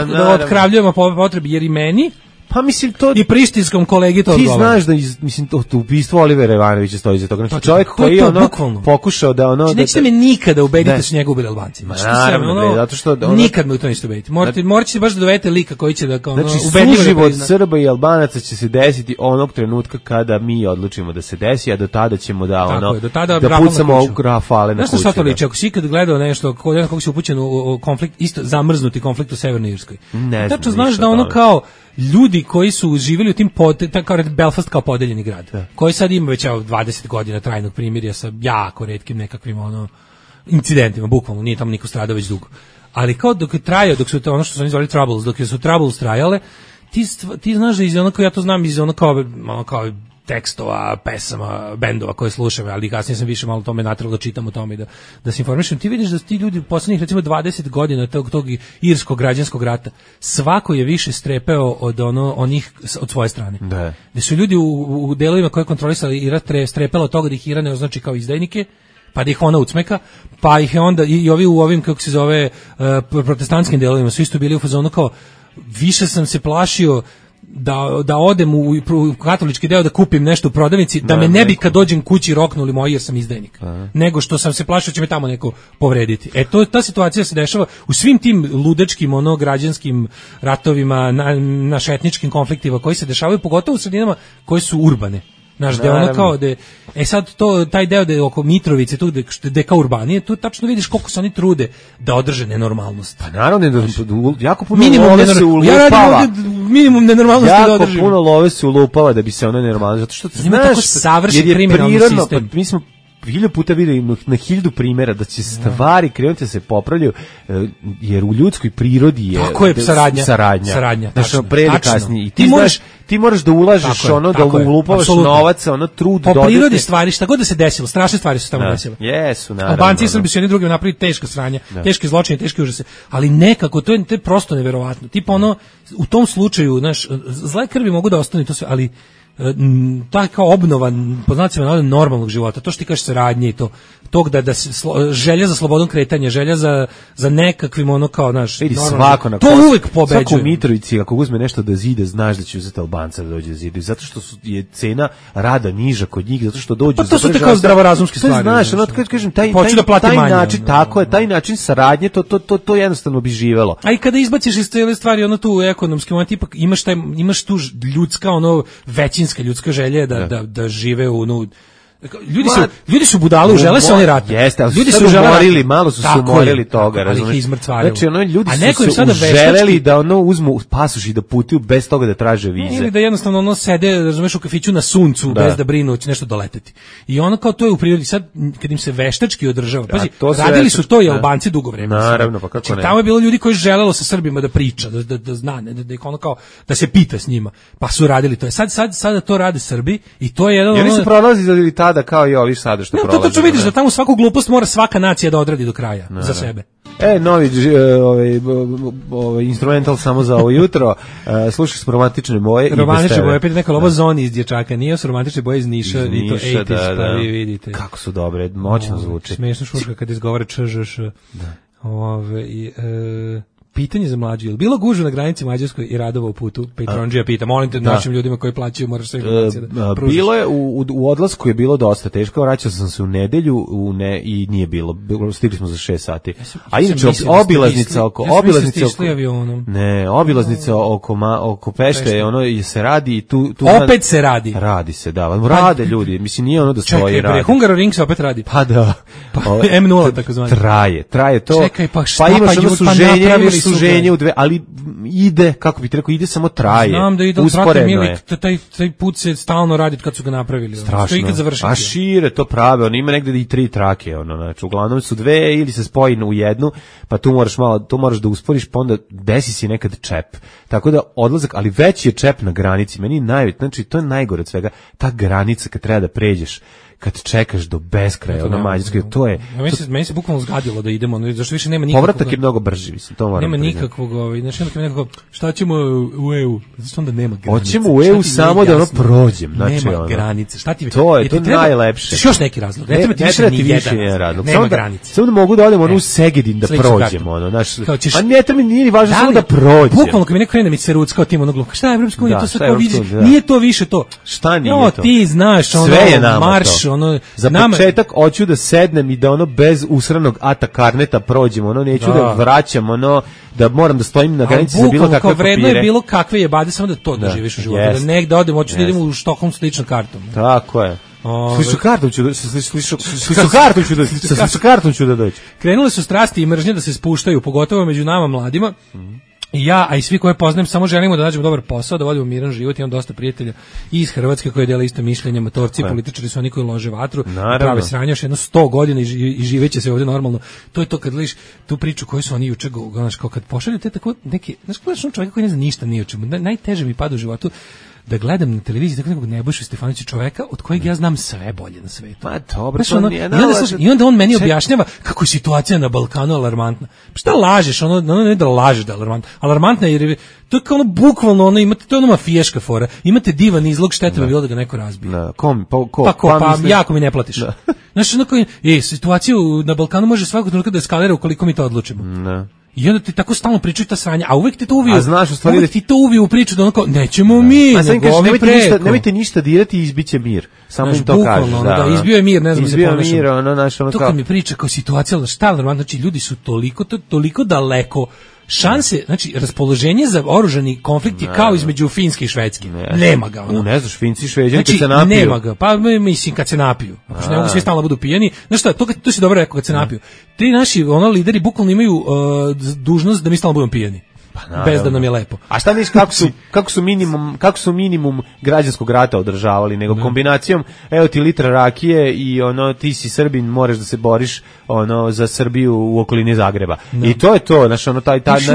da otkravljujemo po potrebi, jer i meni pa mislim to i prištinskom kolegi to odgovara. Ti znaš da mislim to ubistvo Olivera Ivanovića stoji za toga. Znači čovjek koji je ono pokušao da ono znači, nećete me nikada ubediti da su njega ubili Albanci. Zato što nikad me u to nećete ubediti. Morate baš da dovedete lika koji će da kao znači suživot Srba i Albanaca će se desiti onog trenutka kada mi odlučimo da se desi, a do tada ćemo da ono da pucamo rafale na kuću. Znaš šta to liči? Ako si ikad gledao nešto kako si upućen u konflikt, isto zamrznuti konflikt u Severnoj Irskoj. Tačno znaš da ono kao ljudi koji su živjeli u tim kao Belfast kao podeljeni grad, koji sad ima već 20 godina trajnog primirja sa jako retkim nekakvim ono incidentima, bukvalno nije tamo niko stradao već dugo. Ali kao dok su to ono što su oni zvali troubles, dok su troubles trajale, ti znaš da iz onako, ja to znam iz ono kao tekstova, pesama, bendova koje slušam, ali kasnije sam više malo tome natralo da čitam o tome i da se informišem. Ti vidiš da ti ljudi u poslednjih recimo 20 godina tog irskog građanskog rata, svako je više strepeo od onih od svoje strane. Da su ljudi u delovima koje kontrolisali Irak strepelo od toga da ih Iran ne označi kao izdajnike, pa da ih ona ucmeka, pa ih je onda i ovi u ovim, kako se zove, protestantskim delovima su isto bili u fazonu kao, više sam se plašio da odem u katolički deo da kupim nešto u prodavnici, da me ne bi kad dođem kući roknuli moji jer sam izdajnik. Nego što sam se plašio će me tamo neko povrediti. Ta situacija se dešava u svim tim ludačkim građanskim ratovima, naš etničkim konfliktima koji se dešavaju, pogotovo u sredinama koje su urbane. Znaš, da je ono kao da sad taj deo da je oko Mitrovice, tu gde kao urbanije, tu tačno vidiš koliko se oni trude da održe nenormalnost. Pa naravno, jako puno love se ulupava. Minimum nenormalnosti da održim. Jako puno love se ulupava da bi se ona nenormalnost, zato što znaš, savršen kriminalni sistem. Mi smo 1000 puta videli na 1000 primjera da će stvari krenuti da se popravljaju, jer u ljudskoj prirodi je saradnja. Znači, pre ili kasnije. Ti moraš da ulažeš da ulupavaš novac, trud. Po prirodi stvari, šta god da se desilo, strašne stvari su tamo desile. Jesu, naravno. Albanci i Srbi su jedni drugim napravili teška sranja, teške zločine, teške užase, ali nekako, to je prosto neverovatno. Tipa u tom slučaju, znaš, zle krvi mogu da ostane to sve, ali ta kao obnova po znacima navoda normalnog života, to što ti kažeš saradnje i tog da se želja za slobodom kretanja, želja za nekakvim ono kao naš svako na to uvek pobeđuje. Svako u Mitrovici ako uzme nešto da zide, znaš da će uzeti Albanca da dođe da zida, zato što je cena rada niža kod njih, zato što dođu. Pa to su te kao zdravorazumske stvari. Znaš, ono kad kažem taj način, tako je, taj način saradnje, to jednostavno bi živelo. A i kada izbaciš iz te stvari ono tu ekonomski moment, ipak imaš tu ljudska ono većinska ljudska želja da žive u Ljudi su budale, žele se oni rat. Jeste, ali ljudi su umorili, malo su se umorili toga, razumiješ? Znači, ljudi su želeli da uzmu pasoš i da putuju bez toga da traže vize. Ili da jednostavno sede, razumeš, u kafiću na suncu, bez da brinu, će nešto doleteti. I ono kao to je u prirodi, sad, kad im se veštački održava, pazi, radili su to i Albanci dugo vremena. Naravno, pa kako ne. Tamo je bilo ljudi koji želelo sa Srbima da priča, da zna, da ih ono kao, da se pita s njima, pa su radili to. Sada to rade Srbi i to je jedan... Oni su prolazili da kao i ovi sada što prolaze. To vidiš da tamo svaku glupost mora svaka nacija da odradi do kraja za sebe. Novi instrumental samo za ovo jutro. Slušaj s romantične boje. Romantične boje, opet neka lovo Zoni iz Dječaka, nije su romantične boje iz Niša, i to 80s, pa vi vidite. Kako su dobre, moćno zvuči. Smešno šuška kad izgovara ČŽŠ. Pitanje za mlađu, je li bilo gužve na granici Mađarskoj i radova u putu? Petronđija pita, molim te našim ljudima koji plaćaju, moraš sve informacije da pružiš. Bilo je, u odlasku je bilo dosta teško, vraćao sam se u nedelju i nije bilo, stigli smo za 6 sati. A inače, obilaznica oko Pešte, ono se radi i tu... Opet se radi? Radi se, da, rade ljudi, mislim, nije ono da stoji radi. Čekaj, Hungaroring se opet radi. Pa da. M0, tako zvanje. Traje to. Čekaj, pa šta suženje u dve, ali ide, kako bi ti rekao, ide samo traje. Znam da ide, usporedno je. Taj put se stalno radi kad su ga napravili. Strašno. A šire to prave, on ima negde i 3 trake, znači uglavnom su 2 ili se spoji u jednu, pa tu moraš da usporiš, pa onda desi si nekad čep. Tako da odlazak, ali već je čep na granici, meni najveći, znači to je najgore od svega, ta granica kad treba da pređeš, kad čekaš do beskraja, ono Mađarske, to je... Meni se bukvalno zgadilo da idemo, zašto više nema nikakvog... Povratak je mnogo brži, mislim, to moram priznati. Nema nikakvog, znači onda nekako, šta ćemo u EU? Zato onda nema granice. Hoćemo u EU samo da ono prođem, znači nema granice, šta ti... To je najlepše. Još neki razlog, ne treba ti više ni jedan razlog. Nema granice. Samo da mogu da odem u Segedin da prođemo, ono, znaš... A ne, to mi nije važno samo da prođem. Bukvalno kad mi neko krene mi se ruckao tim onog šta je Evropska unija, to sve kao vidiš, nije to više to. Šta nije to? Ti znaš, ono, marš, ono... Za početak hoću da sednem i da ono bez usranog ata karneta prođem, ono neću da vraćam, ono da moram da stojim na granici za bilo kakve papire. Vredno je bilo kakve jebade, samo da to doživiš u životu, da negde odem, hoću da idem u Štokholm s ličnom kartom. Tako je. Sličnu kartom ću da dođu. Krenule su strasti i mržnje da se spuštaju, pogotovo među nama mladima. Ja, a i svi koje poznajem, samo želimo da nađemo dobar posao, da vodimo miran život, imam dosta prijatelja i iz Hrvatske koji dele isto mišljenje, matorci, političari su oni koji lože vatru, prave sranje još jedno 100 godina i živeće se ovdje normalno. To je to kad gledaš tu priču koju su oni juče, znaš, kao kad pošalju te tako neke, znaš, gledaš on čovjeka koji ne zna ništa ni o čemu, najteže mi pada u životu da gledam na televiziji tako nekog Nebojšu Stefanovića, čoveka od kojeg ja znam sve bolje na svetu. Pa dobro, znaš, i onda on meni objašnjava kako je situacija na Balkanu alarmantna. Šta lažeš? Ne da lažeš da je alarmantna. Alarmantna jer to je kao ono bukvalno, imate, to je ono mafijaška fora. Imate divan izlog, šteta bi bilo da ga neko razbije. Pa jako mi ne platiš. Znaš, situacija na Balkanu može svakog trenutka da eskalira ukoliko mi to odlučimo. I onda ti tako stalno pričaju ta sranja, a uvek ti to uviju. Uvek ti to uviju u priču da onako, nećemo mi, nego ovi preko. Nemojte ništa dirati i izbiće mir. Samo im to kažeš. Da, izbio je mir, ne znam se pomešam. Izbio je mir, to kad mi priča kao situacija, šta je normalno, znači ljudi su toliko daleko. Šanse, znači raspoloženje za oružani konflikt je kao između Finske i Švedske. Nema ga. Ne znaš, Finci i Šveđani kad se napiju. Nema ga, pa mislim kad se napiju. Ako ne mogu svi stalno budu pijani. Znaš šta, to si dobro rekao kad se napiju. Ti naši lideri bukvalno imaju dužnost da mi stalno budemo pijani. Bez da nam je lepo. A šta misliš kako su minimum građanskog rata održavali, nego kombinacijom evo ti litra rakije i ti si Srbin, moraš da se boriš za Srbiju u okolini Zagreba. I to je to, znači na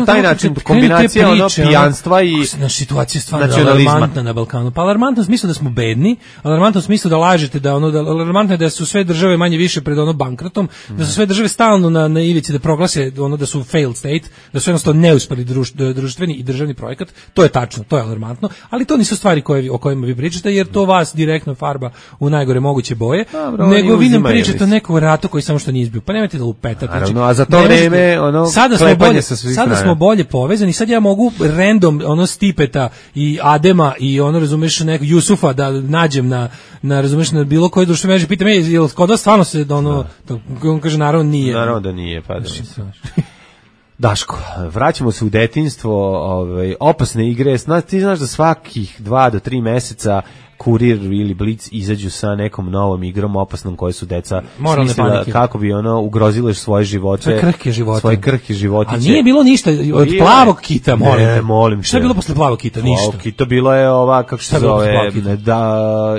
taj način kombinacija pijanstva i situacija stvarno alarmantna na Balkanu. Pa alarmantno u smislu da smo bedni, alarmantno u smislu da lažete, alarmantno je da su sve države manje više pred bankrotom, da su sve države stalno na ivici da proglase da su failed state, da su jednostavno neuspeli društvo društveni i državni projekat, to je tačno, to je alarmantno, ali to nisu stvari o kojima vi pričate, jer to vas direktno farba u najgore moguće boje, nego vi nam pričate o nekom ratu koji samo što nije izbio. Pa nemojte da lupetate. Naravno, a za to vreme sada smo bolje povezani, sad ja mogu random Stipeta i Adema i razumeš nekog Jusufa da nađem na razumeš na bilo koje društvene mreže, pitam jel kod vas stvarno se on kaže naravno nije. Naravno da nije, pa da. Daško, vraćamo se u detinjstvo, opasne igre. Ti znaš da svakih 2 do 3 meseca Kurir ili Blic izađu sa nekom novom igrom opasnom koje su deca smislila kako bi ugrozile svoje živote. Svoje krhke životiće. A nije bilo ništa od plavog kita, molim te. Šta je bilo posle plavog kita? Ništa. Plavog kita bilo je kako se zove,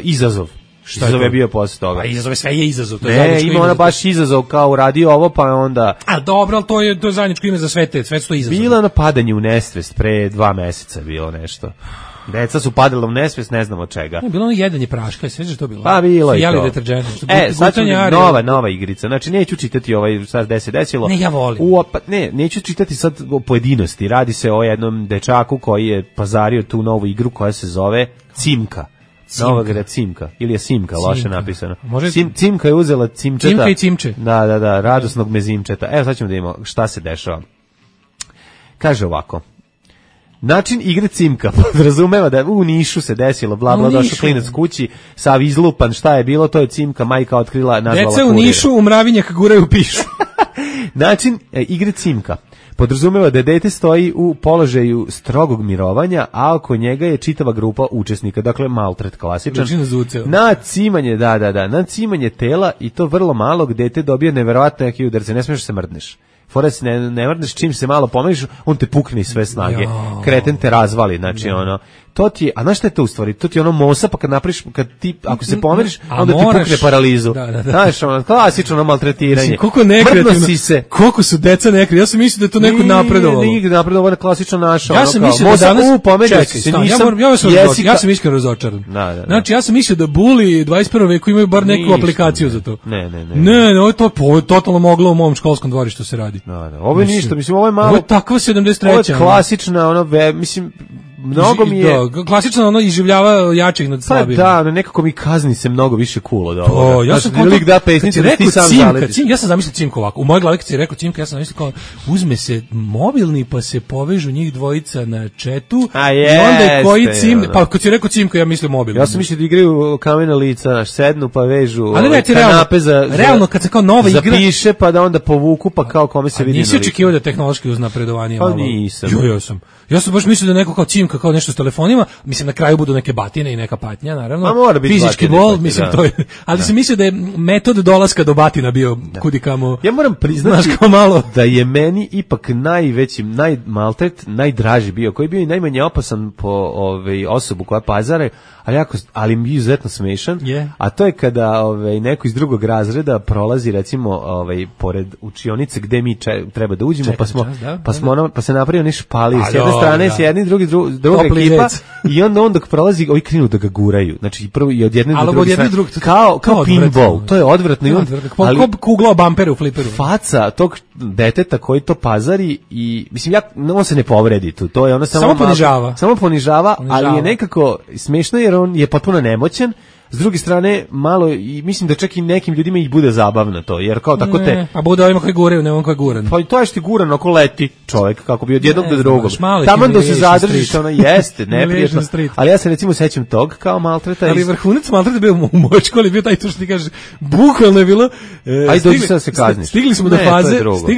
izazov. Izazov je bio posle toga. Pa izazov sve je izazov. To je ima ona baš izazov kao uradio ovo, pa onda... A dobro, ali to je zajedničko ime za sve su to izazov. Bilo je napadanje u nesvest, pre 2 meseca bilo nešto. Deca su padala u nesvest, ne znam od čega. Bilo ono jedanje praška, sveže to bilo. Pa bilo je to. Sad ću nova igrica. Znači, neću čitati sad gde se desilo. Ne, ja volim. Neću čitati sad o pojedinosti. Radi se o jednom dečaku koji je pazario tu novu igru koja se zove Cimka. Nova igra Cimka, ili je Simka, loše napisano. Cimka je uzela Cimčeta. Cimka i Cimče. Da, radosnog mezimčeta. Evo sad ćemo da imamo šta se dešava. Kaže ovako. Način igre Cimka podrazumeva da u Nišu se desilo, došao klinac kući, sav izlupan, šta je bilo, to je Cimka, majka otkrila, nazvala Deca u Nišu u mravinjak guraju pišu. Način igre Cimka podrazumeva da dete stoji u položaju strogog mirovanja, a oko njega je čitava grupa učesnika, dakle maltret klasičan. Na cimanje, na cimanje tela i to vrlo malog dete dobije neverovatno neki udarce, ne smiješ se mrdneš. Fora se ne mrdneš, čim se malo pomeriš, on te pukne iz sve snage. Kreten te razvali, znači to ti je, a znaš šta je to u stvari? To ti je mosa, pa kad napriš, ako se pomeriš, onda ti pukne paralizu. Znaš, klasično maltretiranje. Mrdno si se. Koliko su deca nekreativni, ja sam mislio da je to neko napredovalo. Nije napredovalo, ovo je klasično naša. Ja sam mislio da danas, ja sam iskreno razočaran. Znači, ja sam mislio da buli 21. veku imaju bar neku aplikaciju za to. Ne, ovo je totalno moglo u mom školskom dvorištu se radi. Ovo je ništa, mislim, ovo je malo... Ovo je takva 73. Ovo je klasična, mislim... Mnogo mi je... klasično iživljava jačih nad slabijim. Pa da, nekako mi kazni se mnogo više cool od ovoga. Ja sam lik da pesnice, da ti sam zaletiš. Ja sam zamislio Cimku ovako. U mojoj glavi kad si rekao Cimka, ja sam zamislio kao uzme se mobilni pa se povežu njih dvojica na četu i onda je koji Cim... Pa kad si rekao Cimka, ja mislim mobilni. Ja sam mislio da igraju kamena lica, sednu pa vežu kanape za... Realno, kad se kao nova igra... Zapiše pa da onda povuku pa kao kome se vidi na licu. Nisi očekivao da tehnološki uznapredovanje malo... Pa nisam. Ja sam baš mislio da neko kao Cimka, kao nešto s telefonima, mislim na kraju budu neke batine i neka patnja, naravno. Ma mora biti fizički bol, mislim to je. Ali sam mislio da je metod dolaska do batina bio kudikamo. Ja moram priznati da je meni ipak najveći, najmaltret, najdraži bio, koji je bio i najmanje opasan po osobu koja pazare, ali mi je izuzetno smešan, a to je kada neko iz drugog razreda prolazi recimo pored učionice gde mi treba da uđemo, pa se napravio onaj špalir s jedne strane, s jedni, druga ekipa i onda dok prolazi, ovi krenu da ga guraju. Znači prvo i od jedne do druge strane. Kao pinball. To je odvratno. Kao kugla bampere u fliperu. Faca tog deteta koji to pazari i mislim on se ne povredi tu. To je ono samo ponižava, ali je nekako smešno jer on je potpuno nemoćan. S druge strane, malo, i mislim da čak i nekim ljudima ih bude zabavno to, jer kao tako te... A bude ovima koji guraju, ne on koji guran. Pa to je što ti guran, oko leti čovjek, kako bi od jednog do drugog. Taman da se zadržiš, ono jeste, neprijetno. Ali ja se recimo sećam tog kao maltreta. Ali vrhunac maltreta bio u mojoj školi, bio taj to što ti kažeš, bukvalno je bilo... Aj, dođi sad se kazniš. Stigli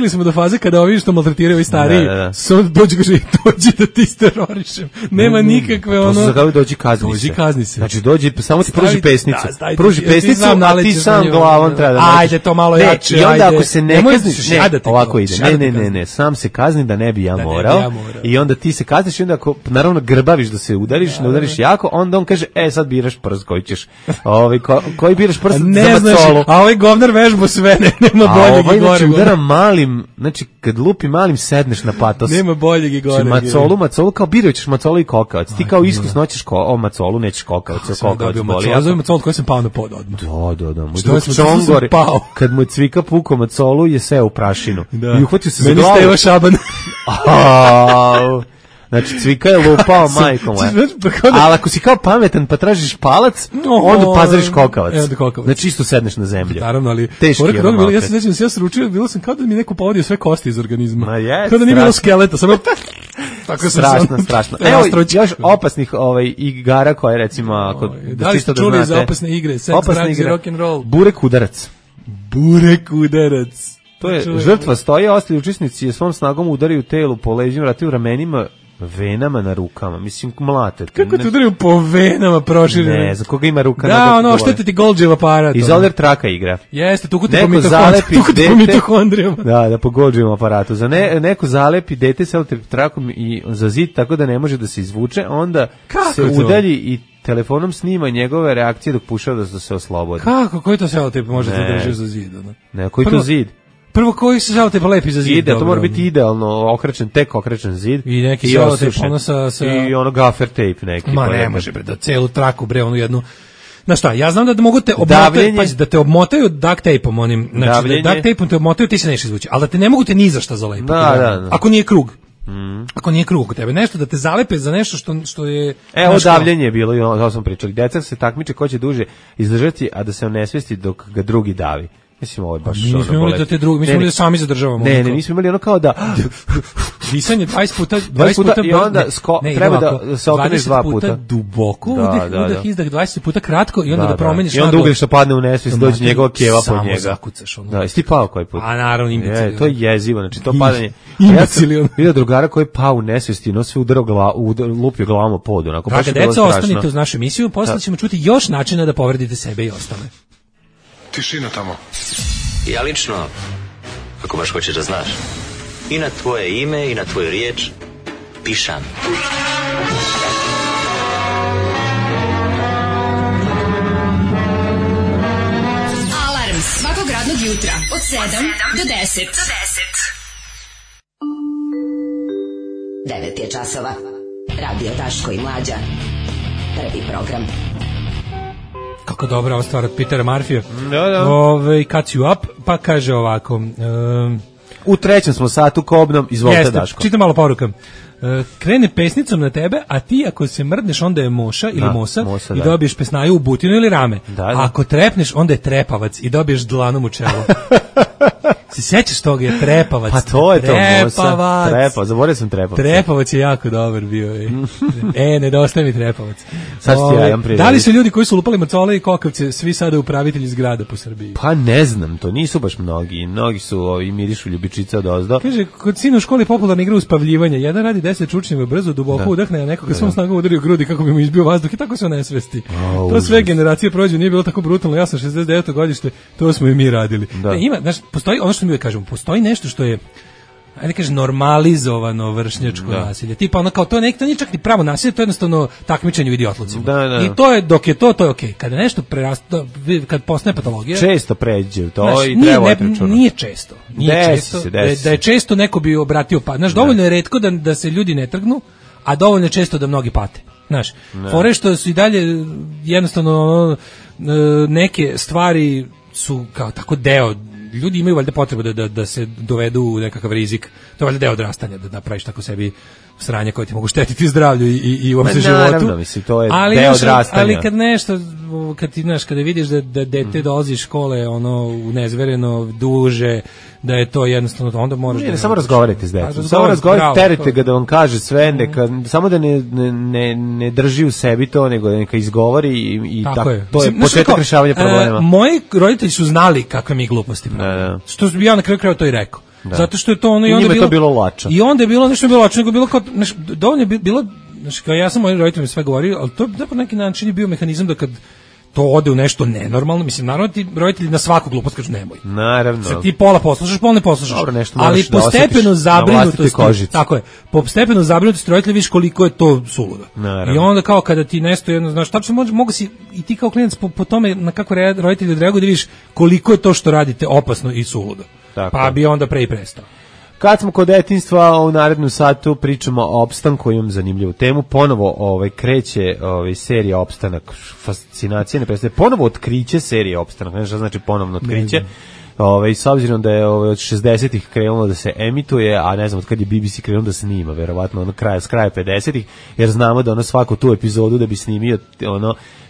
smo do faze kada ovi što maltretiraju i stariji, dođi da ti terorišem. Nema nikakve ono... Dođi kazni se. Znači dođi, samo ti pesnicu. Pruži pesnicu, a ti sam glavom treba da... Ajde, to malo jače, i onda ako se ne kazniš... Ovako ide. Ne, sam se kazni da ne bi ja morao. I onda ti se kazniš i onda ako, naravno, grbaviš da se udariš, ne udariš jako, onda on kaže, sad biraš prst koji ćeš. Koji biraš prst za macolu. A ovaj govnar vežbo sve, nema boljeg i gore. Znači, udara malim, znači, kad lupi malim, sedneš na patos. Nema boljeg i gore. Macolu, kao birajućeš macolu i kokavac. Ti kao iskusno hoćeš macolu, nećeš kokavac, kokavac boli. zove macolu koji sam pao na pod odmah. Da. Moj Što drug sam Čongor, pao? kad mu je cvika pukao macolu, je seo u prašinu. Da. I uhvatio se za Meni glavu. Steva Šaban. Au. Znači, cvika je lupao majkom. Ali ako si kao pametan pa tražiš palac, onda pazariš kokavac. Znači, isto sedneš na zemlju. Naravno, ali teški je ono ja se sećam da se ja sručio, bilo sam kao da mi neko povodio sve kosti iz organizma. Ma kao da nije bilo skeleta, samo tako strašno. Evo još opasnih igara koje recimo ako da li ste čuli za opasne igre, seks, drugs i rock and roll. Burek udarac. To je žrtva stoji, ostali učesnici je svom snagom udaraju telu po leđima, vratim ramenima, venama na rukama. Mislim, mlate. Kako te udaraju po venama proširene? Ne, za koga ima ruka? Da, ono, štete ti Golgijev aparat. Izoler traka igra. Jeste, tuku te po mitohondrijama. Da, po Golgijevom aparatu. Za neko zalepi dete sa trakom i za zid tako da ne može da se izvuče, onda se udalji i telefonom snima njegove reakcije dok pušava da se oslobodi. Kako? Koji to selotip može da drži za zid? Ne, koji to zid? Prvo koji se selotip lepi za zid? To mora biti idealno okrećen zid. I neki selotip ono sa... I ono gaffer tape neki. Ma ne može bre, da celu traku bre, onu jednu... Znaš šta, ja znam da mogu te obmotati, pazi, da te obmotaju duct tape-om onim, znači da duct tape-om te obmotaju, ti se nećeš izvući, ali da te ne mogu te ni za šta zalepiti. Da. Ako nije krug. Ako nije krug kod tebe, nešto da te zalepe za nešto što je... Evo davljenje je bilo, i ono smo pričali, deca se takmiče ko će duže izdržati, a da se onesvesti dok ga drugi davi. Mislim, ovo je baš ono bolest. Imali da te drugi, mi smo imali da sami zadržavamo. Ne, mi smo imali ono kao da... Disanje 20 puta i onda treba da se okreneš 2 puta. 20 puta duboko, udah, izdah, 20 puta kratko i onda da promeniš naglo. I onda ugriš što padne u nesvijest, dođe njegova keva po njega. Samo zakucaš. Da, jesi ti pao koji put? A naravno, imbecilion. To je jezivo, znači to padanje. Ja sam vidio drugara koji je pao u nesvijesti i sve lupio glavom o pod. Draga deca, ostanite uz našu emisiju, posle ćemo čuti još načina da povredite sebe i ostale. Tišina tamo. Ja lično, ako baš hoćeš da znaš, i na tvoje ime i na tvoju riječ pišam. Alarm svakog radnog jutra od 7 do 10. 9 je časova. Radio Daško i Mlađa. Prvi program. Kako dobra ova stvar od Petera Marfija. Da. Cuts you up, pa kaže ovako. U trećem smo satu kobnom, izvolite Daško. Čitam malo poruka. Krene pesnicom na tebe, a ti ako se mrdneš onda je moša ili mosa i dobiješ pesnaju u butinu ili rame. Da. Ako trepneš onda je trepavac i dobiješ dlanom u čelo. Se sjećaš toga, je trepavac. Pa to je to, mosa. Trepavac, zaboravio sam trepavac. Trepavac je jako dobar bio. Nedostaje mi trepavac. Sad ti ja imam da li su ljudi koji su lupali macole i kokavce svi sada upravitelji zgrada po Srbiji? Pa ne znam, to nisu baš mnogi. Mnogi su mirišu ljubičica od ozdo. Kaže, kod sina u školi popularna igra uspavljivanja. Jedan radi 10 čučnjeva brzo, duboko udahne, a nekoga svom snagom udari u grudi kako bi mu izbio vazduh i tako se onesvesti. To sve generacije prođe, nije bilo tako brutalno. Ja sam 69. godište, to smo i mi radili. Ima, znaš, postoji ono što mi uvijek kažemo, postoji nešto što je, ajde kaže, normalizovano vršnjačko nasilje. Tipa ono kao to nije čak ni pravo nasilje, to je jednostavno takmičenje u idiotlucima. I to je, dok je to je okej. Kada nešto preraste, kad postane patologija, često pređe to, znaš, i treba računati. Nije često. Da je često neko bi obratio pa. Znaš, dovoljno je retko da se ljudi ne trgnu, a dovoljno je često da mnogi pate. Znaš, fore što su i dalje jednostavno neke stvari su kao tako deo, ljudi imaju valjda potrebu da se dovedu u nekakav rizik. To je valjda deo odrastanja, da napraviš tako sebi sranje koje ti mogu štetiti zdravlju i uopšte životu. Naravno, mislim, to je deo odrastanja. Ali kad nešto, kada vidiš da dete dolazi iz škole u nezvereno duže, da je to jednostavno, onda moraš ne samo razgovarajte s decom. Samo razgovarajte, terite ga da vam kaže sve, samo da ne drži u sebi to, nego da neka izgovori i tako. To je početak rješavanja problema. Moji roditelji su znali kakve mi gluposti pravimo. Što bi ja na kraju krajeva to i rekao. Zato što je to ono i onda je bilo lača. I onda je bilo nešto bilo lača, nego bilo kao dovoljno je bilo, znači kao ja sam mojim roditeljima sve govorio, ali to je po neki način je bio mehanizam da kad to ode u nešto nenormalno, mislim, naravno ti roditelji na svaku glupost kažu nemoj. Naravno. Sad ti pola poslušaš, pola ne poslušaš. Dobro, ali postepeno zabrinutosti, tako je, postepeno zabrinutosti roditelja vidiš koliko je to suludo. I onda kao kada ti nešto jedno, znaš, tačno mogu si i ti kao klinac po tome na kako roditelji odreaguju da vidiš koliko je to što radite opasno i suludo. Tako. Pa bi onda pre i prestao. Kad smo kod detinjstva, u narednom satu pričamo o opstanku, imam zanimljivu temu. Ponovo kreće serija Opstanak, fascinacija ne prestaje. Ponovo otkriće serije Opstanak, ne znam šta znači ponovno otkriće. S obzirom da je od 60-ih krenulo da se emituje, a ne znam od kad je BBC krenulo da snima, verovatno s kraja 50-ih, jer znamo da svaku tu epizodu da bi snimio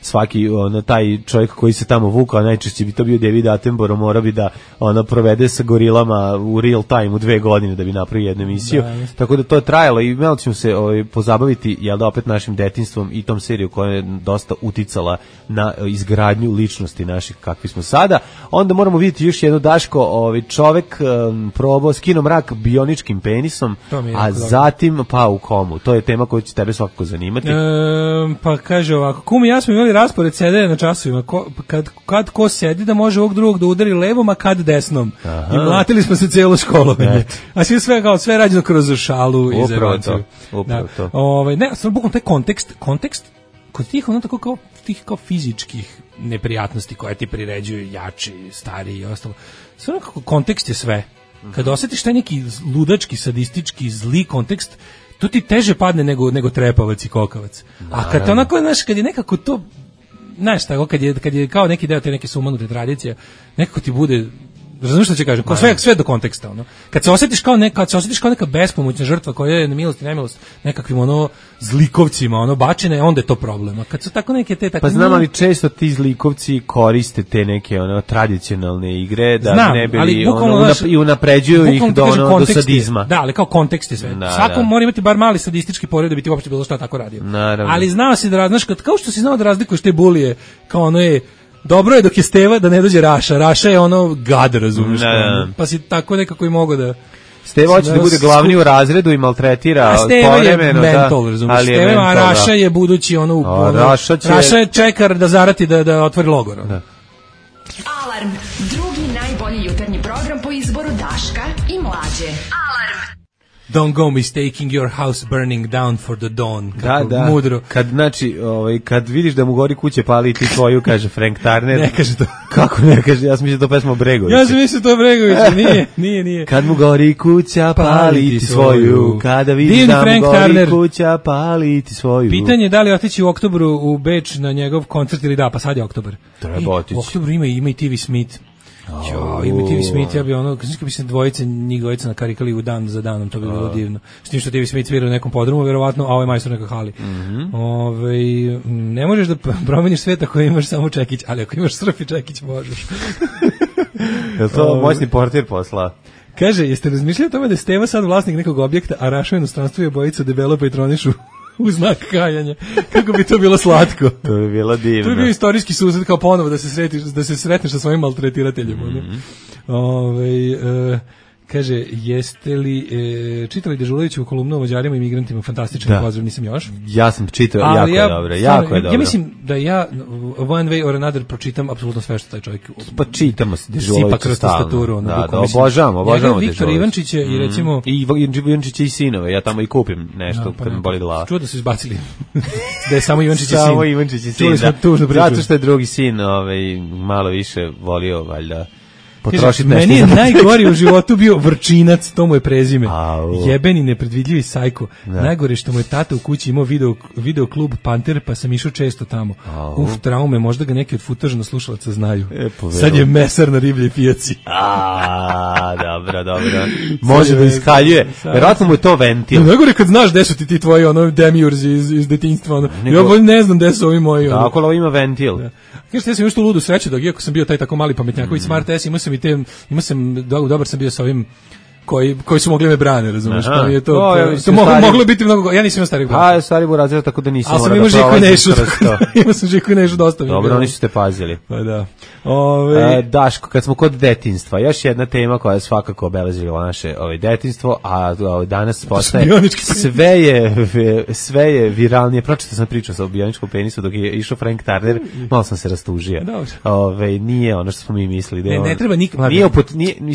svaki taj čovjek koji se tamo vukao, najčešće bi to bio David Attenborough, mora bi da provede sa gorilama u real time u 2 godine da bi napravio jednu emisiju. Tako da to je trajalo i malo ćemo se pozabaviti, jel da, opet našim detinjstvom i tom seriju koja je dosta uticala na izgradnju ličnosti naših kakvi smo sada. Onda moramo vidjeti još jedno, Daško, čovjek probao skinuo mrak bioničkim penisom, a zatim pao u komu. To je tema koja će tebe svakako zanimati. Pa kaže ovako, kum i ja smo imali raspored sedenja na časovima, kad ko sedi da može ovog drugog da udari levom, a kad desnom. I mlatili smo se cijelo školovanje. A sve rađeno kroz šalu i zajebaciju. Upravo to. Ne, samo bukvalno taj kontekst kod tih tako kao fizičkih neprijatnosti koje ti priređuju jači, stariji i ostalo. Sve nekako kontekst je sve. Kad osjetiš taj neki ludački, sadistički, zli kontekst, to ti teže padne nego trepavac i kokavac. A kad onako, znaš, kad je nekako to, znaš tako, kad je kao neki deo te neke sumanute tradicije, nekako ti bude, razumiješ što će kažem, sve do konteksta, Kad se osjetiš kao neka bespomoćna žrtva koja je na milost i nemilost nekakvim zlikovcima bačene, onda je to problem. A kad su tako neke te Pa znam, ali često ti zlikovci koriste te neke tradicionalne igre da ne bili i unapređuju ih do sadizma. Da, ali kao kontekst je sve. Svako mora imati bar mali sadistički poriv da bi ti uopšte bilo šta tako radio. Naravno. Ali znao si da znaš, kao što si znao da razlikuješ te bulije, kao dobro je dok je Steva da ne dođe Raša. Raša je gad, razumiješ? Pa si tako nekako i mogao da... Steva hoće da bude glavni u razredu i maltretira povremeno. Steva je mental, razumiješ? A Raša je budući Raša je čekar da zarati da otvori logor. Alarm, drugi najbolji jutarnji program po izboru Daška i Mlađe. Alarm. Don't go mistaking your house burning down for the dawn. Da. Mudro. Kad vidiš da mu gori kuće, pali ti tvoju, kaže Frank Turner. Ne kaže to. Kako ne kaže? Ja sam mislio da to pesma Bregovića. Ja sam mislio to Bregovića. Nije. Kad mu gori kuća, pali ti svoju. Kada vidiš da mu gori kuća, pali ti svoju. Pitanje je da li otići u oktobru u Beč na njegov koncert ili da, pa sad je oktobar. Treba otići. U oktobru ima i TV Smith. Ima TV Smith, ja bi kad bi se njih dvojica nakarikali u dan za danom, to bi bilo divno. S tim što TV Smith svira u nekom podrumu, verovatno, a ovo je majstor neka hali. Ne možeš da promeniš sveta ako imaš samo čekić, ali ako imaš srp i čekić, možeš. Je to moćni portir posla? Kaže, jeste razmišljali o tome da je Steva sad vlasnik nekog objekta, a Raša u inostranstvu je bojica debelo patronišu u znak kajanja. Kako bi to bilo slatko. To bi bilo divno. To bi bio istorijski susret kao ponovo da se sretneš sa svojim maltretirateljem. Kaže, jeste li čitali Dežulovićevu kolumnu o Mađarima i migrantima? Fantastičan pozdrav, nisam još. Ja sam čitao, jako je dobro. Ja mislim da ja one way or another pročitam apsolutno sve što taj čovjek... Pa čitamo se Dežuloviću stalno. Da, obožavamo Dežulovića. Viktor Ivančić je i recimo... I Ivančić i sinove, ja tamo i kupim nešto kad mi boli glava. Čuo da su izbacili. Da je samo Ivančić i sin. Samo Ivančić i sin, da. Zato što je drugi sin malo više volio, valjda, potrošiti nešto. Meni je najgori u životu bio Vrčinac, to mu je prezime. Jebeni nepredvidljivi sajko. Najgore što mu je tata u kući imao video klub Panter, pa sam išao često tamo. Traume, možda ga neki od futažno slušalaca znaju. Sad je mesar na ribljej pijaci. Dobro. Može da iskaljuje. Vjerojatno mu je to ventil. Najgore kad znaš gde su ti tvoji demiurzi iz detinjstva. Ja ne znam gde su ovi moji. Tako, ali ima ventil. Kažete, ja sam još tu ludu sreću, dok iako sam bio taj tako mali pametnjaković Smart S, dobar sam bio sa ovim koji su mogli me brane, razumiješ, pa je to moglo biti mnogo, ja nisam imao starih brata. Stari bu razred, tako da nisam morao da prolazim kroz to. Imao sam Žiku i Nešu dosta. Dobro, oni su te pazili. Pa da. Daško, kad smo kod detinjstva, još jedna tema koja je svakako obeležila naše detinjstvo, a danas postaje sve je viralnije. Pročitao sam priču sa bioničkom penisu dok je išao Frank Turner, malo sam se rastužio. Nije ono što smo mi mislili. Ne treba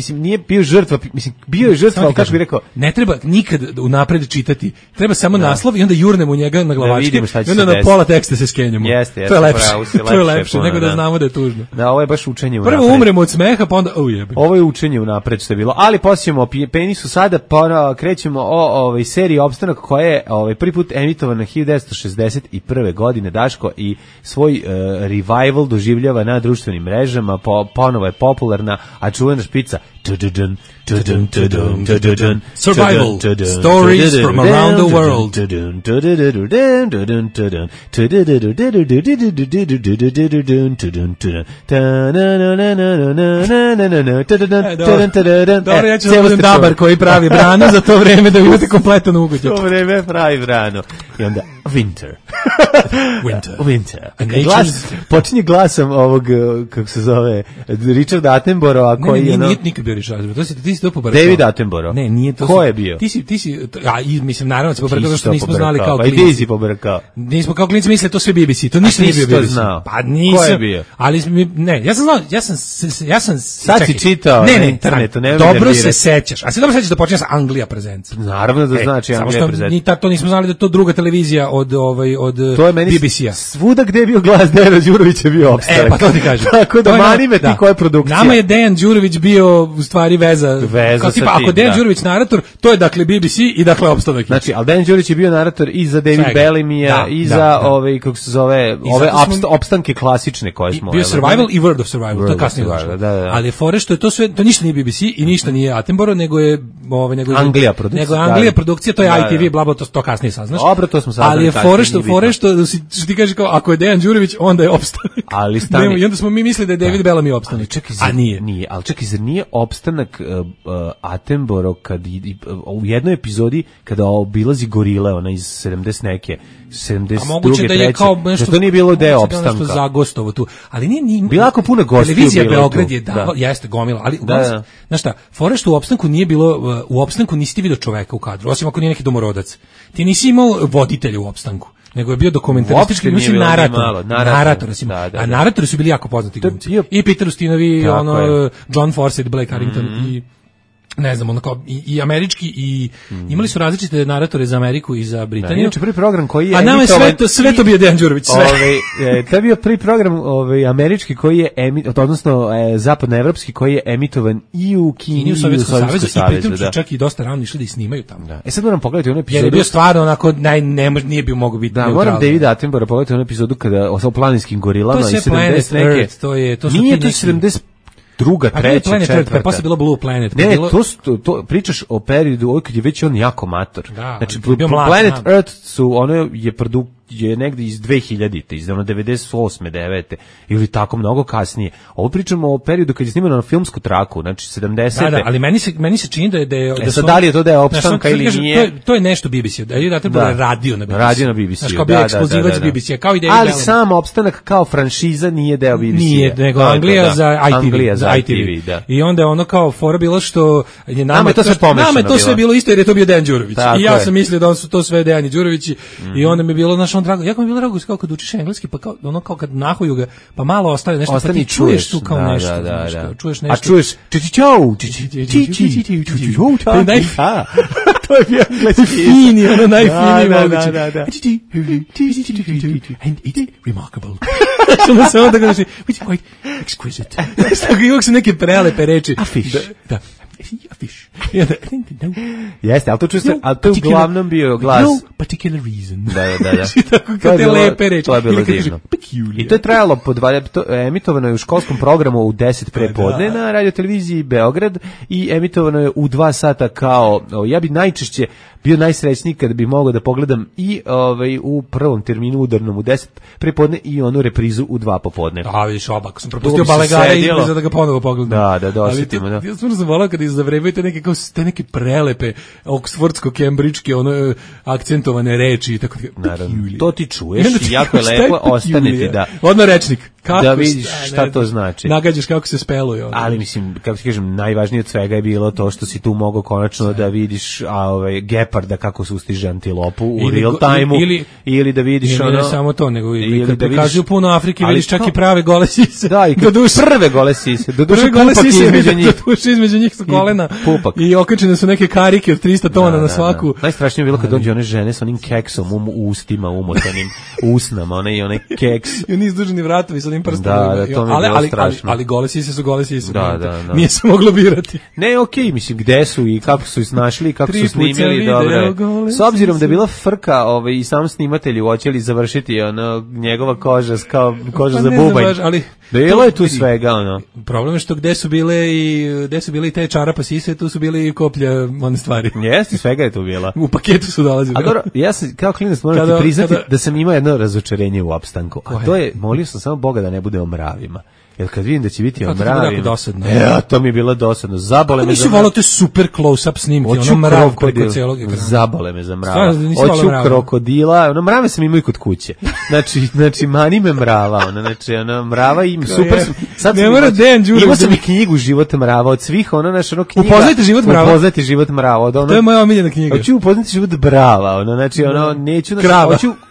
nije bio žrtva, mislim, bio je žrtva, ali kako bih rekao, ne treba nikad unapred čitati. Treba samo naslov i onda jurnemo njega na glavačke i onda na pola teksta se skenjamo. Jeste, to je lepše. To je lepše nego da znamo da je tužno. Da, ovo je baš učenje unapred. Prvo umremo od smeha, pa onda ujebim. Ovo je učenje unapred što je bilo. Ali posjećamo o penisu sada, pa krećemo o seriji Opstanak koja je prvi put emitovana 1961. godine, Daško, i svoj revival doživljava na društvenim mrežama, ponovo je popularna, a čuvena špica Survival Stories from around the world. Dobro, ja ću da budem dabar koji pravi branu za to vreme da imate kompletan ugođaj. To vreme pravi branu. I onda Winter. Počinje glasom ovog, kako se zove, Richard Attenborough, koji je... Nije nikad bio Richard Attenborough, ti si to pobrkao. David Attenborough. Ne, nije to. Ko je bio? Ti si, mislim, naravno se pobrkao, što nismo znali kao klinci. Pa i ti si pobrkao. Nismo kao klinci mislili to sve BBC, to ništa nije bio BBC. Pa nisam. Ko je bio? Ali, ne, ja sam znao, ja sam... Sad si čitao na internetu, ne dobro se sećaš. A se dobro sećaš da počinje sa Anglija Presents. Naravno da znači Anglija Presents. Samo što to nismo znali da to druga televizija od BBC-a. Svuda gde je bio glas Dejana Đurovića bio Opstanak. Pa to ti kažem. Tako da mani me ti koja je produkcija. Nama je Dejan Đurović bio u stvari veza kao tipa, ako Dejan Đurović narator, to je dakle BBC i dakle Opstanak. Znači, ali Dejan Đurović je bio narator i za David Bellamija i za kako se zove, ove opstanke klasične koje smo. Bio Survival i World of Survival, to je kasnije došlo. Ali je fore što je to sve, to ništa nije BBC i ništa nije Attenborough, nego je Anglija produkcija. Nego Anglija produkcija, to je ITV, bla bla, to kasnije saznaš. Dobro, to smo saznali. Ali je fore što ti kažeš kao ako je Dejan Đurović, onda je Opstanak. Ali stani. I onda smo mi mislili da je David Bellamy Opstanak. A nije. Ali čekaj, zar nije Opstanak Attenborough kad u jednoj epizodi kada obilazi gorile, ona iz 70 neke 72. da je kao nešto, to nije bilo deo Opstanka. Nešto zagostovo tu. Ali nije bilo jako puno gostiju. Televizija Beograd je jeste gomila, ali znaš šta, fore što u Opstanku nije bilo, u Opstanku nisi ti vidio čoveka u kadru, osim ako nije neki domorodac. Ti nisi imao voditelja u Opstanku, nego je bio dokumentaristički, mislim, narator. A naratori su bili jako poznati glumci. I Peter Ustinovi, John Fawcett, Blake Harrington i ne znam, ono kao i američki i imali su različite naratore za Ameriku i za Britaniju. Inače prvi program koji je a nama je sve to bio Dejan Đurović, sve. To je bio prvi program američki koji je odnosno zapadnoevropski koji je emitovan i u Kini i u Sovjetskom savezu i pritom su čak i dosta rano išli da i snimaju tamo. Sad moram pogledati onu epizodu. Jer je bio stvarno onako nije bio mogu biti. Da, moram David Attenborough pogledati onu epizodu kada o planinskim gorilama i 70 neke. To nije to 70 druga, treća, četvrta. Posle bilo Blue Planet. Ne, to pričaš o periodu kad je već on jako mator. Znači, Planet Earth ono je negde iz 2000-te, iz 98. 9. ili tako mnogo kasnije. Ovo pričamo o periodu kad je snimano na filmsku traku, znači 70. Da, ali meni se čini da je da li je to da je Opstanka ili nije. To je nešto BBC, da je radio na BBC. Radio na BBC. Znači kao bio ekskluzivac BBC, kao i David Bellamy. Ali sam Opstanak kao franšiza nije deo BBC. Nije, nego Anglija za ITV. I onda je ono kao fora bilo što je nama to sve bilo isto jer je to bio Dejan Đurović. I ja sam mislio da su to sve Dejani Đurovići i onda mi je bilo našo drago. Jako mi je bilo drago kao kad učiš engleski, pa kao kad nahuju ga, pa malo ostane nešto, pa ti čuješ tu kao nešto. Čuješ nešto. A čuješ to je bio engleski. Fini, ono najfiniji moguće. And it's remarkable. Što se onda kaže, which is quite exquisite. Tako uvijek su neke prelepe reči. A fish. Da. A fish. Jeste, ali to je uglavnom bio glas. No particular reason. Da. Tako te lepe reči. To je bilo divno. I to je trajalo, emitovano je u školskom programu u 10 prepodne na radioteleviziji Beograd i emitovano je u 2 sata kao, ja bi najčešće bio najsrećniji kada bih mogao da pogledam i u prvom terminu udarnom u 10 prepodne i onu reprizu u 2 popodne. A vidiš, ako sam propustio Balegara i da ga ponovo pogledam. Da osjetimo. Ja stvarno sam volao kada izzavrevajte neke prelepe oksfordsko-kembridžke akcentovane reči i tako. Naravno, to ti čuješ i jako je lepo, ostane ti da. Odmah rečnik. da vidiš šta to znači. Nagađaš kako se speluje. Ali mislim, kako ti kažem, najvažnije od svega je bilo to što si tu mogao konačno da vidiš geparda kako sustiže antilopu u real time-u ili da vidiš ne samo to, nego i kad prikazuju puno Afrike, vidiš čak i prave gole sise. Da, i prve gole sise. Do duše pupak između njih. Između njih su kolena i okačene su neke karike od 300 tona na svaku. Najstrašnije je bilo kad dođe one žene sa onim keksom u ustima, umotanim usnama, onaj keks. I oni izduženi vratovi sa onim prstovima. Da, to mi je bilo strašno. Ali gole sise su gole sise. Da. Nije se moglo birati. Ne, okej, mislim, gde su i kako su snašli, kako su snimili, dobro. S obzirom da je bila frka i sam snimatelj hoće li završiti njegova koža kao koža za bubanj. Bilo je tu svega, Problem je što gde su bile i te čarapa sise, tu su bile i koplja, one stvari. Jeste, svega je tu bila. U paketu su dolazili. A dobro, ja sam kao klinac moram ti priznati da sam imao jedno razočarenje u opstanku. A to je, molio sam samo Boga da ne bude o mravima. Jer kad vidim da će biti o mravima, to mi je bilo dosadno. Zabole me za mravima. Volao te super close-up snimke, mrav preko celog ekrana. Zabole me za mrava. Hoću krokodila, mrave sam imao i kod kuće. Znači mani me mrava, mrava im super. Sad ne mora Dejan Đurović. Imao sam i knjigu Život mrava od svih, knjiga. Upoznajte život mrava. Upoznajte život mrava. To je moja omiljena knjiga. Hoću upoznati život brava, neću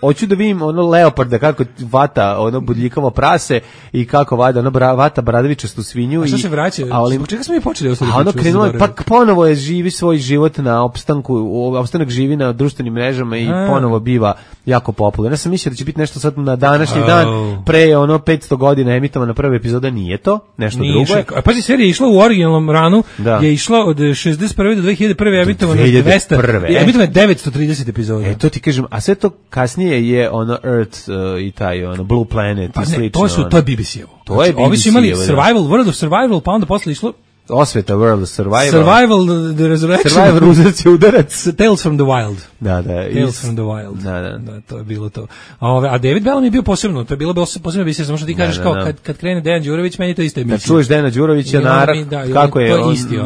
hoću da vidim leoparda kako vata budljikavo prase i kako vada vata bradavičastu svinju. A šta se vraća? Zbog čega smo mi počeli ostali? A ono krenulo, pa ponovo je živi svoj život na opstanak živi na društvenim mrežama i ponovo biva jako popularan. Ja sam mislio da će biti nešto sad na današnji dan, pre 500 godina emitovana prva epizoda, nije to, nešto drugo je. A pazi, serija je išla u originalnom ranu, je išla od 61. do 2001. emitovana 200, emitovana 930 epizoda. To ti kažem, a sve to kasnije je Earth i taj Blue Planet i slično. To je BBC-evo. To je Ovi su imali World of Survival, pa onda posle išlo Osveta World of Survival. Survival, The Resurrection. Survival, uzrac i udarac. Tales from the Wild. Da. Tales from the Wild. Da, to je bilo to. A David Bellamy je bio posebno, to je bilo posebno emisija, samo što ti kažeš kao kad krene Dejan Đurović, meni to isto emisija. Kad čuješ Dejana Đurovića, kako je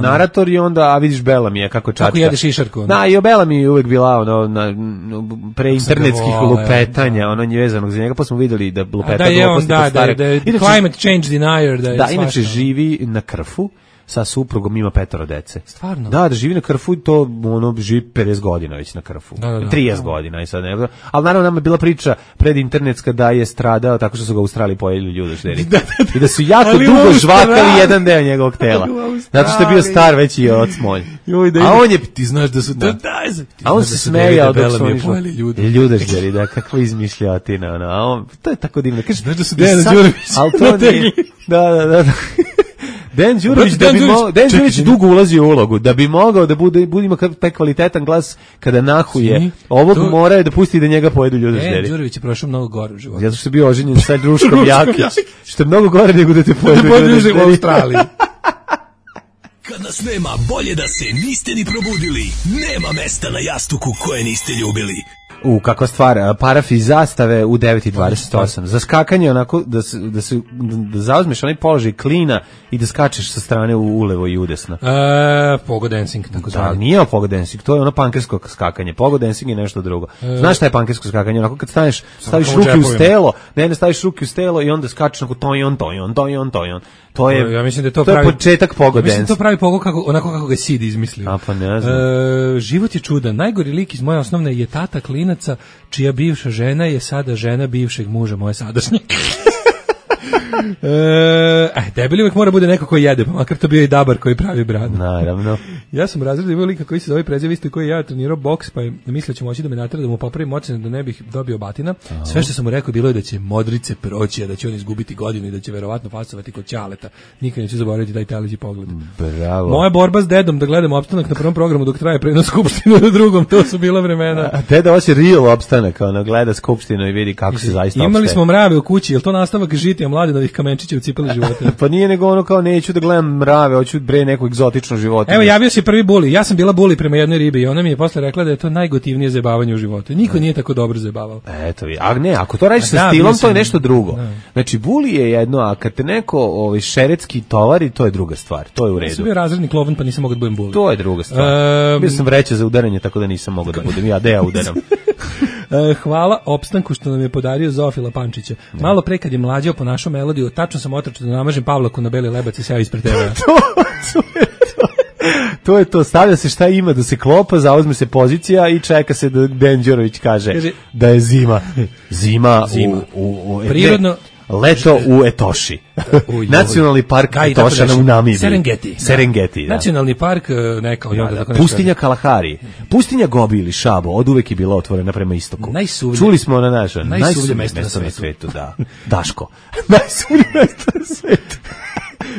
narator i onda, a vidiš Bellamy, kako čačka. Kako jede šišarku. Da, i o Bellamy je uvek bila pre internetskih lupetanja, vezanog za njega, pa smo videli da lupeta gluposti kod stare. Da je climate change denier. Da, inače živi na Krfu, sa suprugom, ima 5 dece. Stvarno? Da živi na Krfu i to živi 50 godina već na Krfu. 30 godina i sad ne. Ali naravno nam je bila priča predinternetska da je stradao tako što su ga u Australiji pojeli ljudožderi. I da su jako dugo žvakali jedan deo njegovog tela. Zato što je bio star već i od smolj. A on je, ti znaš da su a on se smejao dok su oni pojeli ljudožderi, da, kakva izmišljotina. A on, to je tako divno. Znaš da su Dejan Đurović. Da. Dejan Đurović dugo ulazi u ulogu, da bi mogao da bude ima taj kvalitetan glas kada nahuje. Ovog mora da pusti da njega pojedu ljudožderi. Dejan Đurović je prošao mnogo gore u životu. Zato što je bio oženjen sa Druškom Jakić, što je mnogo gore nego da te pojedu ljudožderi u Australiji. Kad nas nema, bolje da se niste ni probudili. Nema mesta na jastuku koje niste ljubili. Kakva stvar, paraf iz zastave u 9:28. Za skakanje onako da zauzmeš onaj položaj klina i da skačeš sa strane ulevo i udesno. Pogo dancing, tako zvani. Da, nije pogo dancing, to je ono pankersko skakanje. Pogo dancing je nešto drugo. Znaš šta je pankersko skakanje? Onako kad staviš ruke uz telo, staviš ruke uz telo i onda skačeš onako tojon. To je, ja mislim da to je početak pogo dance. Mislim da to pravi pogo onako kako ga Sid izmislio. A pa ne znam. Život je čudan. Najgori lik iz moje osnovne je tata klinaca, čija bivša žena je sada žena bivšeg muža moje sadašnje. Debeli uvijek mora bude neko koji jede, pa makar to bio i dabar koji pravi bradu. Naravno. Ja sam razredio imao lika koji se zove preziv isto koji ja trenirao boks, pa je mislio će moći da me natera da mu popravim ocene da ne bih dobio batina. Sve što sam mu rekao bilo je da će modrice proći, a da će on izgubiti godinu i da će verovatno fasovati kod ćaleta. Nikad neće zaboraviti taj teleđi pogled. Bravo. Moja borba s dedom da gledamo opstanak na prvom programu dok traje prenos skupštinu na drugom, to su bila vremena. A deda hoće real opstanak, gleda skupštinu i vidi kako se zaista opstaje. Imali smo mrave u kući, jel to nastavak žitija mladenovih kamenčića u cipeli života? Pa nije nego ono kao neću da gledam mrave, hoću neku egzotičnu životinju. Evo, javio se prvi buli. Ja sam bila buli prema jednoj ribi i ona mi je posle rekla da je to najgotivnije zajebavanje u životu. Niko nije tako dobro zajebavao. Eto, a ne, ako to radiš sa stilom, to je nešto drugo. Znači, buli je jedno, a kad te neko šeretski tovari, to je druga stvar. To je u redu. Ja sam bio razredni klovan, pa nisam mogao da budem buli. To je druga stvar. Bio sam vreća za udaranje, tako da nisam mogao da budem. Ja udaram. Hvala opstanku što nam je podario Zofila Pančića. Malo pre kad je mlađao po našu melodiju, tačno sam otrčao da namažem Pavlaku na beli lebac i seo ispred TV-a. To je to, stavlja se šta ima da se klopa, zauzme se pozicija i čeka se da Dejan Đurović kaže da je zima. Zima. U prirodno. Leto u Etoši. Nacionalni park Etoša u Namibiji. Serengeti. Da. Nacionalni park neka. Pustinja Kalahari. Pustinja Gobi ili Šabo, od uvek je bila otvorena prema istoku. Čuli smo na naša. Najsuvlje mesto na svetu. Da. Daško. Najsuvlje mesto na svetu.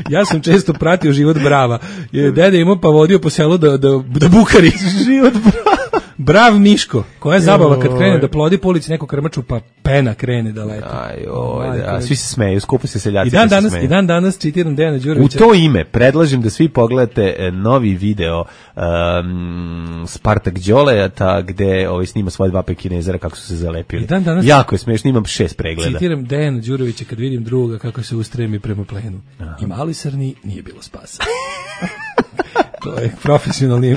Ja sam često pratio život Brava. Dede imao pa vodio po selu da bukari. Život Brava. Brav Miško, koja je zabava kad krene da plodi po ulici neku krmaču, pa pena krene da leti. Svi se smeju, skupo se seljaci. I dan danas citiram Dejana Đurovića. U to ime predlažem da svi pogledate novi video Spartak Đoleta gde snima svoje dva pekinezera kako su se zalepili. Jako je smešno, imam 6 pregleda. Citiram Dejana Đurovića kad vidim druga kako se ustremi prema plenu. I mali srni nije bilo spasa. To je profesionalni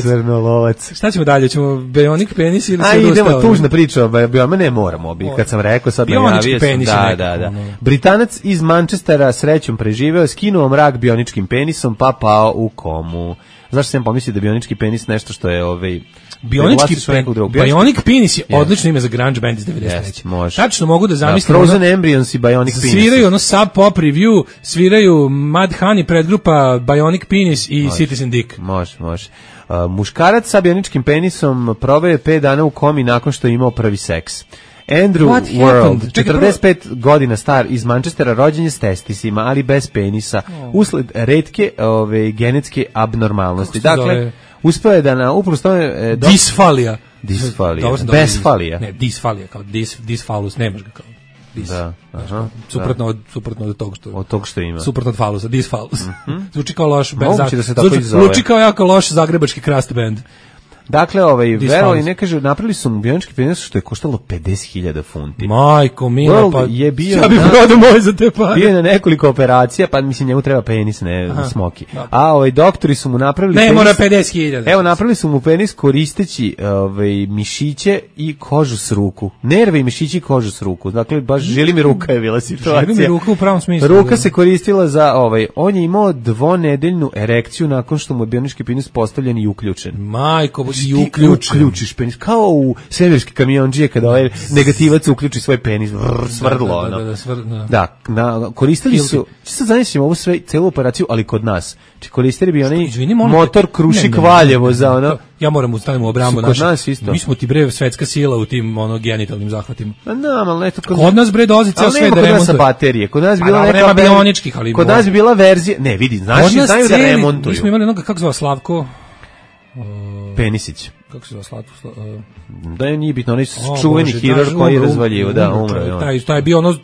srnolovac. Šta ćemo dalje? Ćemo Bionic penis ili sve idemo tužna priča, ne moramo. Kad sam rekao sad najavio sam. Da. Britanac iz Manchestera srećom preživeo, skinuo mrak bioničkim penisom pa pao u komu. Zašto sam pomislio da bionički penis nešto što je Bionic penis je odlično ime za grunge band iz 93. Tačno mogu da zamislim. Frozen Embryons i Bionic penis. Sviraju Sub Pop Review, sviraju Mad Honey predgrupa Bionic penis i Citizen Dick. Može. Muškarac sa bioničkim penisom proveo je 5 dana u komi nakon što je imao prvi seks. Andrew World, 45 godina star, iz Manchestera, rođen je s testisima, ali bez penisa, usled retke genetske abnormalnosti. Dakle, uspeo je da upravo tome... Disfalija. Besfalija. Ne, disfalija, kao disfalus, nemaš ga kao. Da, suprotno od toga što... Od toga što ima. Suprotno od falusa, disfalus. Zvuči kao loš... Moguće da se tako i zove. Zvuči kao jako loš zagrebački crust band. Dakle, verovali, ne kaže, napravili su mu bionički penis što je koštalo 50.000 funti. Majko mila, pa je bio ja bih prodao moj za te pare. Bio je na nekoliko operacija, pa mislim njemu treba penis, ne smoki. A doktori su mu napravili ne penis. Mora 50.000. Evo, napravili su mu penis koristeći mišiće i kožu s ruku. Nerve i mišići i kožu s ruku. Dakle, baš želi mi ruka je bila situacija. Želi mi ruka u pravom smislu. Ruka se koristila za on je imao 2-nedeljnu erekciju nakon što mu je bionički penis postavljen i uključen. Majko, uključiš penis, kao u svemirski kamionđije kada negativac uključi svoj penis, svrdlo. Da, koristili su, sad zamislimo ovu celu operaciju, ali kod nas. Koristili bi onaj motor Krušik Valjevo za ono... Ja moram ustaviti u obramu mi smo ti bre svetska sila u tim genitalnim zahvatima. Kod nas bre dolazi ceo svet da remontuje. Kod nas baterije, kod nas bi bila neka bioničkih, ali kod nas bi bila verzija, ne vidi, znaju da remontuju. Mi smo imali onoga, kako zove Slavko? Penisić. Kako se zove Slavko? Da je nije bitno, onaj čuveni hirurg koji je razvaljivo, da, umro je on. Taj je bio ono,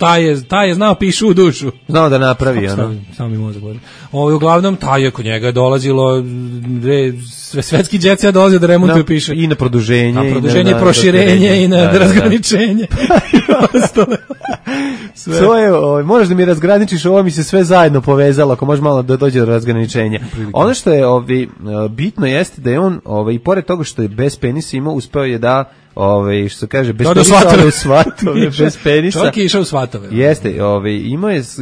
taj je znao pišu u dušu. Znao da napravi, ono. Samo mi mozak govori. Uglavnom, taj je kod njega dolazilo, svetski džet ja dolazio da remontuje piše. I na produženje. Na produženje, proširenje i na razgraničenje. To je, možeš da mi razgraničiš, ovo mi se sve zajedno povezalo, ako može malo da dođe do razgraničenja. Ono što je bitno jeste da je on, i pored toga što je bez penisa imao, uspeo je da, što se kaže, bez svatove, bez penisa. Čovjek je išao u svatove. Jeste,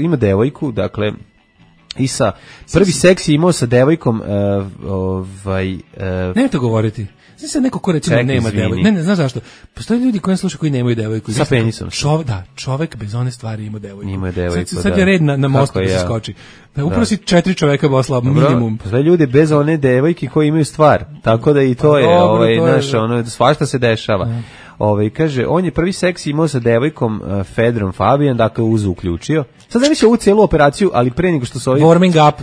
ima devojku, dakle, i sa prvi seks je imao sa devojkom, ne to govoriti. Znači sad neko ko recimo nema devojku. Ne, znaš zašto? Postoje ljudi koji slušaju koji nemaju devojku. Sa penisom. Čovek bez one stvari ima devojku. Ima devojku, sad je red na mostu da se skoči. Upravo si 4 čoveka posla minimum. Postoje ljudi bez one devojke koji imaju stvar. Tako da i to je, svašta se dešava. Kaže, on je prvi seks imao sa devojkom Fedrom Fabian, dakle uključio. Sad ne više ovu celu operaciju, ali pre nego što su ovi... Warming up.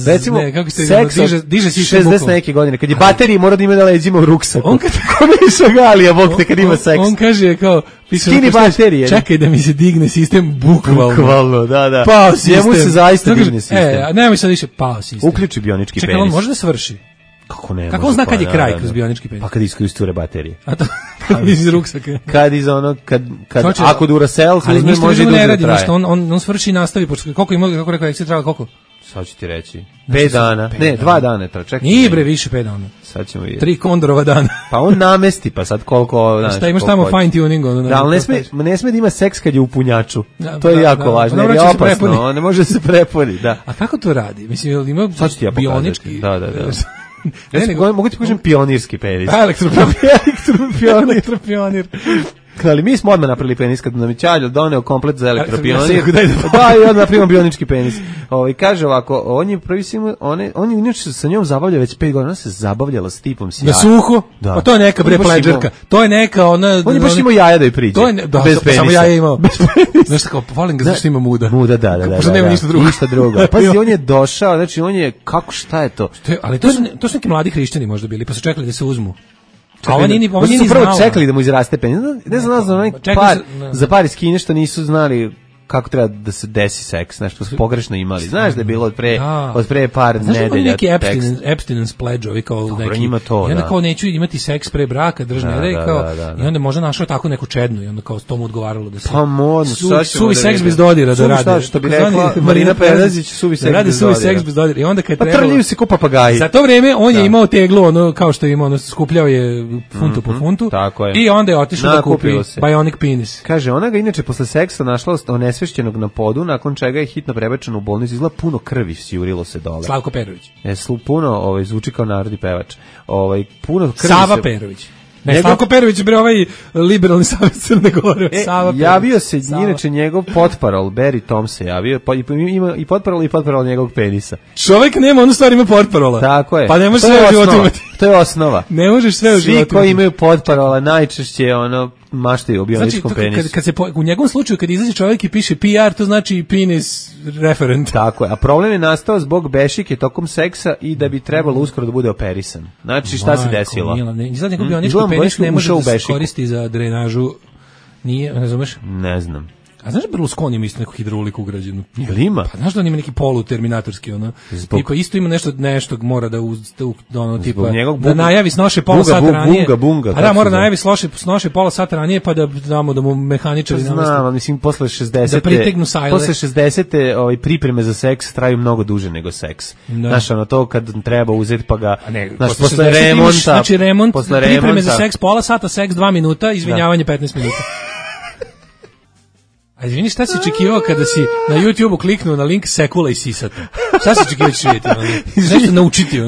Recimo, seks diže 60 neke godine, kad je bateriji mora da ima na leđima u ruksaku. On kad... Kome je šagalija, bog te, kad ima seks. On kaže kao... Skini baterije. Čekaj da mi se digne sistem, bukvalno. Bukvalno, da. Pao sistem. Njemu se zaista digne sistem. Nemoj sad više, pao sistem. Uključi bionički penis. Čekaj, on može da svrši? Kako ne? Kako on zna kad je kraj kroz bionički penis? Pa kad iskoristuje baterije. A to iz ruksaka. Kad ako Duracell uzme može da traje. On svrši i nastavi, koliko ima, kako rekao, ekstra trajalo koliko? Sad ću ti reći. 5 dana. Ne, 2 dana. Čekaj. Nije bre više 5 dana. Sad ćemo vidjeti. 3 Kondorova dana. Pa on namesti, pa sad koliko... Šta imaš tamo fine tuning? Da, ali ne sme da ima seks kad je u punjaču. To je jako važno, jer je opasno. Ne može se prepuni, da. A kako to radi? Mislim, ima bionički... Da. Mogu ti kažem pionirski penis. Elektropionir. Ali mi smo odmah napravili penis kad nam je Ćaljo doneo komplet za elektropionir. Da, i odmah napravimo bionički penis. Kaže ovako, on je prvi on je inače sa njom zabavlja već 5 godina, ona se zabavljala s tipom sjajno. Na suho? Da. Pa to je neka bre pleđerka. To je neka ona... On je baš imao jaja da je priđe. Bez penisa. Samo jaja imao. Znaš tako, volim ga zašto ima muda. Muda, da. Možda nema ništa drugo. Ništa drugo. Pazi, on je došao, znači on je, šta je to? Ali to su neki mladi hrišćani možda bili, pa su čekali da se uzmu. Oni su prvo čekali da mu izraste penis. Ne znam, za par iz Kine što nisu znali kako treba da se desi seks, nešto su pogrešno imali. Znaš da je bilo od pre par nedelja. Znaš da neki abstinence pledge, ovi kao neki. Ima to, i onda kao neću imati seks pre braka, i onda možda našao tako neku čednu i onda kao s tomu odgovaralo da se... Pa modno, suvi seks bez dodira da rade. Što bi rekla Marina Pedazić, suvi seks bez dodira. Radi suvi seks bez dodira. I onda kad trebalo... Pa trljaju se ko papagaji. Za to vreme on je imao teglu, ono kao što je imao, skupljao je funtu po funtu. I onda je otišao da kupi bionic penis. Kaže, ona ga inače posle seksa našla onesvešćenog na podu, nakon čega je hitno prebačen u bolnicu, izgleda puno krvi sjurilo se dole. Slavko Perović. Puno, zvuči kao narodni pevač. Puno krvi Sava Perović. Ne, Slavko Perović bre ovaj liberalni savez Crne Gore. Sava javio se inače njegov potparol, Barry Tom se javio, pa ima i potparol njegovog penisa. Čovjek nema, onu stvar ima potparola. Tako je. Pa ne možeš sve u životu imati. To je osnova. Ne možeš sve u životu. Svi koji imaju potparola najčešće maštaju o bioničkom penisu. Kad se u njegovom slučaju kad izađe čovjek i piše PR, to znači penis referent. Tako je. A problem je nastao zbog bešike tokom seksa i da bi trebalo uskoro da bude operisan. Znači šta se desilo? Izgleda njegov bionički penis ne može da se koristi za drenažu. Nije, ne znameš? Ne znam. A znaš da Berlusconi ima isto neku hidrauliku ugrađenu? Jel ima? Pa znaš da on ima neki poluterminatorski, tipa isto ima nešto mora da tipa, da najavi snoše pola sata ranije. Bunga. A da, mora najavi snoše pola sata ranije, pa da damo da mu mehaničari namesti. Znam, mislim, posle 60. Da pritegnu sajle. Posle 60. Pripreme za seks traju mnogo duže nego seks. Znaš, to kad treba uzeti pa ga, znaš, posle remonta. Znači remont, pripreme za seks pola sata, seks 2 minuta, izvinjavanje 15 minuta. A izvini, šta si očekivao kada si na YouTube-u kliknuo na link Sekula i Sisata? Šta si očekivao ćeš vidjeti? Nešto naučiti?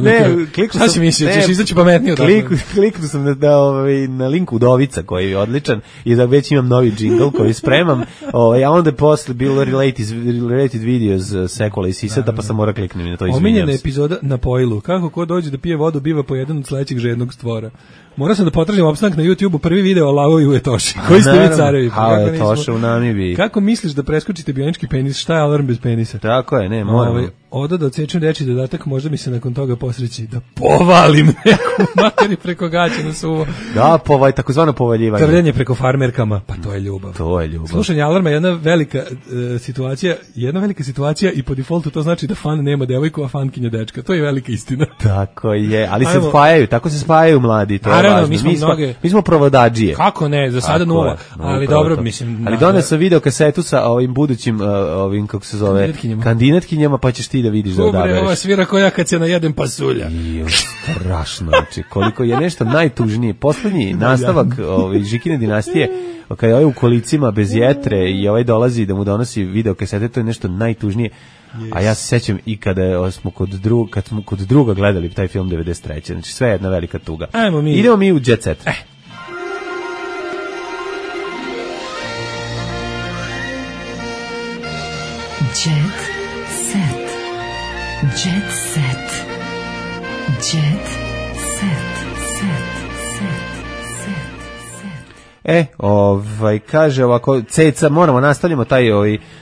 Šta si mislio? Ćeš izaći pametnije od toga? Kliknuo sam na link Udovica koji je odličan i da već imam novi džingl koji spremam, a onda je posle bilo related videos Sekula i Sisata, pa sam mora kliknuti na to, izvinjam se. Omiljena epizoda na pojlu. Kako ko dođe da pije vodu biva po jedan od sledećeg žednog stvora. Morao sam da potražim opstanak na YouTube-u, prvi video o Lavovi u Etoši. Koji ste vi carevi? Etoša u Namibiji. Kako misliš da preskočite bionički penis? Šta je alarm bez penisa? Tako je, ne, moramo. Oda da odsečem reći dodatak, možda mi se nakon toga posreći da povalim neku materi preko gaća na suvo. Da, takozvano povaljivanje. Trljanje preko farmerkama, pa to je ljubav. To je ljubav. Slušanje alarma je jedna velika situacija i po defaultu to znači da fan nema devojku, a fankinja dečka. To je velika istina. Tako je, ali tako se spajaju mladi, to je važno. Mi smo provodadžije. Kako ne, za sada nula. Ali dobro, mislim. Ali donesao video kasetu sa ovim budućim, kako se zove, kandidatkinjama, pa ćeš ti da vidiš da odabereš. Ova svira koja kad se najedem pasulja. Strašno, znači, koliko je nešto najtužnije. Poslednji nastavak Žikine dinastije, kada je u kolicima bez jetre i dolazi da mu donosi video kasete, to je nešto najtužnije. A ja se sećam i kada smo kod druga gledali taj film 93. Znači, sve je jedna velika tuga. Idemo mi u Jet Set. Jet Set. Jet Set. Jet Set. Kaže ovako, Ceca, moramo nastavljamo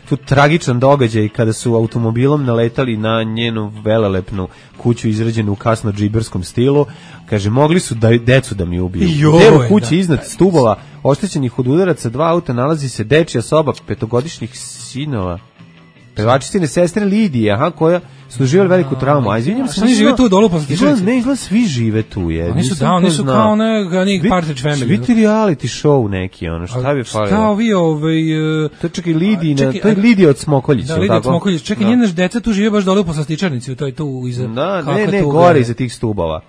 tu tragičan događaj kada su automobilom naletali na njenu velelepnu kuću izrađenu u kasno džiberskom stilu. Kaže, mogli su decu da mi ubiju. U kući iznad stubova oštećenih od udaraca 2 auta nalazi se dečija soba 5-godišnjih sinova. Pevačicine sestre Lidije, koja su doživjeli veliku traumu. A izvinjam se, oni žive tu dolu po Slastičarnici. Ne, izgleda svi žive tu. Oni su kao onih Partridge Family. Vidite reality show neki, šta bi falilo? Kao vi to je čekaj Lidija, to je Lidija od Smokoljića. Da, Lidija od Smokoljića. Čekaj, njene deca tu žive baš dole po Slastičarnici, to je tu iza. Da, ne, gore iza tih stubova.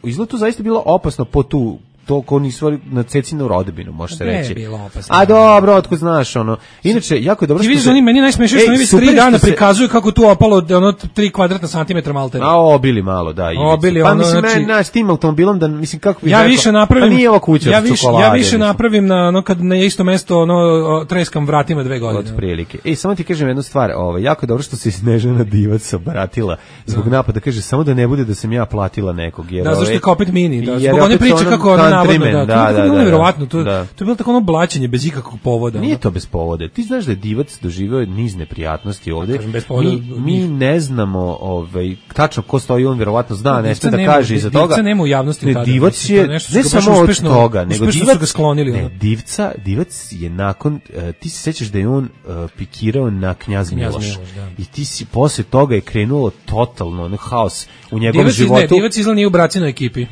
Izgleda to zaista bilo opasno po tu to ko nisu na cecinu rodbinu, može se reći. A dobro, otko znaš, Inače, jako je dobro što... Ti vidiš, oni meni najsmešnije što oni već 3 dana prikazuju kako tu opalo 3 kvadratna santimetra maltene. A obili malo, da. Obili, pa mislim, s tim automobilom, da mislim, kako bi ja više napravim, pa nije ova kuća od čokolade. Ja više napravim kad na isto mesto treskam vratima 2 godine. Od prilike. Samo ti kažem jednu stvar, jako je dobro što se Snežana Divac obratila zbog napada, kaže, samo da ne bude da sam ja platila nekog. Da, zašto je kao opet mini, da, zbog one priče kako navodno, da, nevjerovatno, to je bilo tako blaćenje bez ikakvog povoda. Nije to bez povoda. Ti znaš da je Divac doživio niz neprijatnosti ovde. Mi ne znamo tačno ko stoji, on vjerovatno zna, nešto da kaže iza toga. Divca nema u javnosti tada. Divac je, ne samo od toga, nego Divac je nakon, ti se sećaš da je on pikirao na Knjaz Miloš. I ti si posle toga je krenulo totalno haos u njegovom životu. Divac izgleda nije u bracinoj ekipi.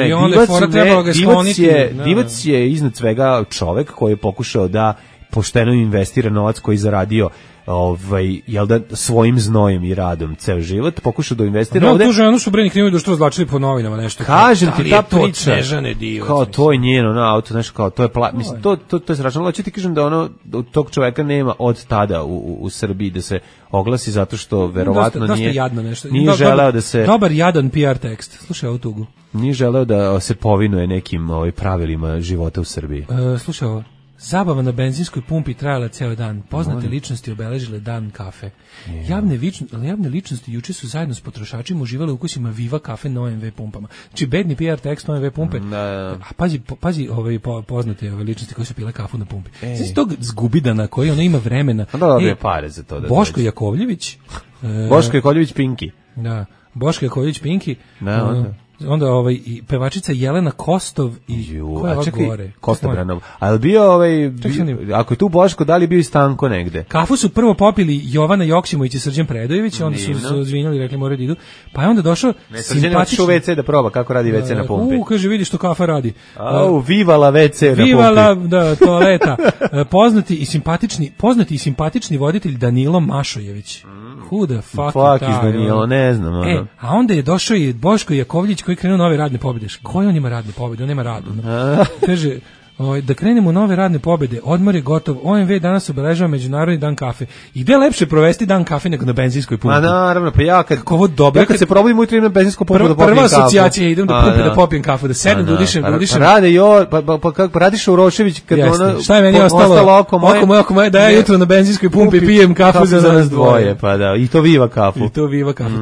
I onda je fora trebalo ga skloniti. Divac je iznad svega čovek koji je pokušao da pošteno investira novac koji je zaradio svojim znojem i radom ceo život, pokušao da investira ovde. Tu ženu su breni kriminalni društvo razvlačili po novinama nešto. Kažem ti, ta priča, Divac, kao to je njeno auto, nešto kao to je mislim, to je strašno. Ali ću ti kažem da tog čoveka nema od tada u Srbiji da se oglasi zato što verovatno nije želeo da se... Dobar jadan PR tekst, slušaj ovu tugu. Nije želeo da se povinuje nekim pravilima života u Srbiji. Slušaj ovo. Zabava na benzinskoj pumpi trajala ceo dan. Poznate ličnosti obeležile dan kafe. Javne ličnosti juče su zajedno s potrošačima uživale u ukusima Viva kafe na OMV pumpama. Znači, bedni PR tekst OMV pumpe. A pazi poznate ličnosti koji su pile kafu na pumpi. Znači, tog zgubidana koji ima vremena. Onda dobije pare za to. Boško Jakovljević. Boško Jakovljević Pinki. Da, Boško Jakovljević Pinki. Onda i pevačica Jelena Kostov i koja je gore? Kostobranov. Ali bio ako je tu Boško, da li bio i Stanko negde? Kafu su prvo popili Jovana Joksimović i Srđan Predojević, onda su izvinjali, rekli moraju da idu. Pa je onda došao simpatični... WC da proba kako radi WC na pumpi. Kaže, vidi što kafa radi. Vivala WC na pumpi. Vivala, da, toaleta. Poznati i simpatični voditelj Danilo Mašojević. Who the fuck is Danilo, ne znam. A onda je došao i Boško Jakovljević koji krenuo nove radne pobjede. Koji on ima radne pobjede? On nema radu. Kaže, da krenemo u nove radne pobjede, odmor je gotov, OMV danas obeležava Međunarodni dan kafe. I gde je lepše provesti dan kafe nego na benzinskoj pumpi? Naravno, pa ja kad se probudim ujutro na benzinsku pumpu da popijem kafu. Prva asocijacija, idem do pumpe da popijem kafu, da sedem, da udišem. Pa radiš Urošević kad šta je meni ostalo? Oko moje, da ja jutro na benzinskoj pumpi pijem kafu za nas dvoje. Pa da, i to Viva kafu.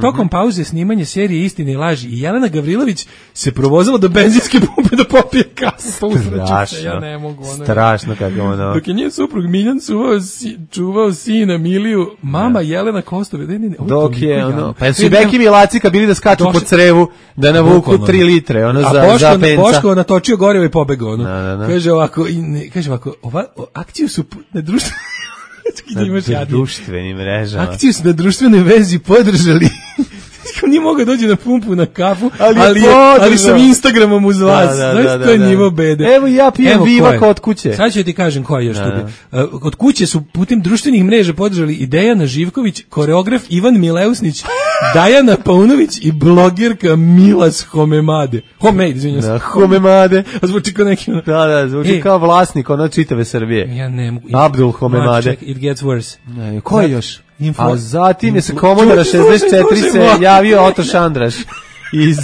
Tokom pauze snimanje serije Istine i laži i Jelena Gavrilović se provozila do benzinske pumpe da popije kafu. Ja ne mogu. Strašno kako ono. Dok je njen suprug Miljan čuvao sina Miliju, mama Jelena Kostov. Dok je ono. Pa su Beki Milacika bili da skaču po crevu, da navuku 3 litre, ono za penca. Boško natočio gorivo i pobegao, ono. Kaže ovako, akciju su na društvenim mrežama. Akciju su na društvenoj vezi podržali. Nije mogao dođe na pumpu na kafu, ali sam Instagramom uz vas. Znači, to je nivo bede. Evo ja pijem Viva kod kuće. Sad ću ti kažem ko je još tu. Kod kuće su putem društvenih mreža podržali i Dejana Živković, koreograf Ivan Mileusnić, Dajana Paunović i blogerka Milas Homemade. Homemade. Zvuči kao neki... Da, zvuči kao vlasnik ono čitave Srbije. Ja ne mogu. Abdul Homemade. It gets worse. Ko je još? A zatim je se Komodora 64 se javio Oto Šandraš iz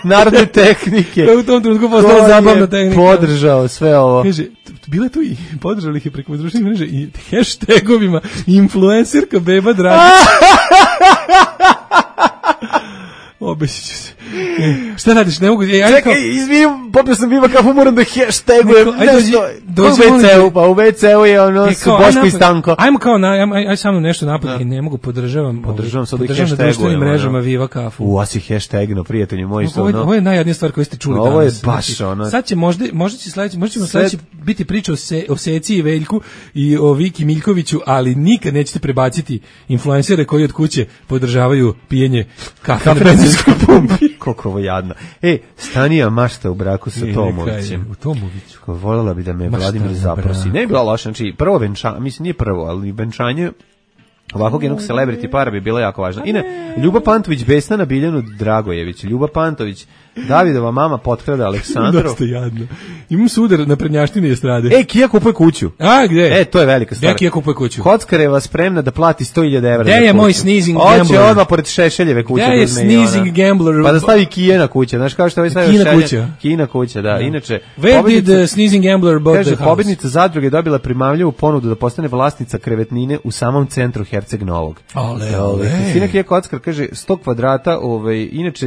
narodne tehnike. To je u tom trenutku postala zabavna tehnika. Podržao sve ovo. Kaže, bile tu i podržali ih je preko društvenih mreža i hashtagovima influencerka Beba Dragić. Obećit ću se. Šta radiš? Ne mogu... Čekaj, izvinim, popio sam Viva kafu, moram da hashtagujem nešto. U WC-u je ono su Boško i Stanko. Ajmo kao, aj samo nešto napad i ne mogu, podržavam sad i na društvenim mrežama Viva kafu. Asi hashtagno, prijatelji moji. Ovo je najjadnija stvar koju ste čuli danas. Ovo je baš ono. Sad će možda ćemo sledeći biti priča o Seci i Veljku i o Viki Miljkoviću, ali nikad nećete prebaciti influencere koji od kuće podržavaju pijenje kafe na benzinskoj pumpi. Koliko ovo jadno. Stanija mašta u braku sa Tomovićem. U Tomoviću. Voljela bi da me Vladimir zaprosi. Ne je bilo loše, znači prvo venčanje, mislim nije prvo, ali venčanje ovakvog jednog celebrity para bi bila jako važna. Ljuba Pantović besna na Biljanu Dragojević. Ljuba Pantović, Davidova mama potkrada Aleksandru. Dosta jadno. Imam sudar na prednjaštini estrade. Kija kupuje kuću. A, gde? To je velika stvar. Kija kupuje kuću. Kockareva spremna da plati 100.000 evra. Gde je moj sneezing gambler? Hoće odmah pored Šešeljeve kuće. Gde je sneezing gambler? Pa da stavi Kijena kuća. Znaš kao što ovaj stavio Šešelja? Kijena kuća, da. Inače, where did the sneezing gambler bought the house? Pobednica zadruge dobila primamljivu ponudu da postane vlasnica krevetnine u samom centru Herceg Novog. Kristina Kija Kockar kaže 100 kvadrata, inače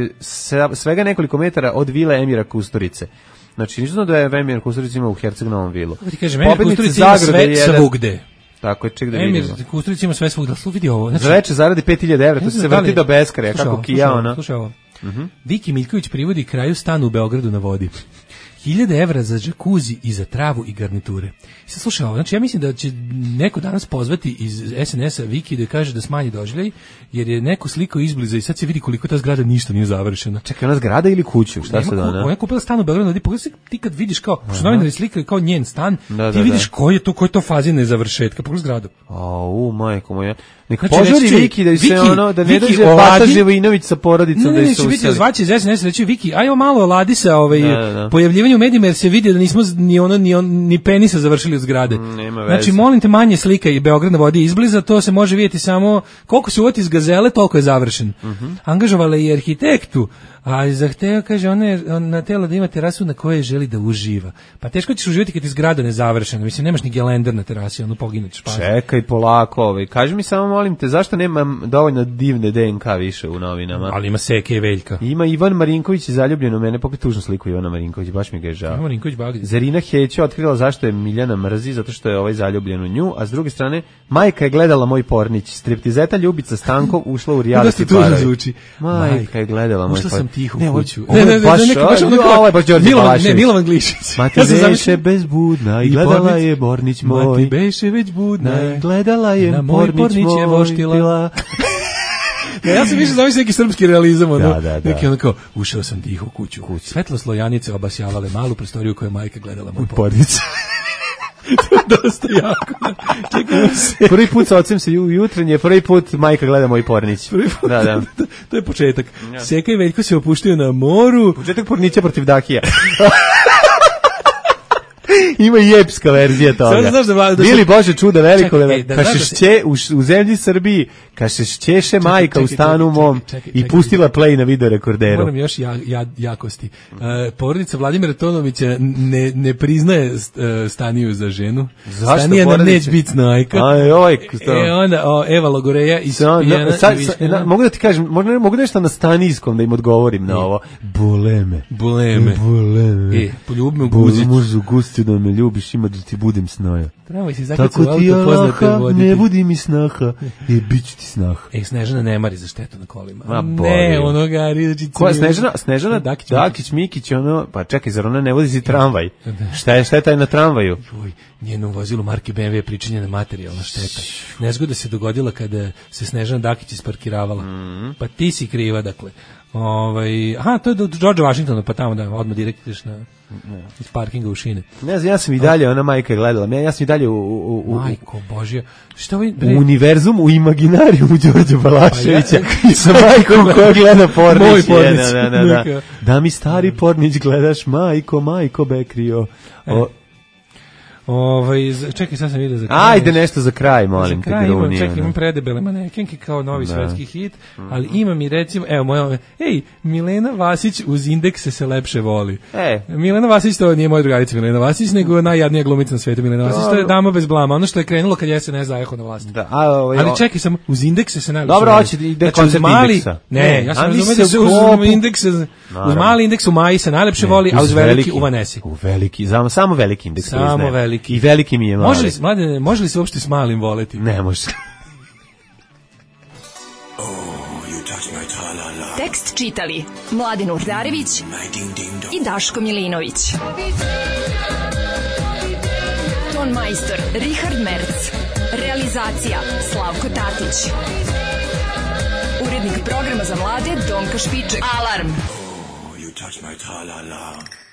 svega nekoliko metara od vile Emira Kusturice. Znači, nisu da je Emir Kusturica ima u Herceg Novom vilu. Ti kažem, Emir Kusturica ima sve svugde. Tako je, ček da vidimo. Emir Kusturica ima sve svugde, ali vidi ovo. Za veče zaradi 5.000 evra, to se vrti do beskraja, kako Kija ona. Slušaj ovo. Viki Miljković privodi kraju stan u Beogradu na vodi. 1.000 evra za džakuzi i za travu i garniture. Sad slušaj ovo, znači ja mislim da će neko danas pozvati iz SNS-a Viki da kaže da smanji doživljaj, jer je neko slikao izbliza i sad se vidi koliko ta zgrada ništa nije završena. Čekaj, ona zgrada ili kuću? Šta se dana? Ona je kupila stan u Beogradu, pogledaj se ti kad vidiš kao, što novinari slikali kao njen stan, ti vidiš koji je to fazi nezavršetka, pogledaj zgradu. Majko moja. Neka požuri Viki da se ono, da ne dođe Bata Živojinović sa porodicom da se useli. Neće zvaći iz SNS, reći Viki, ajmo malo oladi sa pojavljivanju u medijima jer se vidi da nismo ni penisa završili od zgrade. Znači, molim te, manje slika i Beograd na vodi izbliza, to se može vidjeti samo koliko se uvati iz gazele, toliko je završen. Angažovala i arhitektu, a zahteva, kaže, ona je na tela da ima terasu na kojoj želi da uživa. Pa teško ćeš uživati kad je zgrada nezavršena. Mislim, nemaš ni gelender na terasi, ono poginućeš. Čekaj, polako, kaži mi samo, molim te, zašto nema dovoljno divne DNK više u novinama? Ali ima Seke i Veljka. Ima Ivan Marinković je zaljubljen u mene, pokret tužnu sliku Ivana Marinković, baš mi ga je žao. Ivan Marinković bagdje. Zarina Hećo otkrila zašto je Miljana mrzi, zato što je zaljubljen u nju, a s druge strane, majka je gledala Moj pornić. Striptizeta Ljubica Stankov ušla u reality parovi. Majka je gledala Moj pornić. Ušla sam tiho u kuću. Ovo je baš Đorđe Balašević. Milovan Glišić. Mati beše bezbudna i gledala je Bornić moj. Mati beše već budna i gledala je Bornić je voštila. Ja sam više zamisli neki srpski realizam, neki ono kao, ušao sam tiho u kuću. Svetlo Janice obasjavale malu prostoriju koju je majka gledala Moj pornić. To je dosta jako. Prvi put sa ocem se jutrenje, prvi put majka gleda Moj pornić. Da. To je početak. Seka i Veljko se opuštio na moru. Početak pornića protiv Dakija. Ima i epska verzija toga. Bili Bože čuda veliko, u zemlji Srbiji, kažeš ćeše majka u stanu mom i pustila play na video rekorderu. Moram još jakosti. Porodica Vladimira Tonovića ne priznaje Staniju za ženu. Zašto? Stanija nam neće biti snajka. Onda Eva Logoreja i Spijana. Mogu da ti kažem, mogu nešto na stanijskom da im odgovorim na ovo. Buleme. Poljubi me Guzić. Možu Gusti da me ljubiš, ima da ti budem snaja. Trebamo si zakljati u auto poznate voditi. Ne budi mi snaha, bit ću ti snaha. Snežana ne mari za štetu na kolima. Ne, ono gari. Koja Snežana? Dakić Mikić, ono, pa čekaj, zar ona ne vozi si tramvaj? Šta je taj na tramvaju? Njeno vozilo marke BMW je pričinjena materijalna šteta. Nezgoda se dogodila kada se Snežana Dakić isparkiravala. Pa ti si kriva, dakle. To je do George Washingtona, pa tamo da odmah direkt ideš na iz parkinga u šine. Ne znam, ja sam i dalje, ona majka je gledala. Ja sam i dalje Majko Božja. U univerzum, u imaginarijumu Đorđe Balaševića sa majkom koja gleda Pornić. Moj Pornić. Da mi stari Pornić gledaš, majko Bekrio. Čekaj, sad sam vidio za kraj. Ajde nešto za kraj, molim te. Imam predebele manekenke kao novi svetski hit, ali imam i recimo, Milena Vasić uz indekse se lepše voli. Milena Vasić, to nije moja drugarica Milena Vasić, nego najjadnija glumica na svetu Milena Vasić, to je dama bez blama, ono što je krenulo kad je SNS zajeho na vlasti. Ali čekaj, sam uz indekse se najlepše voli. Dobro, hoće ide koncept indeksa. Ne, ja sam razumio da se uz mali indeks u Maji se najlepše voli, a uz veliki u Vanesi. U veliki, samo veliki indeks. Samo veliki. I veliki mi je mali. Može li se uopšte s malim voleti? Ne može. Tekst čitali Mladin Urdarević i Daško Milinović. Ton majstor Richard Merc. Realizacija Slavko Tatić. Urednik programa za mlade Donka Špiček. Alarm! You touch my tra-la-la.